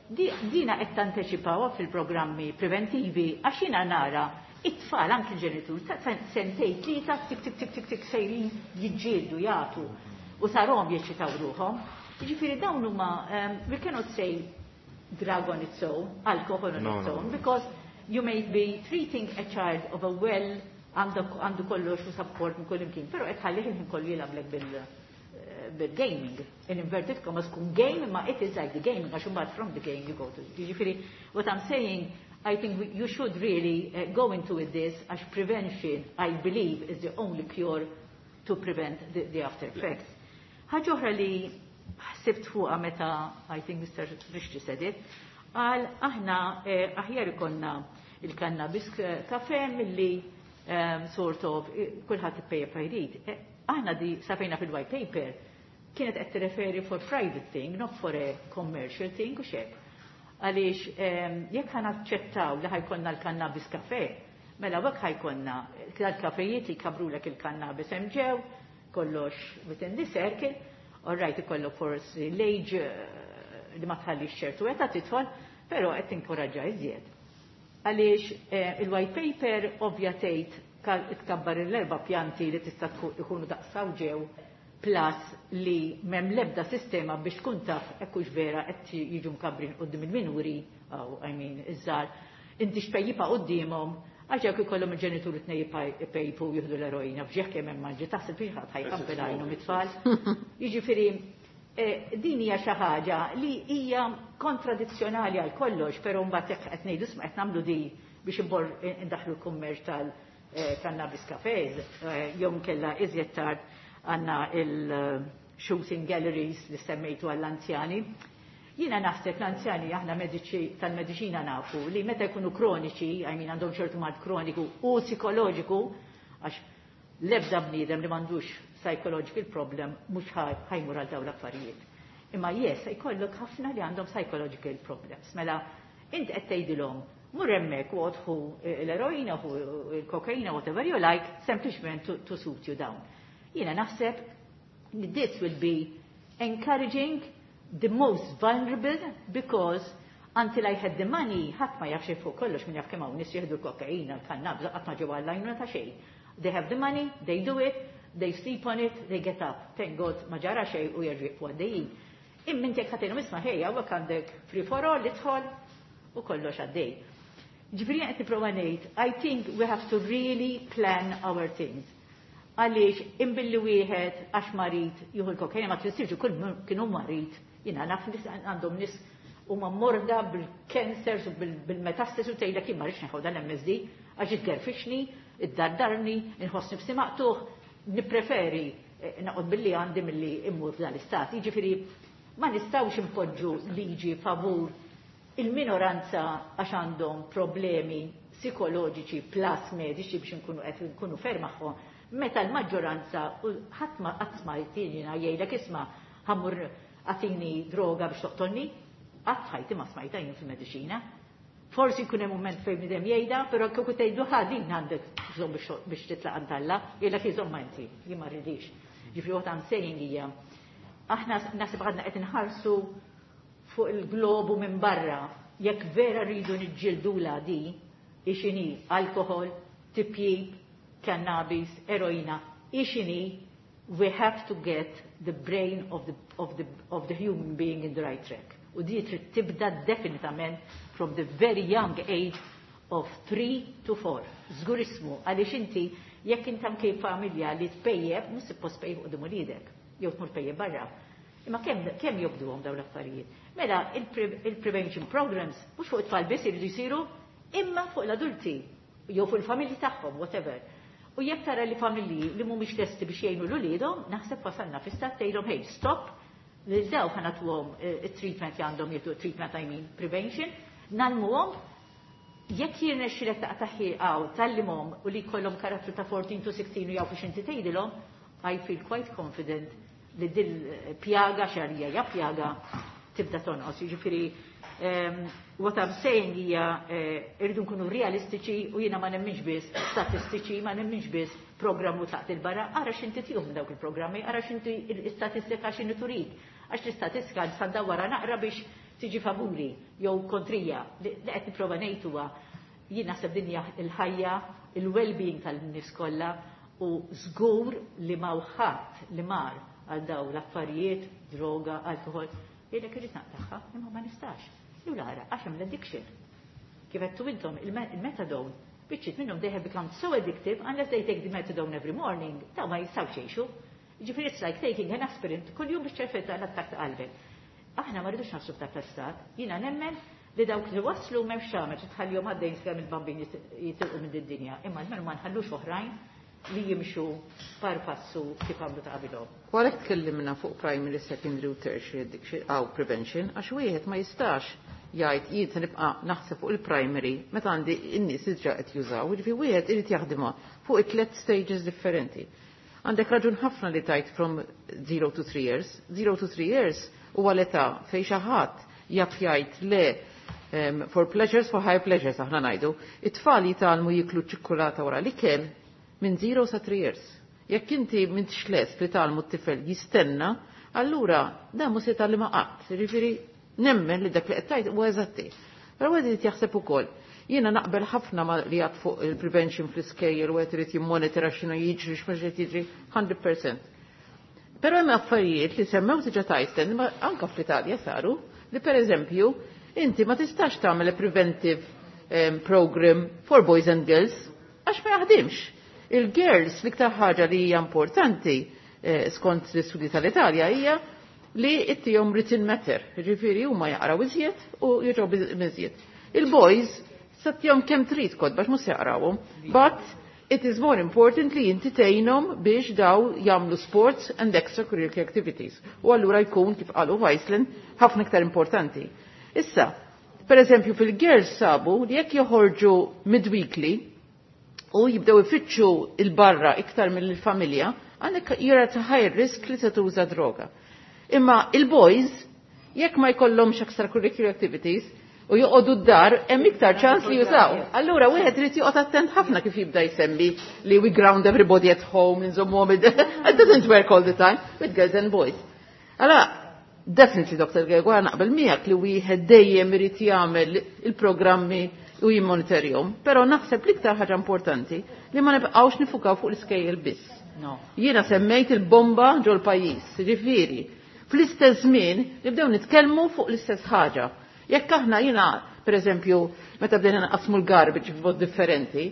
Dina qed tanteċipawha fil-programmi preventivi għax jiena nara it-tfal anki l-ġenitur ta' sentej tlieta tik tik tik tik tik sejrin jiġġieldu jagħtu u sarhom jeċċitaw ruħhom. Jiġifieri dawn huma we cannot say drug on its own, alcohol on its own, because you may be treating a child of a well għandu kollox u support minn kull imkien, però qed ħallih il-ħin kollu jilgħablek bil bil-gaming. In inverted commas kun game, ma it is like the gaming, għax imbagħad from the game you go to. Jiġifieri, what I'm saying, I think we, you should really uh, go into with this, għax prevention, I believe, is the only cure to prevent the, the after effects. Ħaġa oħra li ħsibt fuqha meta, I think Mister Grixti said it, qal aħna eh, aħjar ikollna il-cannabis kafe milli um, sort of kulħadd ippejjeb jrid. Aħna di safejna fil-white paper kienet qed tirreferi for private thing, not for a commercial thing u xek. Għaliex jekk ħa naċċettaw li ħa jkollna l-cannabis kafe, mela hekk ħa jkollna l-kafejiet li jkabrulek il-cannabis hemm ġew, kollox within the circle, all right ikollok forsi l-age li ma tħallix ċertu età tidħol, però qed tinkoraġġa iżjed. Għaliex il-white paper ovvja tgħid tkabbar l-erba' pjanti li tista' ikunu daqsaw ġew plus li m'hemm l-ebda sistema biex tkun taf hekk hux vera qed jiġu mkabbrin quddiem il-minuri, aw I mean iż-żgħar, inti xpejjipa quddiemhom, għax jekk ikollhom il-ġenituri tnejn ipejpu jieħdu l-eroina f'ġieħ kemm hemm manġi taħseb biex ħadd ħajqabbel għajnhom it-tfal. Jiġifieri Eh, din hija xi ħaġa li hija kontradizzjonali għal kollox, però mbagħad jekk qed ngħidu isma' qed nagħmlu di biex imbor indaħlu l-kummerċ tal-cannabis cafes, eh, jew nkella iżjed tard għandna il-shooting galleries li semmejtu għall-anzjani. Jiena naħseb l-anzjani aħna mediċi tal-mediċina nafu li meta jkunu kroniċi, I mean għandhom ċertu mard kroniku u psikoloġiku, għax l-ebda bniedem li m'għandux psychological problem mhux ħa jmur għal dawn l-affarijiet. Imma yes, jkollok ħafna li għandhom psychological problems. Mela, int qed tgħidilhom mur hemmhekk u ħu l-eroina, ħu l-kokaina, whatever you like, sempliċement to, to suit you down. Jiena naħseb li this will be encouraging the most vulnerable because until I had the money, ħadd ma jafx fuq kollox min jaf kemm hawn nies jieħdu l-kokaina, l-kannabis, qatt ma ġew għall-għajnuna ta' xejn. They have the money, they do it, they sleep on it, they get up. Thank God ma ġara xejn u jerġgħu jieqfu għaddejjin. Imma inti jekk ħatilhom isma' ħejja hawnhekk għandek free for all idħol u kollox għaddej. Ġifieri qed nipprova ngħid, I think we have to really plan our things. Għaliex imbilli wieħed għax marid jieħu l-kokaina ma tfissirx kull kienu marid. Jiena naf nies għandhom nies huma morda bil-cancers u bil-metastasis u tgħidlek jien ma rridx nieħu dan l-MSD għax itgerfixni, iddardarni, inħossni nifsi maqtugħ, nippreferi eh, naqod billi għandi milli immur f'dan l-istat. Jiġifieri ma nistgħux impoġġu liġi favur il-minoranza għax għandhom problemi psikoloġiċi plus mediċi biex nkunu qed nkunu fair magħhom, meta l-maġġoranza u ħadd ma qatt ma jtina jgħidlek isma' ħa mmur agħtini droga biex toqtolni, qatt ħajti ma smajta jien fil-mediċina. Forsi jkun hemm mument fejn bniedem jgħidha, però kieku tgħidu ħa din għandek bżonn biex titlaq għand Alla, jgħidlek iżomma inti, jien ma rridix. Ġifieri what I'm saying hija aħna naħseb għadna qed inħarsu fuq il-globu minn barra, jekk vera rridu niġġildula di, ixini alkohol, tipjib, cannabis, eroina, ixini, we have to get the brain of the, of the, of the human being in the right track. U di trid tibda definitament from the very young age of three to four. Żgur ismu, għaliex inti jekk inti anke familja li tpejjeb, mhux suppost tpejjeb quddiem uliedek, jew tmur tpejjeb barra. Imma kemm kemm jobduhom dawn l-affarijiet? Mela il-prevention programs mhux fuq it-tfal biss iridu jsiru, imma fuq l-adulti jew fuq il-familji tagħhom, whatever. U jekk tara li familji li mhumiex lesti biex jgħinu l uliedhom, naħseb wasalna fi stat tgħidhom hey, stop, lil daw ħa nagħtuhom it-treatment li għandhom jieħdu treatment I mean prevention, ngħallmuhom jekk jirnexxilek taqta' għaw tgħallimhom u li jkollhom karattru ta' fourteen to sixteen u jafu x'inti tgħidilhom, I feel quite confident li dil pjaga xarija ja pjaga tibda tonqos. Jiġifieri um, what I'm saying hija eh, irridu nkunu realistiċi u jiena ma nemminx biss statistiċi, ma nemminx biss programmu taqt il-barra, ara x'inti tihom dawk il-programmi, ara x'inti l-istatistika x'inhi turik. Għax l-istatistika nista' wara naqra biex tiġi favuri jew kontrija. Li qed nipprova ngħid huwa jien naħseb dinja il-ħajja, il-well-being tal-nies kollha u żgur li ma ħadd li mar għal daw l-affarijiet, droga, alkohol, jgħidlek irrid naqtagħha, imma ma nistax. Jew lara, għax hemm l-addiction. Kif għedtu intom, il-methadone, biċċiet minnhom they have become so addictive unless they take the methadone every morning, daw ma jistgħux jgħixu. Ġifieri it's like taking an aspirin kull jum biex ċerfetta l-attak ta' qalbek. Aħna ma rridux naħsbu ta' stat, jiena nemmen li dawk li waslu m'hemmx tagħmel tħallihom għaddejn sakemm il-bambin jitilqu minn din-dinja, imma almenu ma nħallux oħrajn li jimxu par passu kif għamlu ta' qabilhom. U għalhekk tkellimna fuq primary, secondary u tertiary addiction aw prevention, għax wieħed ma jistax jgħid jien se nibqa' naħseb fuq il-primary meta għandi n-nies diġà qed jużaw, jiġifieri wieħed irid jaħdimha fuq it-tliet stages differenti. Għandek raġun ħafna li tajt from zero to three years. zero to three years huwa l-età fejn xi ħadd jaf jgħid le um, for pleasures, for high pleasures, aħna ngħidu. It-tfal jitgħallmu jiklu ċikkulata wara l-ikel minn zero sa three years. Jekk inti m'intix lest li tgħallmu t-tifel jistenna, allura dan mhux se jitgħallimha qatt. Jiġifieri nemmen li dak li qed tgħid huwa eżatti. Però wieħed irid jaħseb ukoll. Jiena naqbel ħafna ma li għad fuq il-prevention fl-iskejjel u qed irid jimmonitora x'inhu jiġri x'mhux qed jiġri hundred percent. Però hemm affarijiet li semmew diġà tajsten, ma anka fl-Italja saru, li per eżempju, inti ma tistax tagħmel a preventive um, program for boys and girls għax ma jaħdimx. Il-girls l-iktar ħaġa li hija importanti eh, skont l-istudji tal-Italja hija li ittihom written matter, ġifieri huma jaqraw iżjed u jiġu iżjed. Il-boys sa ttihom kemm trid kotba mhux se jaqrawhom, but it is more important li inti tgħinhom biex daw jagħmlu sports and extracurricular activities. U allura jkun kif qalu f'Iceland ħafna iktar importanti. Issa, per eżempju fil-girls sabu li jekk joħorġu midweekly u jibdew ifittxu il-barra iktar mill-familja, għandek you're at a high risk li se tuża droga. Imma il-boys, jekk ma jkollhomx extracurricular activities, u joqogħdu d-dar, hemm iktar ċans li jużaw. Allura wieħed irid joqgħod attent ħafna kif jibda jsemmi li we ground everybody at home, nżommuhom it doesn't work all the time with girls and boys. Allora, definitely Dr. Gregoire naqbel miegħek li wieħed dejjem irid jagħmel il-programmi u jimmonitorjahom, però naħseb l-iktar ħaġa importanti li ma nibqgħux niffukaw fuq l-iskejjel biss. No. Jiena semmejt il-bomba ġol pajjiż, ġifieri, fl-istess żmien nibdew nitkellmu fuq l-istess ħaġa. Jekk aħna jiena, per eżempju, meta bdejna naqsmu l-garbage b'mod differenti,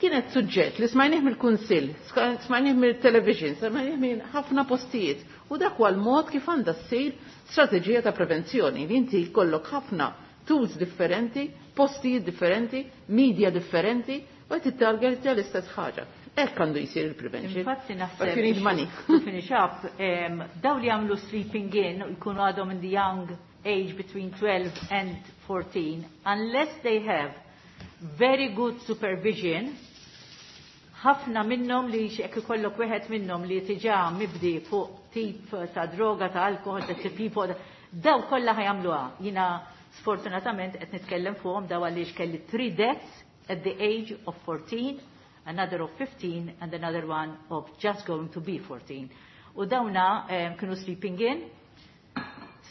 kienet suġġett li smajnieh mill-kunsill, smajnieh mill-television, smajnieh minn ħafna postijiet. U dak huwa l-mod kif għandha ssir strateġija ta' prevenzjoni li inti jkollok ħafna tools differenti, postijiet differenti, media differenti, u qed tittargetja l-istess ħaġa. Hekk għandu jsir il-prevention. Infatti naħseb. But you need money. To finish up, um, daw li għamlu sleeping in u jkunu għadhom in the young age between twelve and fourteen, unless they have very good supervision, ħafna minnhom li jekk ikollok wieħed minnhom li tiġà mibdi fuq tip ta' droga, ta' alkohol, ta' tipo, daw kollha ħa jagħmluha. Jiena sfortunatament qed nitkellem fuqhom daw għaliex kelli three deaths at the age of fourteen, another of fifteen and another one of just going to be fourteen. U dawna um, kienu sleeping in,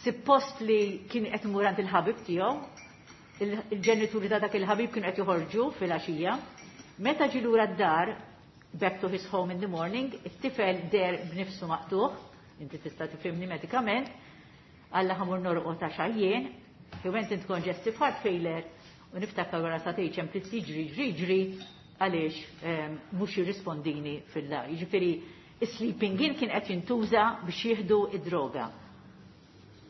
suppost li kien qed imur għand il-ħabib tiegħu, il-ġenituri ta' dak il-ħabib kienu qed joħorġu fil-għaxija. Meta ġie lura d-dar, back to his home in the morning, it-tifel deher b'nifsu maqtugħ, inti tista' tifhimni medikament, Alla ħa mmur norqod ta' xajjien, he went into congestive heart failure, u niftakar wara sagħtejn ċemplit jiġri, jiġri, jiġri, għaliex mhux jirrispondini fil-dar. Jiġifieri, sleeping in kien qed jintuża biex jieħdu id-droga.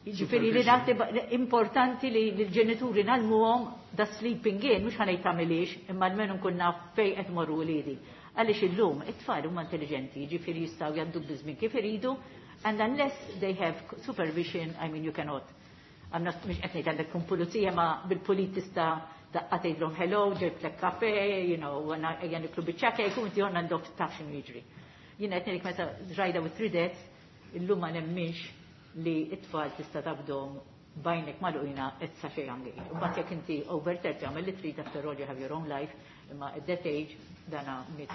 Jiġifieri li naħseb importanti li l-ġenituri ngħallmuhom da sleeping in, mhux ħa ngħid tagħmilix, imma almenu nkun naf fejn qed morru wliedi. Għaliex illum it-tfal huma intelligenti, jiġifieri jistgħu jgħaddu biż-żmien kif iridu, and unless they have supervision, I mean you cannot. I'm not mhux qed ngħid għandek kun pulizija ma bil-pulit tista' daqqa tgħidlhom hello, ġibtlek kafe, you know, ejja niklu biċċa kejk u inti għandok taf x'inhu jiġri. Jiena qed ngħidlek meta rajda with three deaths, illum ma nemminx li it-tfal tista' tabdhom b'għajnek magħluqina at such a young age. U mbagħad jekk inti over thirty għamel li trid after all you have your own life, imma at that age dana miet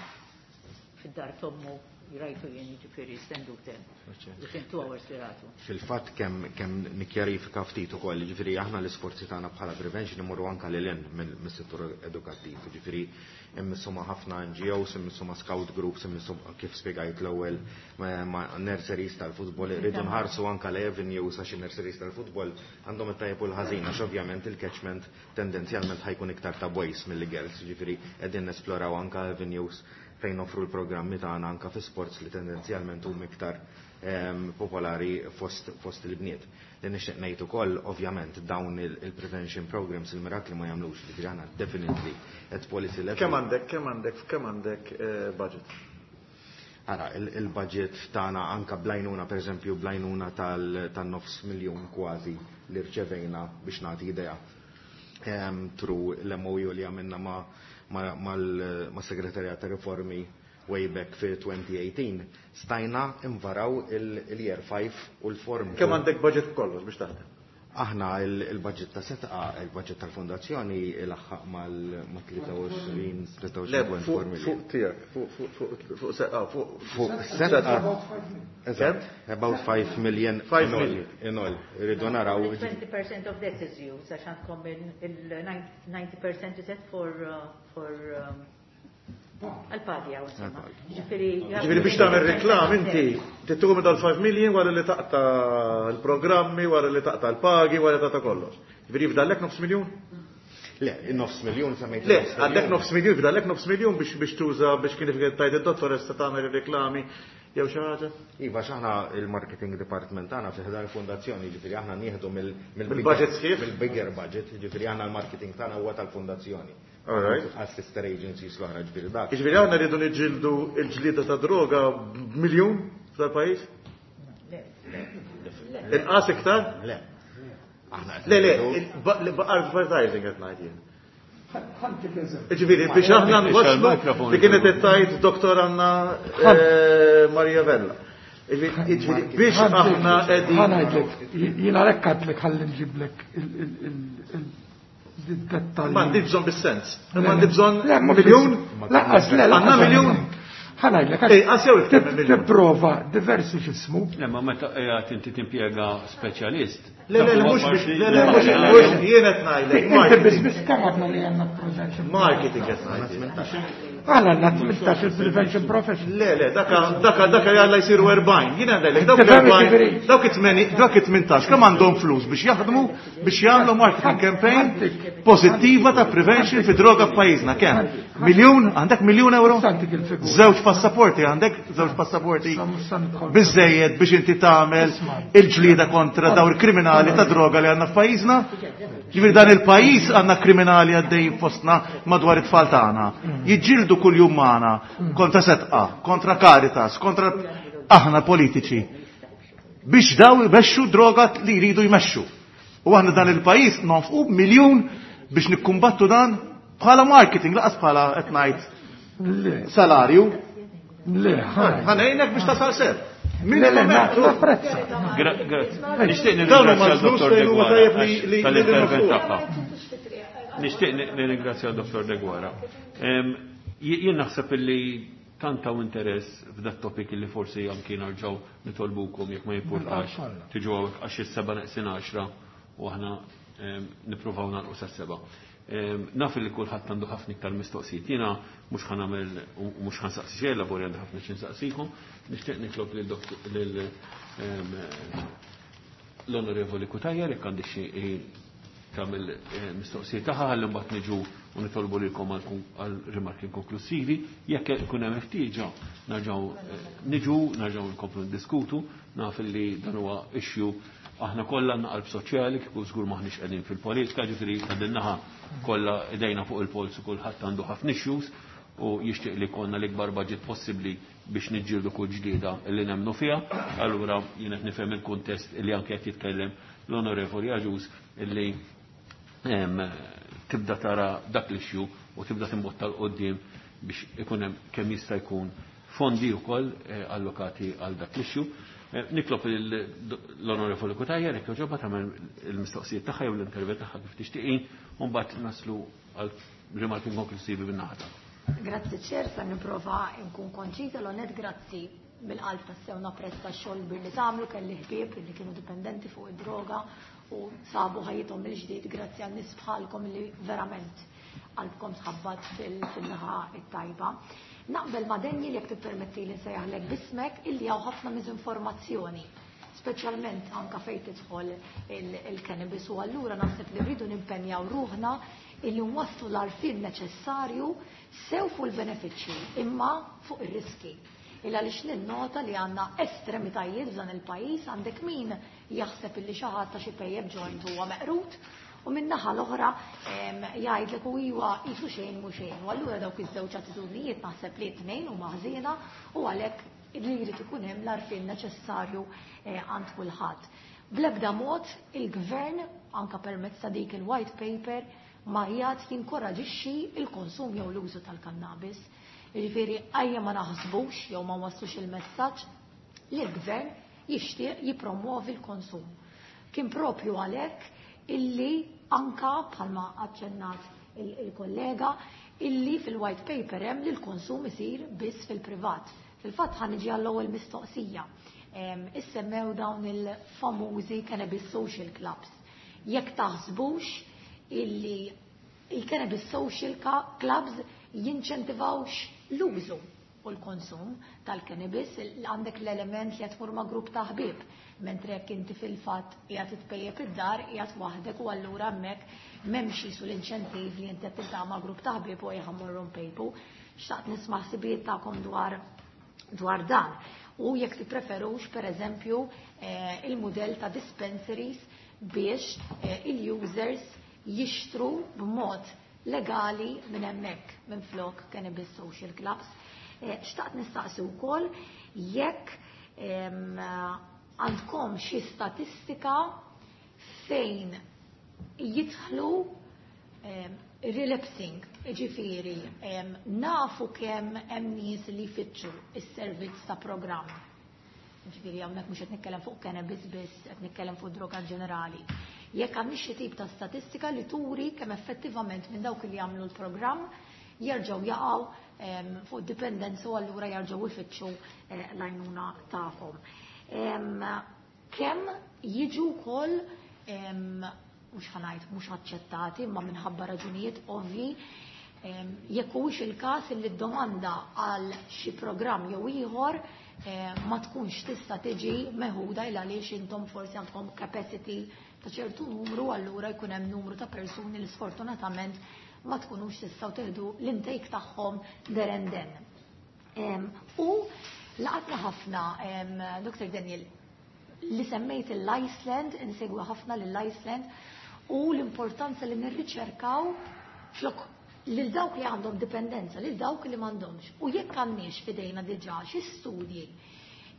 fid-dar t'ommu rajtu jien jiġifieri stendu ten. Within two hours li ratu. Fil-fatt kemm kemm nikkjarifika ftit ukoll, jiġifieri aħna l-isforzi tagħna bħala prevention imorru anke lil hinn mis-settur edukattiv, jiġifieri immissu ma' ħafna N G Os, immissu ma' scout groups, immissu kif spjegajt l-ewwel ma' nurseries tal-futbol, irridu nħarsu anke l-avenues għax in-nurseries tal-futbol għandhom it-tajjeb u l-ħażin għax ovvjament il-catchment tendenzjalment ħa jkun iktar ta' boys milli girls, jiġifieri qegħdin nesploraw anke avenues fejn offru l-programmi tagħna anke fi sports li tendenzjalment huma iktar ehm, popolari fost, fost il-bniet. Li nixtieq ngħid ukoll ovvjament dawn il-prevention programs il-mirakli ma jagħmlux, ġifieri aħna definitely at policy level. Kemm għandek, kemm għandek, kemm għandek eh, budget? Ara, il-budget tagħna anka bl-għajnuna, per eżempju, bl-għajnuna tan-nofs miljun kważi li rċevejna biex nagħti idea ehm, through l-M O U li għamilna ma' ma' segretarjat ta' riformi way back fi twenty eighteen, stajna invaraw il-year five u l-form. Kemm għandek budget kollox biex taħdem? Aħna il-budget ta' Sedqa, il-budget tal-fondazzjoni ilaħħaq mal-tlieta u għoxrin, tlieta u għoxrin punt erba' million. Fuq tiegħek, fuq Sedqa, fuq Sedqa. Eżatt, about five million. five million. In all, irridu naraw. twenty percent of that is used, għax għandkom il-ninety percent is that for uh, for um, għal-pagi għaw, insomma. Ġifieri, Ġifieri biex tagħmel reklam inti tittuhom dal-five million wara li taqta l-programmi, wara li taqta l-pagi, wara li taqta kollox. Ġifieri jifdallek nofs miljun? Le, nofs miljun semmejt. Le, għandek nofs miljun, fdallek nofs miljun biex biex tuża biex kien tajt id-dottoressa tagħmel reklami jew xi ħaġa. Iva, x'aħna il-marketing department tagħna fi ħdan il-fondazzjoni, ġifieri aħna nieħdu mill-budget sħiħ, mill-bigger budget, ġifieri aħna l-marketing tagħna huwa tal-fondazzjoni. All right. Għas-sister agencies l-oħra, ġifieri dak. Ġifieri aħna rridu niġġieldu l-ġlieda ta' droga b'miljun f'dal-pajjiż? Le. Inqas iktar? Le. Le, le, advertising qed ngħid jien. Ġifieri biex aħna nwasslu li kienet qed tgħid Doktor Anna Maria Vella. Ġifieri biex aħna qegħdin. Ħa ngħidlek, jiena għalhekk għedtlek ħalli nġiblek il-dettalji. M'għandi bżonn bis-sens. M'għandi bżonn miljun? Lanqas le, Għandna miljun? Ħa ngħidlek, tipprova diversi x'ismu. Le, ma meta qiegħed inti timpjega speċjalist. Le, le, mhux biex, le, le, mhux mhux jien qed ngħidlek. Inti biss biss kemm għadna li għandna prevention. Marketing qed ngħidlek. Għala għandna tmintax il-prevention profession. Le, le, daka daka daka jalla jsiru erbgħin. Jien ngħidlek dawk erbgħin, dawk it-tmeni, dawk it-tmintax kemm għandhom flus biex jaħdmu biex jagħmlu marketing campaign pożittiva ta' prevention fi droga f'pajjiżna kemm? Miljun? Għandek miljun euro? Żewġ passaporti għandek, żewġ passaporti biżejjed biex inti tagħmel il-ġlieda kontra dawn il-kriminali ta' droga li għandna f'pajjiżna? Ġifieri dan il-pajjiż għandna kriminali għaddejjin fostna madwar it-tfal tagħna. Jiġġieldu kuljum magħna kontra Setqa, kontra Caritas, kontra aħna politiċi biex daw jmexxu droga li jridu jmexxu. U aħna dan il-pajjiż nonfqu miljun biex nikkumbattu dan bħala marketing, laqas bħala qed ngħid salarju. Le, ħanejnek biex tasal sew. Le, le, napprezza. Grazzi. Nixtieq nirringrazzja l-Dottor Deguara tal-intervent tagħha. Nixtieq nirringrazzja l-Dottor Deguara. Jien naħseb illi tant hawn interess f'dat topic illi forsi anki narġgħu nitolbukom jekk ma jimpurtax tiġu hawnhekk għax is-seba' neqsin għaxra u aħna nippruvaw nagħlqu sas-seba'. Naf li kulħadd għandu ħafna iktar mistoqsijiet. Jiena mhux ħa nagħmel u mhux ħa nsaqsi xejn, labori għandi ħafna xi nsaqsikom. Nixtieq nitlob lil l-Onorevoli Cutajar jekk għandi xi tagħmel mistoqsijiet tagħha ħalli mbagħad niġu u nitolbu lilkom għal rimarki konklusivi. Jekk ikun hemm ħtieġa nerġgħu niġu, nerġgħu nkomplu ndiskutu, naf li dan huwa issue aħna kollha għandna qalb soċjali, kieku żgur maħniex qegħdin fil-politika, ġifieri ta' din naħa kollha idejna fuq il-polz u kulħadd għandu ħafna issues u jixtieq li jkollna l-ikbar budget possibbli biex niġġieldu kull ġlieda li nemmnu fiha. Allura jien qed nifhem il-kuntest li anke qed jitkellem l-Onorevoli Agius illi tibda tara dak l-issue u tibda timbotta l qoddim biex ikun hemm kemm jista' jkun fondi wkoll allokati għal dak l-issue. Nitlob l-Onorevoli Cutajar jekk jogħġobha tagħmel il-mistoqsijiet tagħha jew l-intervent tagħha kif tixtieqin u mbagħad naslu għal rimarki konklusivi min-naħa tagħha. Grazzi ċer, sa nipprova nkun konċiża l-onet grazzi mill-qalb tassew napprezza x-xogħol kbir li tagħmlu, kelli ħbieb li kienu dipendenti fuq id-droga u sabu ħajjithom mill-ġdid grazzi għal nies bħalkom li verament qalbkom tħabbat fil-naħa it-tajba. Naqbel ma' Daniel jekk tippermetti li nsejjaħlek bismek illi hawn ħafna miżinformazzjoni, speċjalment anka fejn tidħol il-cannabis u allura naħseb li rridu nimpenjaw ruħna illi nwasslu l-għarfien neċessarju sew fuq il-benefiċċji imma fuq ir-riski. Illa għaliex ninnota li għandna estremitajiet f'dan il-pajjiż, għandek min jaħseb illi xi ħadd ta' xi pejjeb joint huwa meqrut u min-naħa l-oħra jgħidlek u iwa jisu xejn mhu xejn. U allura dawk iż-żewġ attitudnijiet naħseb li t-tnejn huma ħżiena u għalhekk li jrid ikun hemm l-għarfien neċessarju għand kulħadd. Bl-ebda mod il-gvern anka permezz ta' dik il-white paper ma jgħid jinkoraġixxi il-konsum jew l-użu tal-kannabis. Jiġifieri ejja ma naħsbux jew ma waslux il-messaġġ li l-gvern jixtieq jippromuovi l-konsum. Kien propju għalhekk illi anka bħalma aċċennat il-kollega illi fil-white paper hemm li l-konsum isir biss fil-privat. Fil-fatt ħa niġi għall-ewwel mistoqsija. Issemmew dawn il-famużi cannabis social clubs. Jekk taħsbux illi il-cannabis social clubs jinċentivawx l-użu u l-konsum tal-cannabis, għandek l-element li qed tmur ma' grupp ta' ħbieb, mentre jekk inti fil-fatt qiegħed titpejjep id-dar, qiegħed waħdek u allura hemmhekk M'hemmx jisu l-inċentiv li inti qed tiltaqa' ma' grupp ta' ħbieb u ejja mmorru npejpu. Xtaqt nisma' ħsibijiet tagħkom dwar dwar dan. U jekk tippreferux pereżempju eh, il-mudell ta' dispensaries biex eh, il-users jixtru b'mod legali minn hemmhekk minn flok cannabis social clubs. Eh, xtaqt nistaqsi wkoll jekk għandkom xi statistika fejn jidħlu relapsing, ġifieri, nafu kemm hemm nies li jfittxu is-servizz ta' programm. Ġifieri hawnhekk mhux qed nitkellem fuq cannabis biss, qed nitkellem fuq droga ġenerali. Jekk għandix xi tip ta' statistika li turi kemm effettivament minn dawk li jagħmlu l-programm jerġgħu jaqgħu fuq dipendenza u allura jerġgħu jfittxu eh, l-għajnuna tagħhom. Kemm jiġu wkoll mhux ħa ngħid mhux aċċettati imma minħabba raġunijiet ovvi jekk huwiex il-każ li d-domanda għal xi programm jew ieħor ma tkunx tista' tiġi meħuda il għaliex intom forsi għandkom capacity ta' ċertu numru, allura jkun hemm numru ta' persuni li sfortunatament ma tkunux tistgħu teħdu l-intake tagħhom there and then. U laqatna ħafna, Dr. Daniel, li semmejt l-Iceland, insegwa ħafna l-Iceland, u l-importanza li nirriċerkaw flok lil dawk li għandhom dipendenza, lil dawk li m'għandhomx. U jekk għandniex fidejna diġà xi studji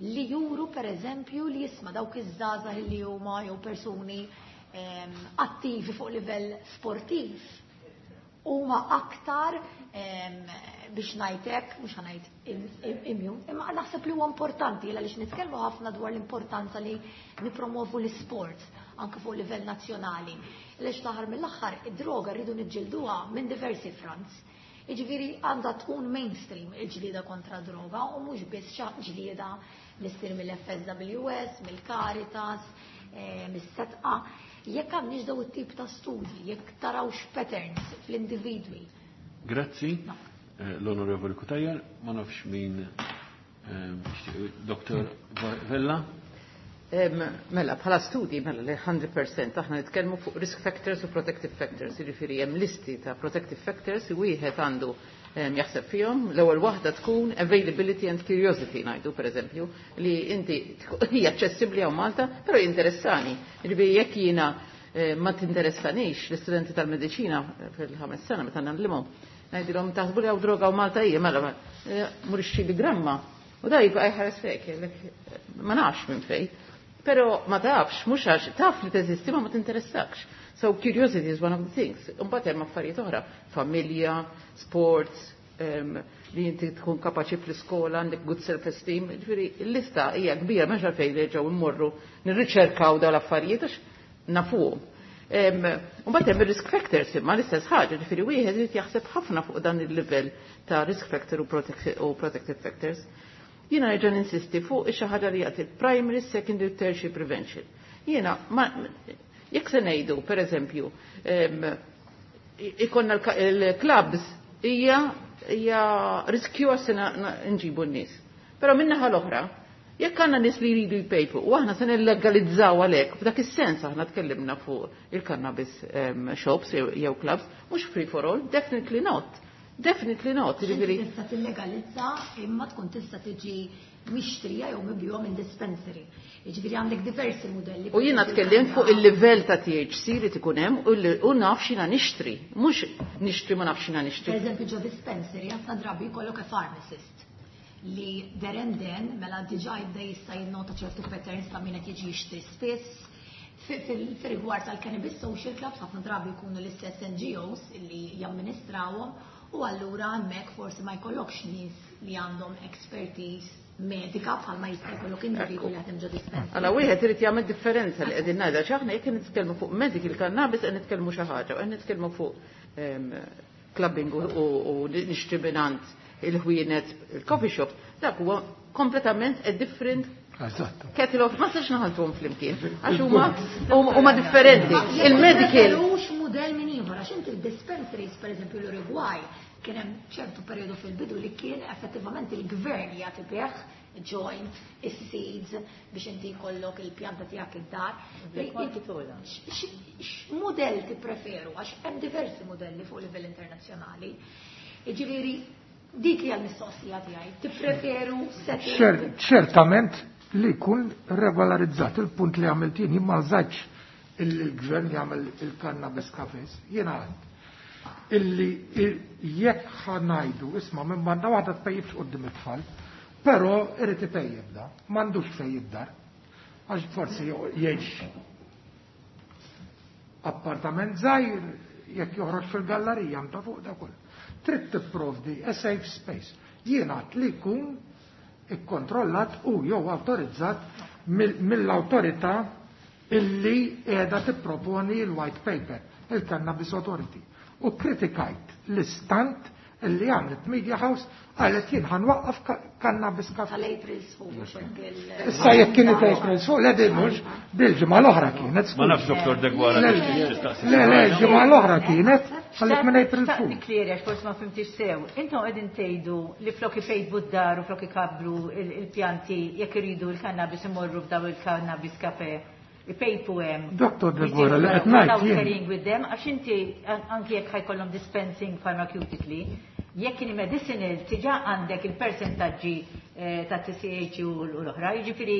li juru per eżempju li jisma' dawk iż-żgħażagħ li huma jew persuni ehm, attivi fuq livell sportiv huma aktar ehm, biex ngħidlek, mhux ħa ngħid immune, imma naħseb li huwa importanti għaliex nitkellmu ħafna dwar l-importanza li nipromovu l-isport anke fuq livell nazzjonali. Għaliex l-aħħar mill-aħħar id-droga rridu niġġilduha minn diversi fronts. Jiġifieri għandha tkun mainstream il-ġlieda kontra droga u mhux biss ġlieda li ssir mill-FSWS, mill-Caritas, eh, mis-Sedqa. Jekk għandniex daw it-tip ta' studji, jekk tarawx patterns fl-individwi. Grazzi, eh, l-Onorevoli Cutajar, ma nafx min eh, Dr. Vella. Mela, bħala studi, mela li mija fil-mija aħna nitkellmu fuq risk factors u protective factors, jiġifieri hemm listi ta' protective factors li wieħed għandu jaħseb fihom. L-ewwel waħda tkun availability and curiosity ngħidu pereżempju li inti hija aċċessibbli hawn Malta, però jinteressani. Jiġifieri jekk jiena eh, ma tinteressanix l-istudenti tal-mediċina fil-ħames sena meta ngħallimhom, ngħidilhom taħsbu li hawn droga hawn Malta hija mela eh, mur ixtri gramma. U da jibqa' jħares lejk, ma nafx minn fejn. Pero ma tafx, mhux għax taf li teżisti ma ma tinteressakx. So curiosity is one of the things. Imbagħad hemm affarijiet oħra, familja, sports, um, li inti tkun kapaċi fl-iskola, għandek good self-esteem. Ġifieri l-lista hija kbira m'hemmx għalfejn nerġgħu immorru nirriċerkaw dawn l-affarijiet għax nafuhom. Mbagħad hemm ir-risk factors imma l-istess ħaġa, ġifieri wieħed irid jaħseb ħafna fuq dan il-livell ta' risk factor u protective factors. Jiena nerġa' ninsisti fuq xi ħaġa li jagħti primary, secondary, tertiary prevention. Jiena ma jekk se ngħidu, pereżempju, ikonna l-clubs hija hija riskju għas nġibu n-nies. Però min-naħa l-oħra, jekk għandna nies li jridu jpejpu u aħna se nillegalizzaw għalhekk, f'dak is-sens aħna tkellimna fuq il-cannabis shops jew clubs, mhux free for all, definitely not. Definitely not. Ġifieri tista' tillegalizza imma tkun tista' tiġi mixtrija jew mibjugħa minn dispensary. Jiġifieri għandek diversi modelli. U jiena tkellimt fuq il-livell ta' THC li tkun hemm u naf x'jiena nixtri. Mhux nixtri ma nafx x'jiena nixtri. Per eżempju ġo dispensary ħafna drabi jkollok a pharmacist li there and then mela diġà jibda jista' jinnota ċertu patterns ta' min qed jiġi jixtri spiss. Fir-rigward tal-cannabis social clubs ħafna drabi jkunu l-istess NGOs li jamministrawhom u allura hemmhekk forsi ma jkollokx nies li għandhom expertise medika bħalma jista' jkollok individwu li jaħdem ġo dispensary. Alla wieħed irid jagħmel differenza li qegħdin ngħidha x'aħna jekk nitkellmu fuq medical cannabis qed nitkellmu xi ħaġa u qed nitkellmu fuq clubbing u nixtri mingħand il-ħwienet il-coffee shop, dak huwa kompletament a different kettle of ma sax naħaltuhom flimkien għax huma huma differenti. Il-medical Mhux mudell minn ieħor għax inti il-dispensaries pereżempju l-Uruguay kien hemm ċertu perjodu fil-bidu li kien effettivament il-gvern jagħti bih joint, is-seeds biex inti jkollok il-pjanta tiegħek id-dar. X'mudell tippreferu għax hemm diversi modelli fuq livell internazzjonali. Jiġifieri dik hija l-mistoqsija tiegħi. Tippreferu setting. Ċertament li jkun regolarizzat il-punt li għamilt jien ma żgħidx il-gvern jagħmel il-cannabis cafes. Jiena għad illi jekk ħa ngħidu isma' minn banda waħda tpejjibx quddiem it-tfal, però irid ipejjeb da, m'għandux fejn id-dar. Għax forsi jgħix appartament żgħir jekk joħroġ fil-gallerija ta' fuq da kull. Trid tipprovdi a safe space. Jiena li jkun ikkontrollat u jew awtorizzat mill-awtorità illi qiegħda tipproponi l-white paper, il-Cannabis Authority. U kritikajt l-istant illi għamlet Media House għalet jien ħa nwaqqaf cannabis cafe. Tal-April Fool. Issa jekk kienet April Fool, le din mhux bil-ġimgħa l-oħra kienet. Ma nafx Doktor Degwara. Le, le, ġimgħa l-oħra kienet, għalik minn April Fool. Nikleri għax forsi ma fhimtix sew. Intom qegħdin tgħidu li flok ipejpu d-dar u flok ikabbru il-pjanti jekk iridu l-cannabis imorru f'daw il-cannabis cafe. Ipejpu hemm. Doktor Degwara, li qed ngħid jien. Carrying with them, għax inti anki jekk ħa jkollhom dispensing pharmaceutically, jekk kien medicinal diġà għandek il-persentaġġi ta' T C H u l-oħra, jiġifieri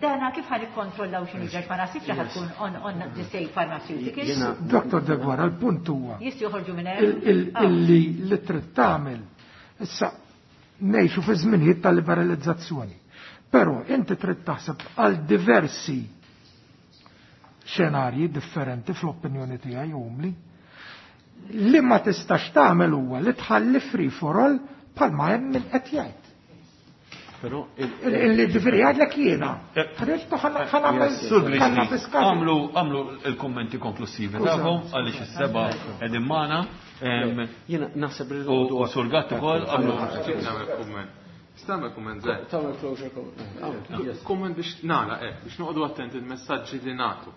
dana kif ħa nikkontrollaw x'inhu ġej, ma naħsibx li ħa tkun on on the same pharmaceuticals. Doktor Degwara, l-punt huwa. Jistgħu joħorġu minn hemm. Illi li trid tagħmel issa ngħixu fi żminijiet ta' liberalizzazzjoni. Però inti trid taħseb għal diversi xenarji differenti fl-opinjoni tiegħi umli. Li ma tistax tagħmel huwa li tħalli free for all bħalma hemm min qed jgħid. Però Illi ġifieri jgħidlek jiena. Ħriġtu ħa nagħmel Sur Grixti, għamlu għamlu il-kommenti konklusivi tagħhom għaliex is-seba' qegħdin magħna. Jiena naħseb li U Sur Gatt ukoll għamlu. Nagħmel kumment. Nagħmel kumment żgħir. Tagħmel closure comment. Kumment biex nagħlaq hekk, biex noqogħdu attenti il-messaġġi li nagħtu.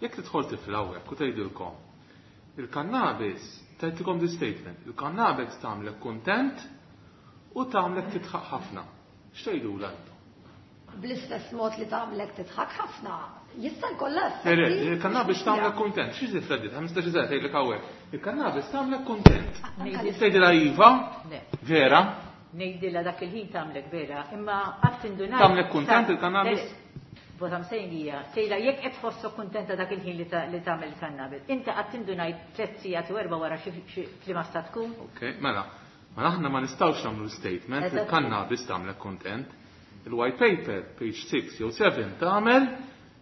Jekk tidħol tifla hawnhekk u tgħidilkom il-cannabis, tgħidilkom di statement, il-cannabis tagħmlek kuntent u tagħmlek tidħaq ħafna. X'tgħidulha intom? Bl-istess mod li tagħmlek tidħaq ħafna, jista' jkollha Le, le, il-cannabis tagħmlek kuntent. Xi tifla dit? ħmistax sena tgħidlek hawnhekk. Il-cannabis tagħmlek kuntent. Tgħidilha iva? Vera? Ngħidilha dak il-ħin tagħmlek vera, imma qatt indunajt. Tagħmlek kuntent il-cannabis? What I'm saying hija, tgħidha jekk qed tħossok kuntenta dak il-ħin li tagħmel il-cannabis. Inti qatt indunajt tliet sigħat u erba' wara xi f'liema sta tkun? Ok, mela. Ma aħna ma nistgħux nagħmlu statement li il-cannabis tagħmlek kuntent. Il-white paper, page six jew seven, tagħmel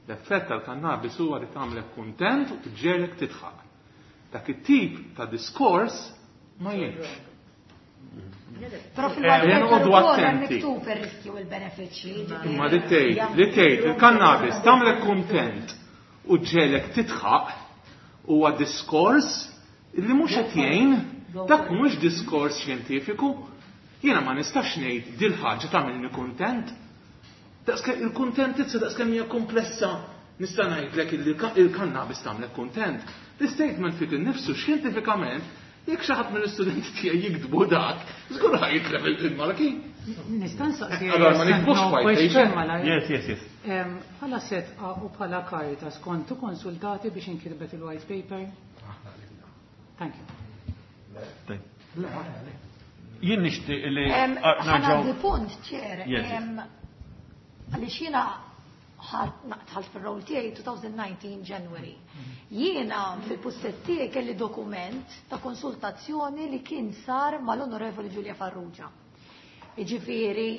l-effett tal-cannabis huwa li tagħmlek kuntent u ġġegħlek tidħaq. Dak it-tip ta' diskors ma jgħinx. Però fil-white paper ukoll hemm miktub ir-riskju u l-benefiċċji. Imma li tgħid, li tgħid il-cannabis tagħmlek kuntent u ġġegħlek tidħaq huwa diskors li mhux qed jgħin, dak mhux diskors xjentifiku. Jiena ma nistax ngħid dil ħaġa tagħmilni kuntent. Daqskemm il-kuntentizza daqskemm hija komplessa nista' ngħidlek il-cannabis tagħmlek kuntent. L-statement fik innifsu xjentifikament jekk xi ħadd mill-istudenti tiegħi jiktbu dak, żgur ħa jitlef il-marki. Nista' nsaqsi. Allora ma niktbux white paper. Yes, yes, yes. Bħala Sedqa u bħala Caritas kontu konsultati biex inkitbet il-white paper? Thank you. Jien nixtieq li Ħa ngħaddi punt, Chair. Għaliex jiena dħalt fil-role tiegħi twenty nineteen January. Jiena fil-pussess tiegħi kelli dokument ta' konsultazzjoni li kien sar mal-Onorevoli Julia Farrugia. Jiġifieri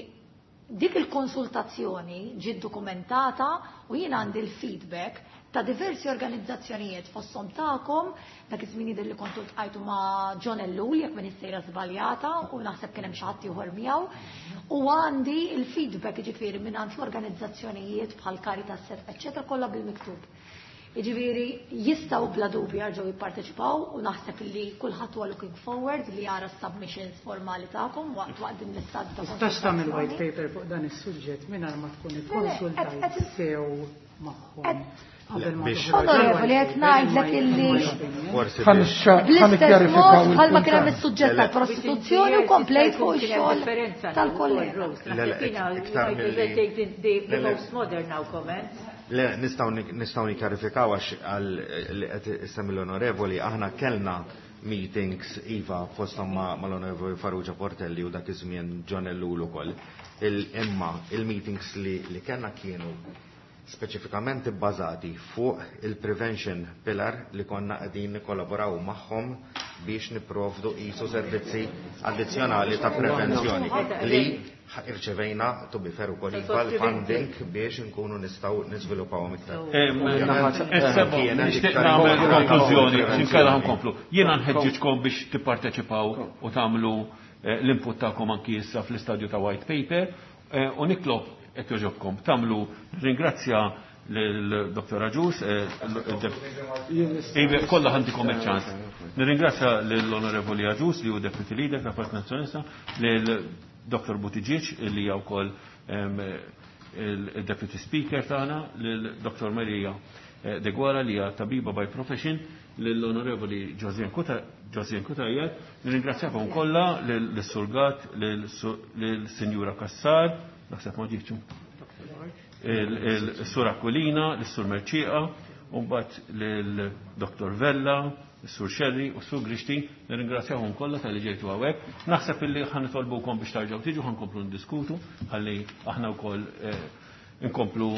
dik il-konsultazzjoni ġiet dokumentata u jiena għandi l-feedback ta' diversi organizzazzjonijiet fosthom tagħkom, dak iż-żmien jidher li kontu ltqajtu ma' John Ellul jekk m'iniex sejra żbaljata u naħseb kien hemm xi ħadd ieħor miegħu. U għandi il-feedback jiġifieri minn għand l-organizzazzjonijiet bħal Caritas, eċċetera, kollha bil-miktub. Jiġifieri jistgħu bla dubju jerġgħu jipparteċipaw u naħseb li kulħadd huwa looking forward li jara submissions formali tagħkom waqt waqt din l-istadju ta' Tistax tagħmel white paper fuq dan is-suġġett mingħajr ma tkun ikkonsultajt sew magħhom qabel ma Onorevoli, qed ngħidlek illi Forsi bl-istess mod bħalma kien hemm is-suġġett tal-prostituzzjoni u komplejt fuq ix-xogħol tal-kollega. Le, le, iktar milli- The Le, le. most modern now comments. Le, nistgħu nistgħu nikkjarifikaw għax għal li qed issemmi l-onorevoli, aħna kellna meetings iva fosthom ma' mal-onorevoli Farrugia Portelli u dak iż-żmien John Ellul ukoll. Imma il-meetings li, li kellna kienu speċifikament ibbażati fuq il-prevention pillar li konna qegħdin nikkollaboraw magħhom biex nipprovdu qisu servizzi addizzjonali ta' prevenzjoni li irċevejna to be fair ukoll iva l-funding biex nkunu nistgħu niżviluppawhom iktar. Issa nixtieq nagħmel konklużjoni, x'inkella nkomplu. Jiena nħeġġiġkom biex tipparteċipaw u tagħmlu eh, l-input tagħkom anki issa fl-istadju ta' white paper eh, u nitlob jekk jogħġobkom tagħmlu ringrazzja lil-Dottor Agius, eh, kollha ħa ntikom iċ-ċans. Nirringrazzja lill-Onorevoli Agius li hu Deputy Leader ta' Partit Nazzjonalista, lil Dottor Buttigieg li hija wkoll il-Deputy Speaker tagħna, lil Dottor Maria eh, Deguara li hija tabiba by profession, lill-Onorevoli Josianne Cutajar, nirringrazzjakom kollha lis-Sur Gatt, lill-Sinjura Cassar, naħseb ma ġietx, il-Sur Aquilina, l-Sur Mercieca, u mbagħad lil-Dottor Vella, il-Sur Scerri u s-Sur Grixti, nirringrazzjahom kollha talli ġejtu hawnhekk. Naħseb illi ħa nitolbukom biex terġgħu tiġu ħa nkomplu ndiskutu, ħalli aħna wkoll eh, nkomplu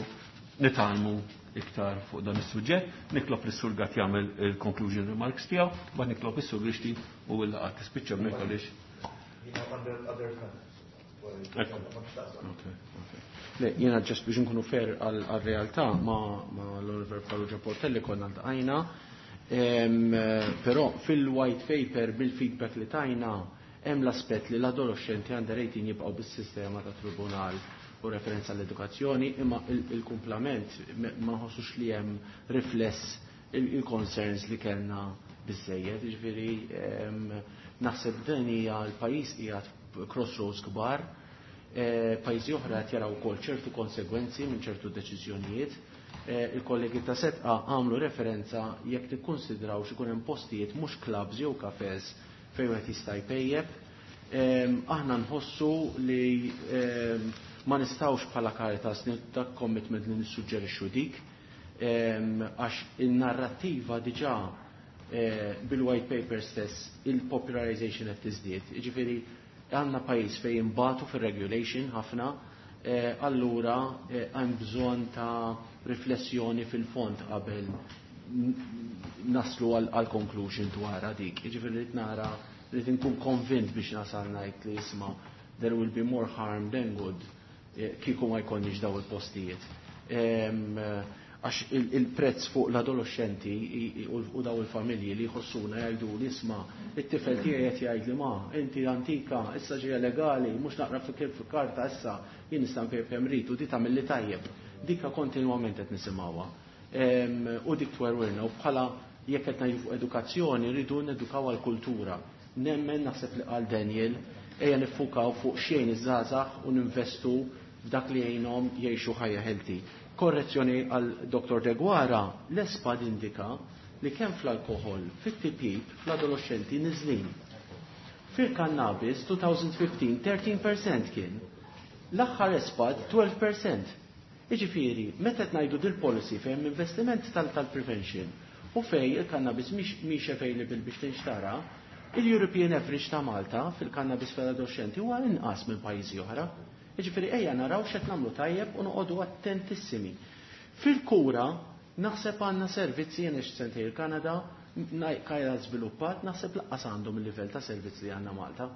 nitgħallmu iktar fuq dan is-suġġett. Nitlob lis-Sur Gatt jagħmel il-conclusion remarks tiegħu, mbagħad nitlob is-Sur Grixti u l-laqgħa tispiċċa b'mek għaliex. Le, jiena just biex nkunu fair għal-realtà ma, ma l-Onorevoli Farrugia Portelli konna ltqajna, però fil-white paper bil-feedback li tajna hemm l-aspett li l-adolescenti under eighteen jibqgħu bis-sistema ta' tribunal u referenza l-edukazzjoni, imma il-kumplament ma nħossux li hemm rifless il-concerns li kellna biżejjed, jiġifieri naħseb din hija l-pajjiż qiegħed crossroads kbar, pajjiżi oħra qed jaraw ukoll ċertu konsegwenzi minn ċertu deċiżjonijiet. Il-kollegi ta' Sedqa għamlu referenza jekk tikkonsidraw x'ikun hemm postijiet mhux clubs jew cafes fejn wieħed jista' jpejjeb. Aħna nħossu li ma nistgħux bħala Caritas dak commitment li nissuġġerixxu dik, għax in-narrattiva diġà bil-white paper stess il-popularization qed tiżdied. Jiġifieri għandna pajjiż fejn imbatu fir-regulation ħafna, allura hemm bżonn ta' riflessjoni fil-fond qabel naslu għal conclusion dwar dik. Jiġifieri rrid nara rrid inkun konvint biex nasal ngħid li isma' there will be more harm than good kieku ma jkollniex daw il-postijiet. Għax il-prezz fuq l-adolescenti u daw il-familji li jħossuna jgħidu li isma' it-tifel tiegħi qed jgħid li ma inti antika issa ġejja legali mhux naqra fi kif karta issa jien nista' npejjep kemm rrid u di tagħmel li tajjeb. Dikka kontinwament qed nisimgħuha. U dik twerwirna u bħala jekk qed ngħidu fuq edukazzjoni rridu nedukaw għall-kultura. Nemmen naħseb li qal Daniel ejja niffukaw fuq xejn iż-żgħażagħ u ninvestu f'dak li jgħinhom jgħixu ħajja healthy. Korrezzjoni għal Dottor Deguara, l-ESPAD indika li kemm fl-alkohol, fit-tipjip, fl-adolescenti niżlin. Fil-cannabis twenty fifteen thirteen percent kien. L-aħħar ESPAD twelve percent. Iġifieri, meta qed ngħidu dil-policy fejn investiment tal-prevention u fej il-cannabis mhix available biex tinxtara, il-European average ta' Malta fil-cannabis fl-adolescenti huwa inqas minn pajjiżi oħra. Jiġifieri ejja naraw x'qed nagħmlu tajjeb u noqogħdu attentissimi. Fil-kura naħseb għandna servizzi jien sentej il-Kanada, kajra żviluppat, naħseb lanqas għandhom il-livell ta' servizzi li għandna Malta.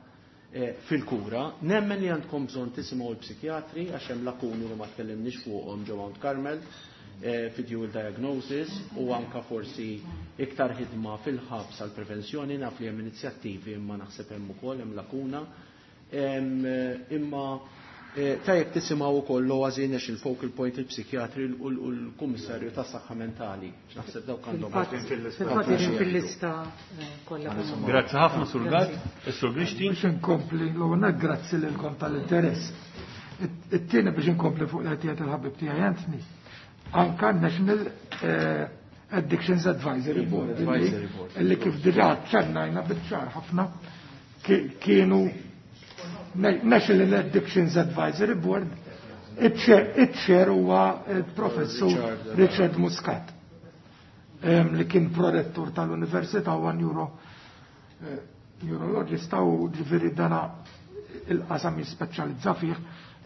Fil-kura, nemmen li għandkom bżonn tisimgħu l-psikjatri għax hemm lakuni li ma tkellimniex fuqhom ġo Mount Carmel, fi dual diagnosis u anka forsi iktar ħidma fil-ħabs għal prevenzjoni, naf li hemm inizjattivi imma naħseb hemm ukoll hemm lakuna. Imma tajjeb tisimgħu wkoll l-OASI National Focal Point, il-psikjatri u l-Kummissarju tas-Saħħa Mentali. Naħseb dawk għandhom. Fil-fatt fil-lista kollha. Grazzi ħafna, Sur Gatt, is-Sur Grixti. Biex inkompli l-ewwel grazzi lilkom tal-interess. It-tieni biex inkompli fuq l-għetijat il-ħabib tiegħi Anthony. anka National eh, Addictions Advisory Board illi kif diġà ċannajna biċ-ċar ħafna kienu National Addictions Advisory Board, iċ-chair huwa il-professur Richard Muscat li kien prorettur tal-Università huwa neuro eh, neurologista u ġifieri dana il-qasam jispeċjalizza fih,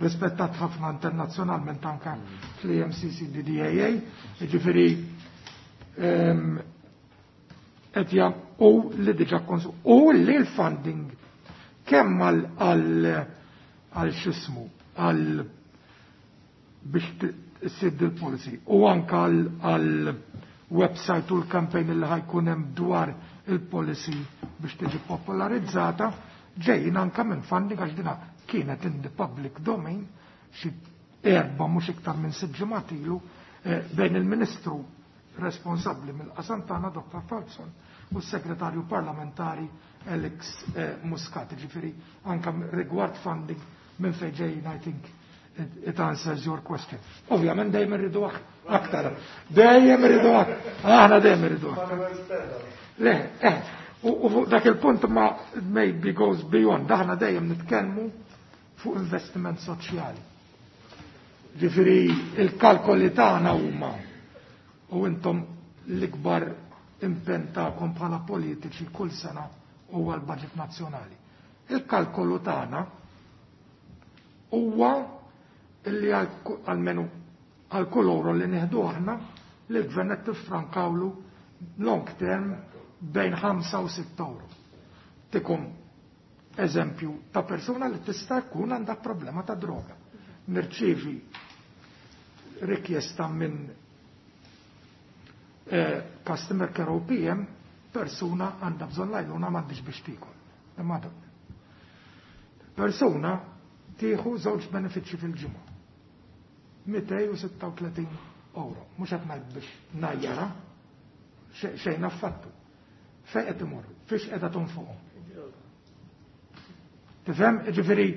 rispettat ħafna internazzjonalment anka fl-E M C C D D A A, ġifieri qed u li diġà konsu u li l-funding kemm għal għal xismu għal biex issir il-policy u anka għal website u l-campaign li ħa jkun hemm dwar il-policy biex tiġi popolarizzata ġejjin anka minn funding, għax dina kienet in the public domain xi erba' mhux iktar minn sitt ġimgħat ilu eh, bejn il-Ministru responsabbli mill-qasam tagħna, Doctor Falzon, u s-Segretarju Parlamentari Alex eh, Muscat. Ġifieri anka rigward funding minn fejn ġejjin, I think it, it answers your question. Ovvjament dejjem irridu aktar. Dejjem irridu aktar. Aħna dejjem irridu aktar. Le, eh, u fuq dak il-punt ma maybe goes beyond, aħna dejjem nitkellmu fuq investiment soċjali. Ġifieri il-kalkoli tagħna huma, u intom l-ikbar impenn tagħkom bħala politiċi kull sena huwa l-budget nazzjonali. Il-kalkolu tagħna huwa illi għalmenu għal kull euro li nieħdu aħna, li l-gvern qed tiffrankawlu long term bejn ħamsa u sitt euro. Tikum eżempju ta' persuna li tista' jkun għandha problema ta' droga. Nirċivi rikjesta minn eh, customer care O P M, persuna għandha bżonn l-għajnuna, m'għandix biex tiekol. Imma persuna tieħu żewġ benefiċċji fil-ġimgħa. mitejn u sitta u tletin euro. Mhux qed ngħid biex ngħajjarha, xejn affattu. Fejn qed imorru? Fiex qiegħda tonfoqhom? Tifhem? Ġifieri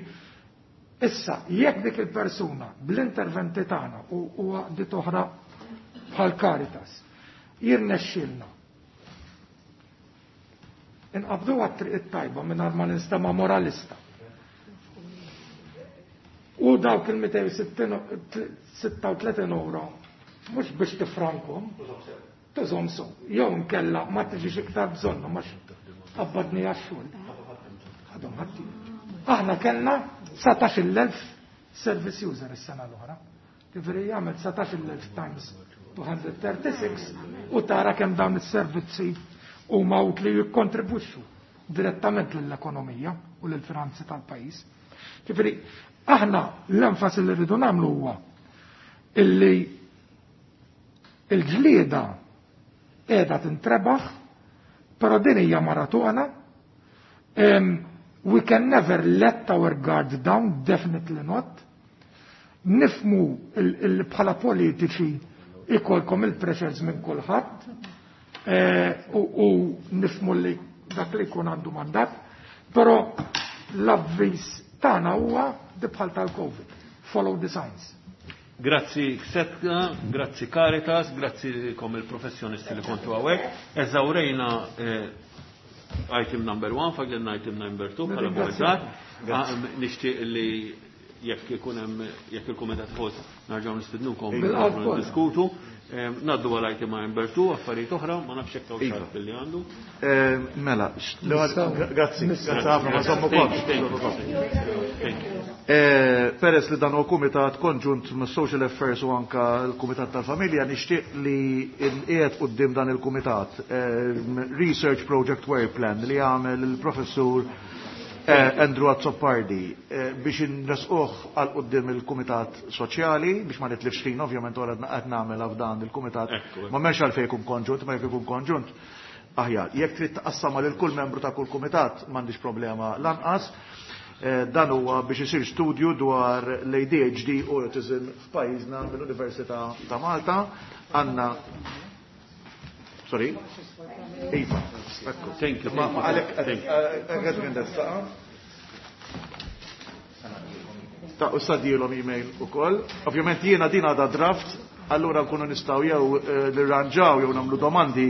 issa jekk dik il-persuna bl-interventi tagħna u għaqdiet oħra bħal Caritas jirnexxilna inqabdu għat-triq it-tajba, mingħajr ma ninstema' moralista, u dawk il-mitejn u sitta u tletin euro mhux biex tifrankom, tużhom so, jew nkella ma tiġix iktar bżonna ma qabbadni għax-xogħol. Għadhom ħatti. Aħna kellna dsatax-il elf service user is-sena l-oħra. Ġifieri jagħmel dsatax-il elf times two hundred thirty-six u tara kemm dawn is-servizzi huma utli jikkontribwixxu direttament lill-ekonomija u lill-finanzi tal-pajjiż. Ġifieri aħna l-enfasi li rridu nagħmlu huwa illi il-ġlieda qiegħda tintrebaħ, però din hija maratona. Um, we can never let our guard down, definitely not. Nifhmu bħala politiċi ikolkom il-pressures minn kulħadd eh, u nifhmu li dak li jkun għandu mandat, però l-avviż tagħna huwa bħal tal-Covid. Follow the signs. Grazzi Sedqa, grazzi Caritas, grazzi kom il-professjonisti li kontu hawnhekk. Eżawrejna eh, item number one, fadlilna item number two bħala kumitat. Ah, nixtieq li jekk ikun hemm, jekk il-kumitat ħoss, narġgħu nistidnukom diskutu. Ngħaddu għal item number two, affarijiet oħra, ma nafx hekk hawn xi li għandu. Mela, grazzi, grazzi ħafna, ma sommu. Peress li dan u kumitat konġunt ma' Social Affairs u anka l-Kumitat tal-Familja, nixtieq li qiegħed quddiem dan il-kumitat Research Project Work Plan li għamel il-professur Andrew Azzopardi biex nresquh għal quddiem il-Kumitat Soċjali biex ma nitlifx ħin, ovvjament wara qed nagħmel f'dan il-kumitat. Ma m'hemmx għalfejn jkun konġunt, ma jekk ikun konġunt aħjar. Jekk trid taqassama lil kull membru ta' kull kumitat, m'għandix problema lanqas. Dan huwa biex isir studju dwar l-A D H D u autism f'pajjiżna mill-Università ta' Malta. Għandna. Sorry? Iva, ekku. Thank you. Ma għalek, għed minn saqa. Ta' u sadilhom email ukoll. Ovvjament jiena din għadha draft, Allura nkunu nistgħu jew nirranġaw jew nagħmlu domandi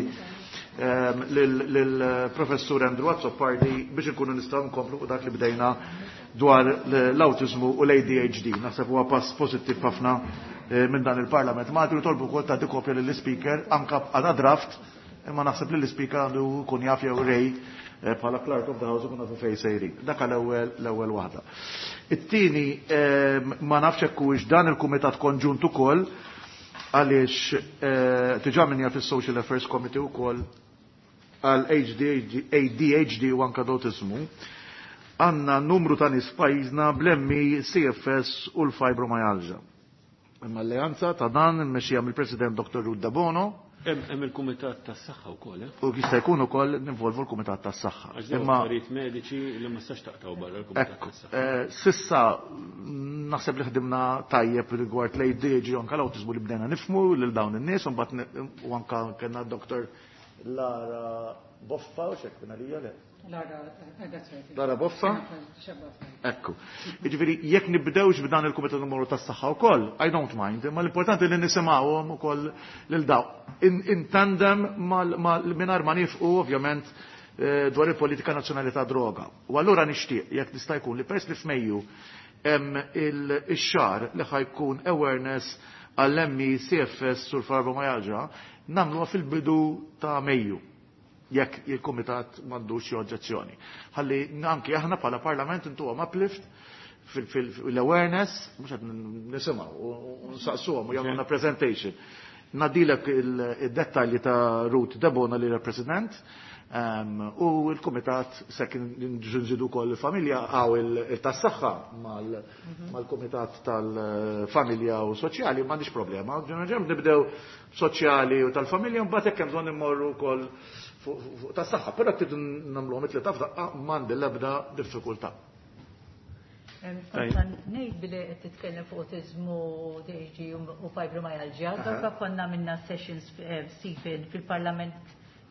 lill-Professur Andrew Azzopardi biex nkunu nistgħu nkomplu fuq dak li bdejna dwar l-awtiżmu u l-A D H D. Naħseb huwa pass pożittiv ħafna minn dan il-Parlament. Ma tolbu wkoll tagħti kopja lill-Speaker anke għadha draft, imma naħseb li l-Speaker għandu jkun jaf jew rej bħala Clerk of the House ikun nafu fejn sejrin. Dak l-ewwel l-ewwel waħda. It-tieni ma nafx hekk huwiex dan il-Kumitat Konġunt ukoll għaliex diġà min jaf is-Social Affairs Committee ukoll għal A D H D u anke l-awtiżmu. Għandna numru ta' nies f'pajjiżna bl-M I, C F S u l-fibromyalgia. Imma alleanza ta' dan immexxija mill-President Doktor Ruth Debono. Hemm il-Kumitat tas-Saħħa wkoll, eh? U jista' jkun ukoll ninvolvu l-Kumitat tas-Saħħa. Għax dawn Imma affarijiet mediċi li ma tistax taqtgħu barra l-Kumitat Ekku, tas-Saħħa. eh, sissa naħseb li ħdimna tajjeb rigward l-A D H D u anke l-awtiżmu li bdejna nifhmu lil dawn in-nies, u mbagħad ne-, u anke kellna Doktor Lara Boffa, u x'hekk kien għalija le? Lara, eh, that's right. Lara Boffa? Xebba. Ekku. Jiġifieri jekk nibdewx b'dan il-Kumitat Numru tas-Saħħa wkoll, I don't mind, imma l-importanti li nisimgħuhom ukoll lil daw. In, in tandem mal, mal, mingħajr ma nifqu ovvjament, eh, dwar il-politika nazzjonali ta' droga. U allura nixtieq jekk tista' jkun li peress li f'Mejju hemm il-xahar li ħajkun awareness għall-M I, C F S u l-fibromyalgia, nagħmluha fil-bidu ta' Mejju, jekk il-Kumitat m'għandux xi oġġezzjoni. Ħalli anki aħna bħala Parlament intuhom uplift fil-awareness, mhux qed nisimgħu u nsaqsuhom u jagħmluna presentation. Nadilek il-dettalji ta' Ruth Debono li l-President, ehm, u l-Kumitat se kien nżidu wkoll il-familja għaw il-tas-saħħa mal-, mal-Kumitat tal-Familja u Soċjali, m'għandix problema. Ġeneralment nibdew soċjali u tal-familja, mbagħad hekk hemm bżonn immorru wkoll fuq, fuq tas-saħħa, però tridu nagħmluhom it-tlieta f'daqqa m'għandi l-ebda diffikultà. Kont ngħid billi qed titkellem fuq awtiżmu, D H D u fibromyalgia, Aha. darba konna minna sessions, eh, Stephen, fil-Parlament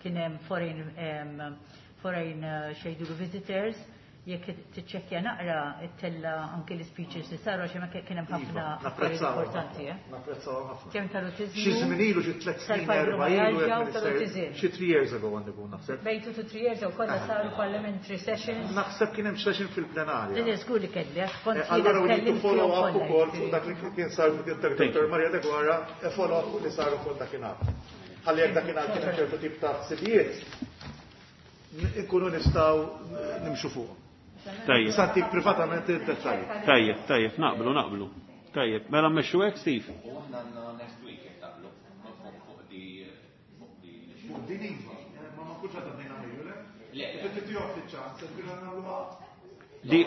kien hemm foreign, em, foreign, eh, xejdu visitors, jekk tiċċekkja naqra it-tella anke l-speeches li saru għax hemmhekk kien hemm ħafna Iva, affarijiet napprezzaw importanti, eh? Napprezzaw ħafna. Kemm tal-awtiżmu? Xi żmien ilu, xi tliet snin, erba' ilu, Tal-fibromyalgia u jekk minister, tal-awtiżmu. xi three years ago għandi kun naħseb. Bejn two to three years ago kollha saru parliamentary sessions. Naħseb kien hemm session fil-plenarja. Din żgur li kelli, għax kont Eh, jiena Allura we need to tkellimt follow fihom up kollha, ukoll fuq jiġifieri. dak li kien sar fuq Doctor Maria Deguara, e follow up fuq li saru fuq dakinhar. Ħalli jekk dakinhar kien hemm ċertu tip ta' ħsibijiet, nkunu nistgħu nimxu fuqhom. Tajjeb. Santik privatament id-dettalji. Tajjeb, tajjeb, naqblu, naqblu. Tajjeb, mela mmexxu hekk, Steve? U aħna għandna next week jekk taqblu, fuq, fuq di, fuq di Fuq din iva, ma ma nkunx għadna bdejna Mejju, le? Le, le. Qed titihom ftit ċans, qed tgħidu nagħmluha. Di,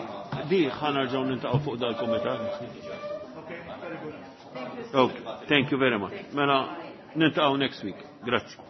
di ħa nerġgħu niltaqgħu fuq dal-kumitat. Okay, very good. Okay, thank you very much. Mela niltaqgħu next week. Grazzi.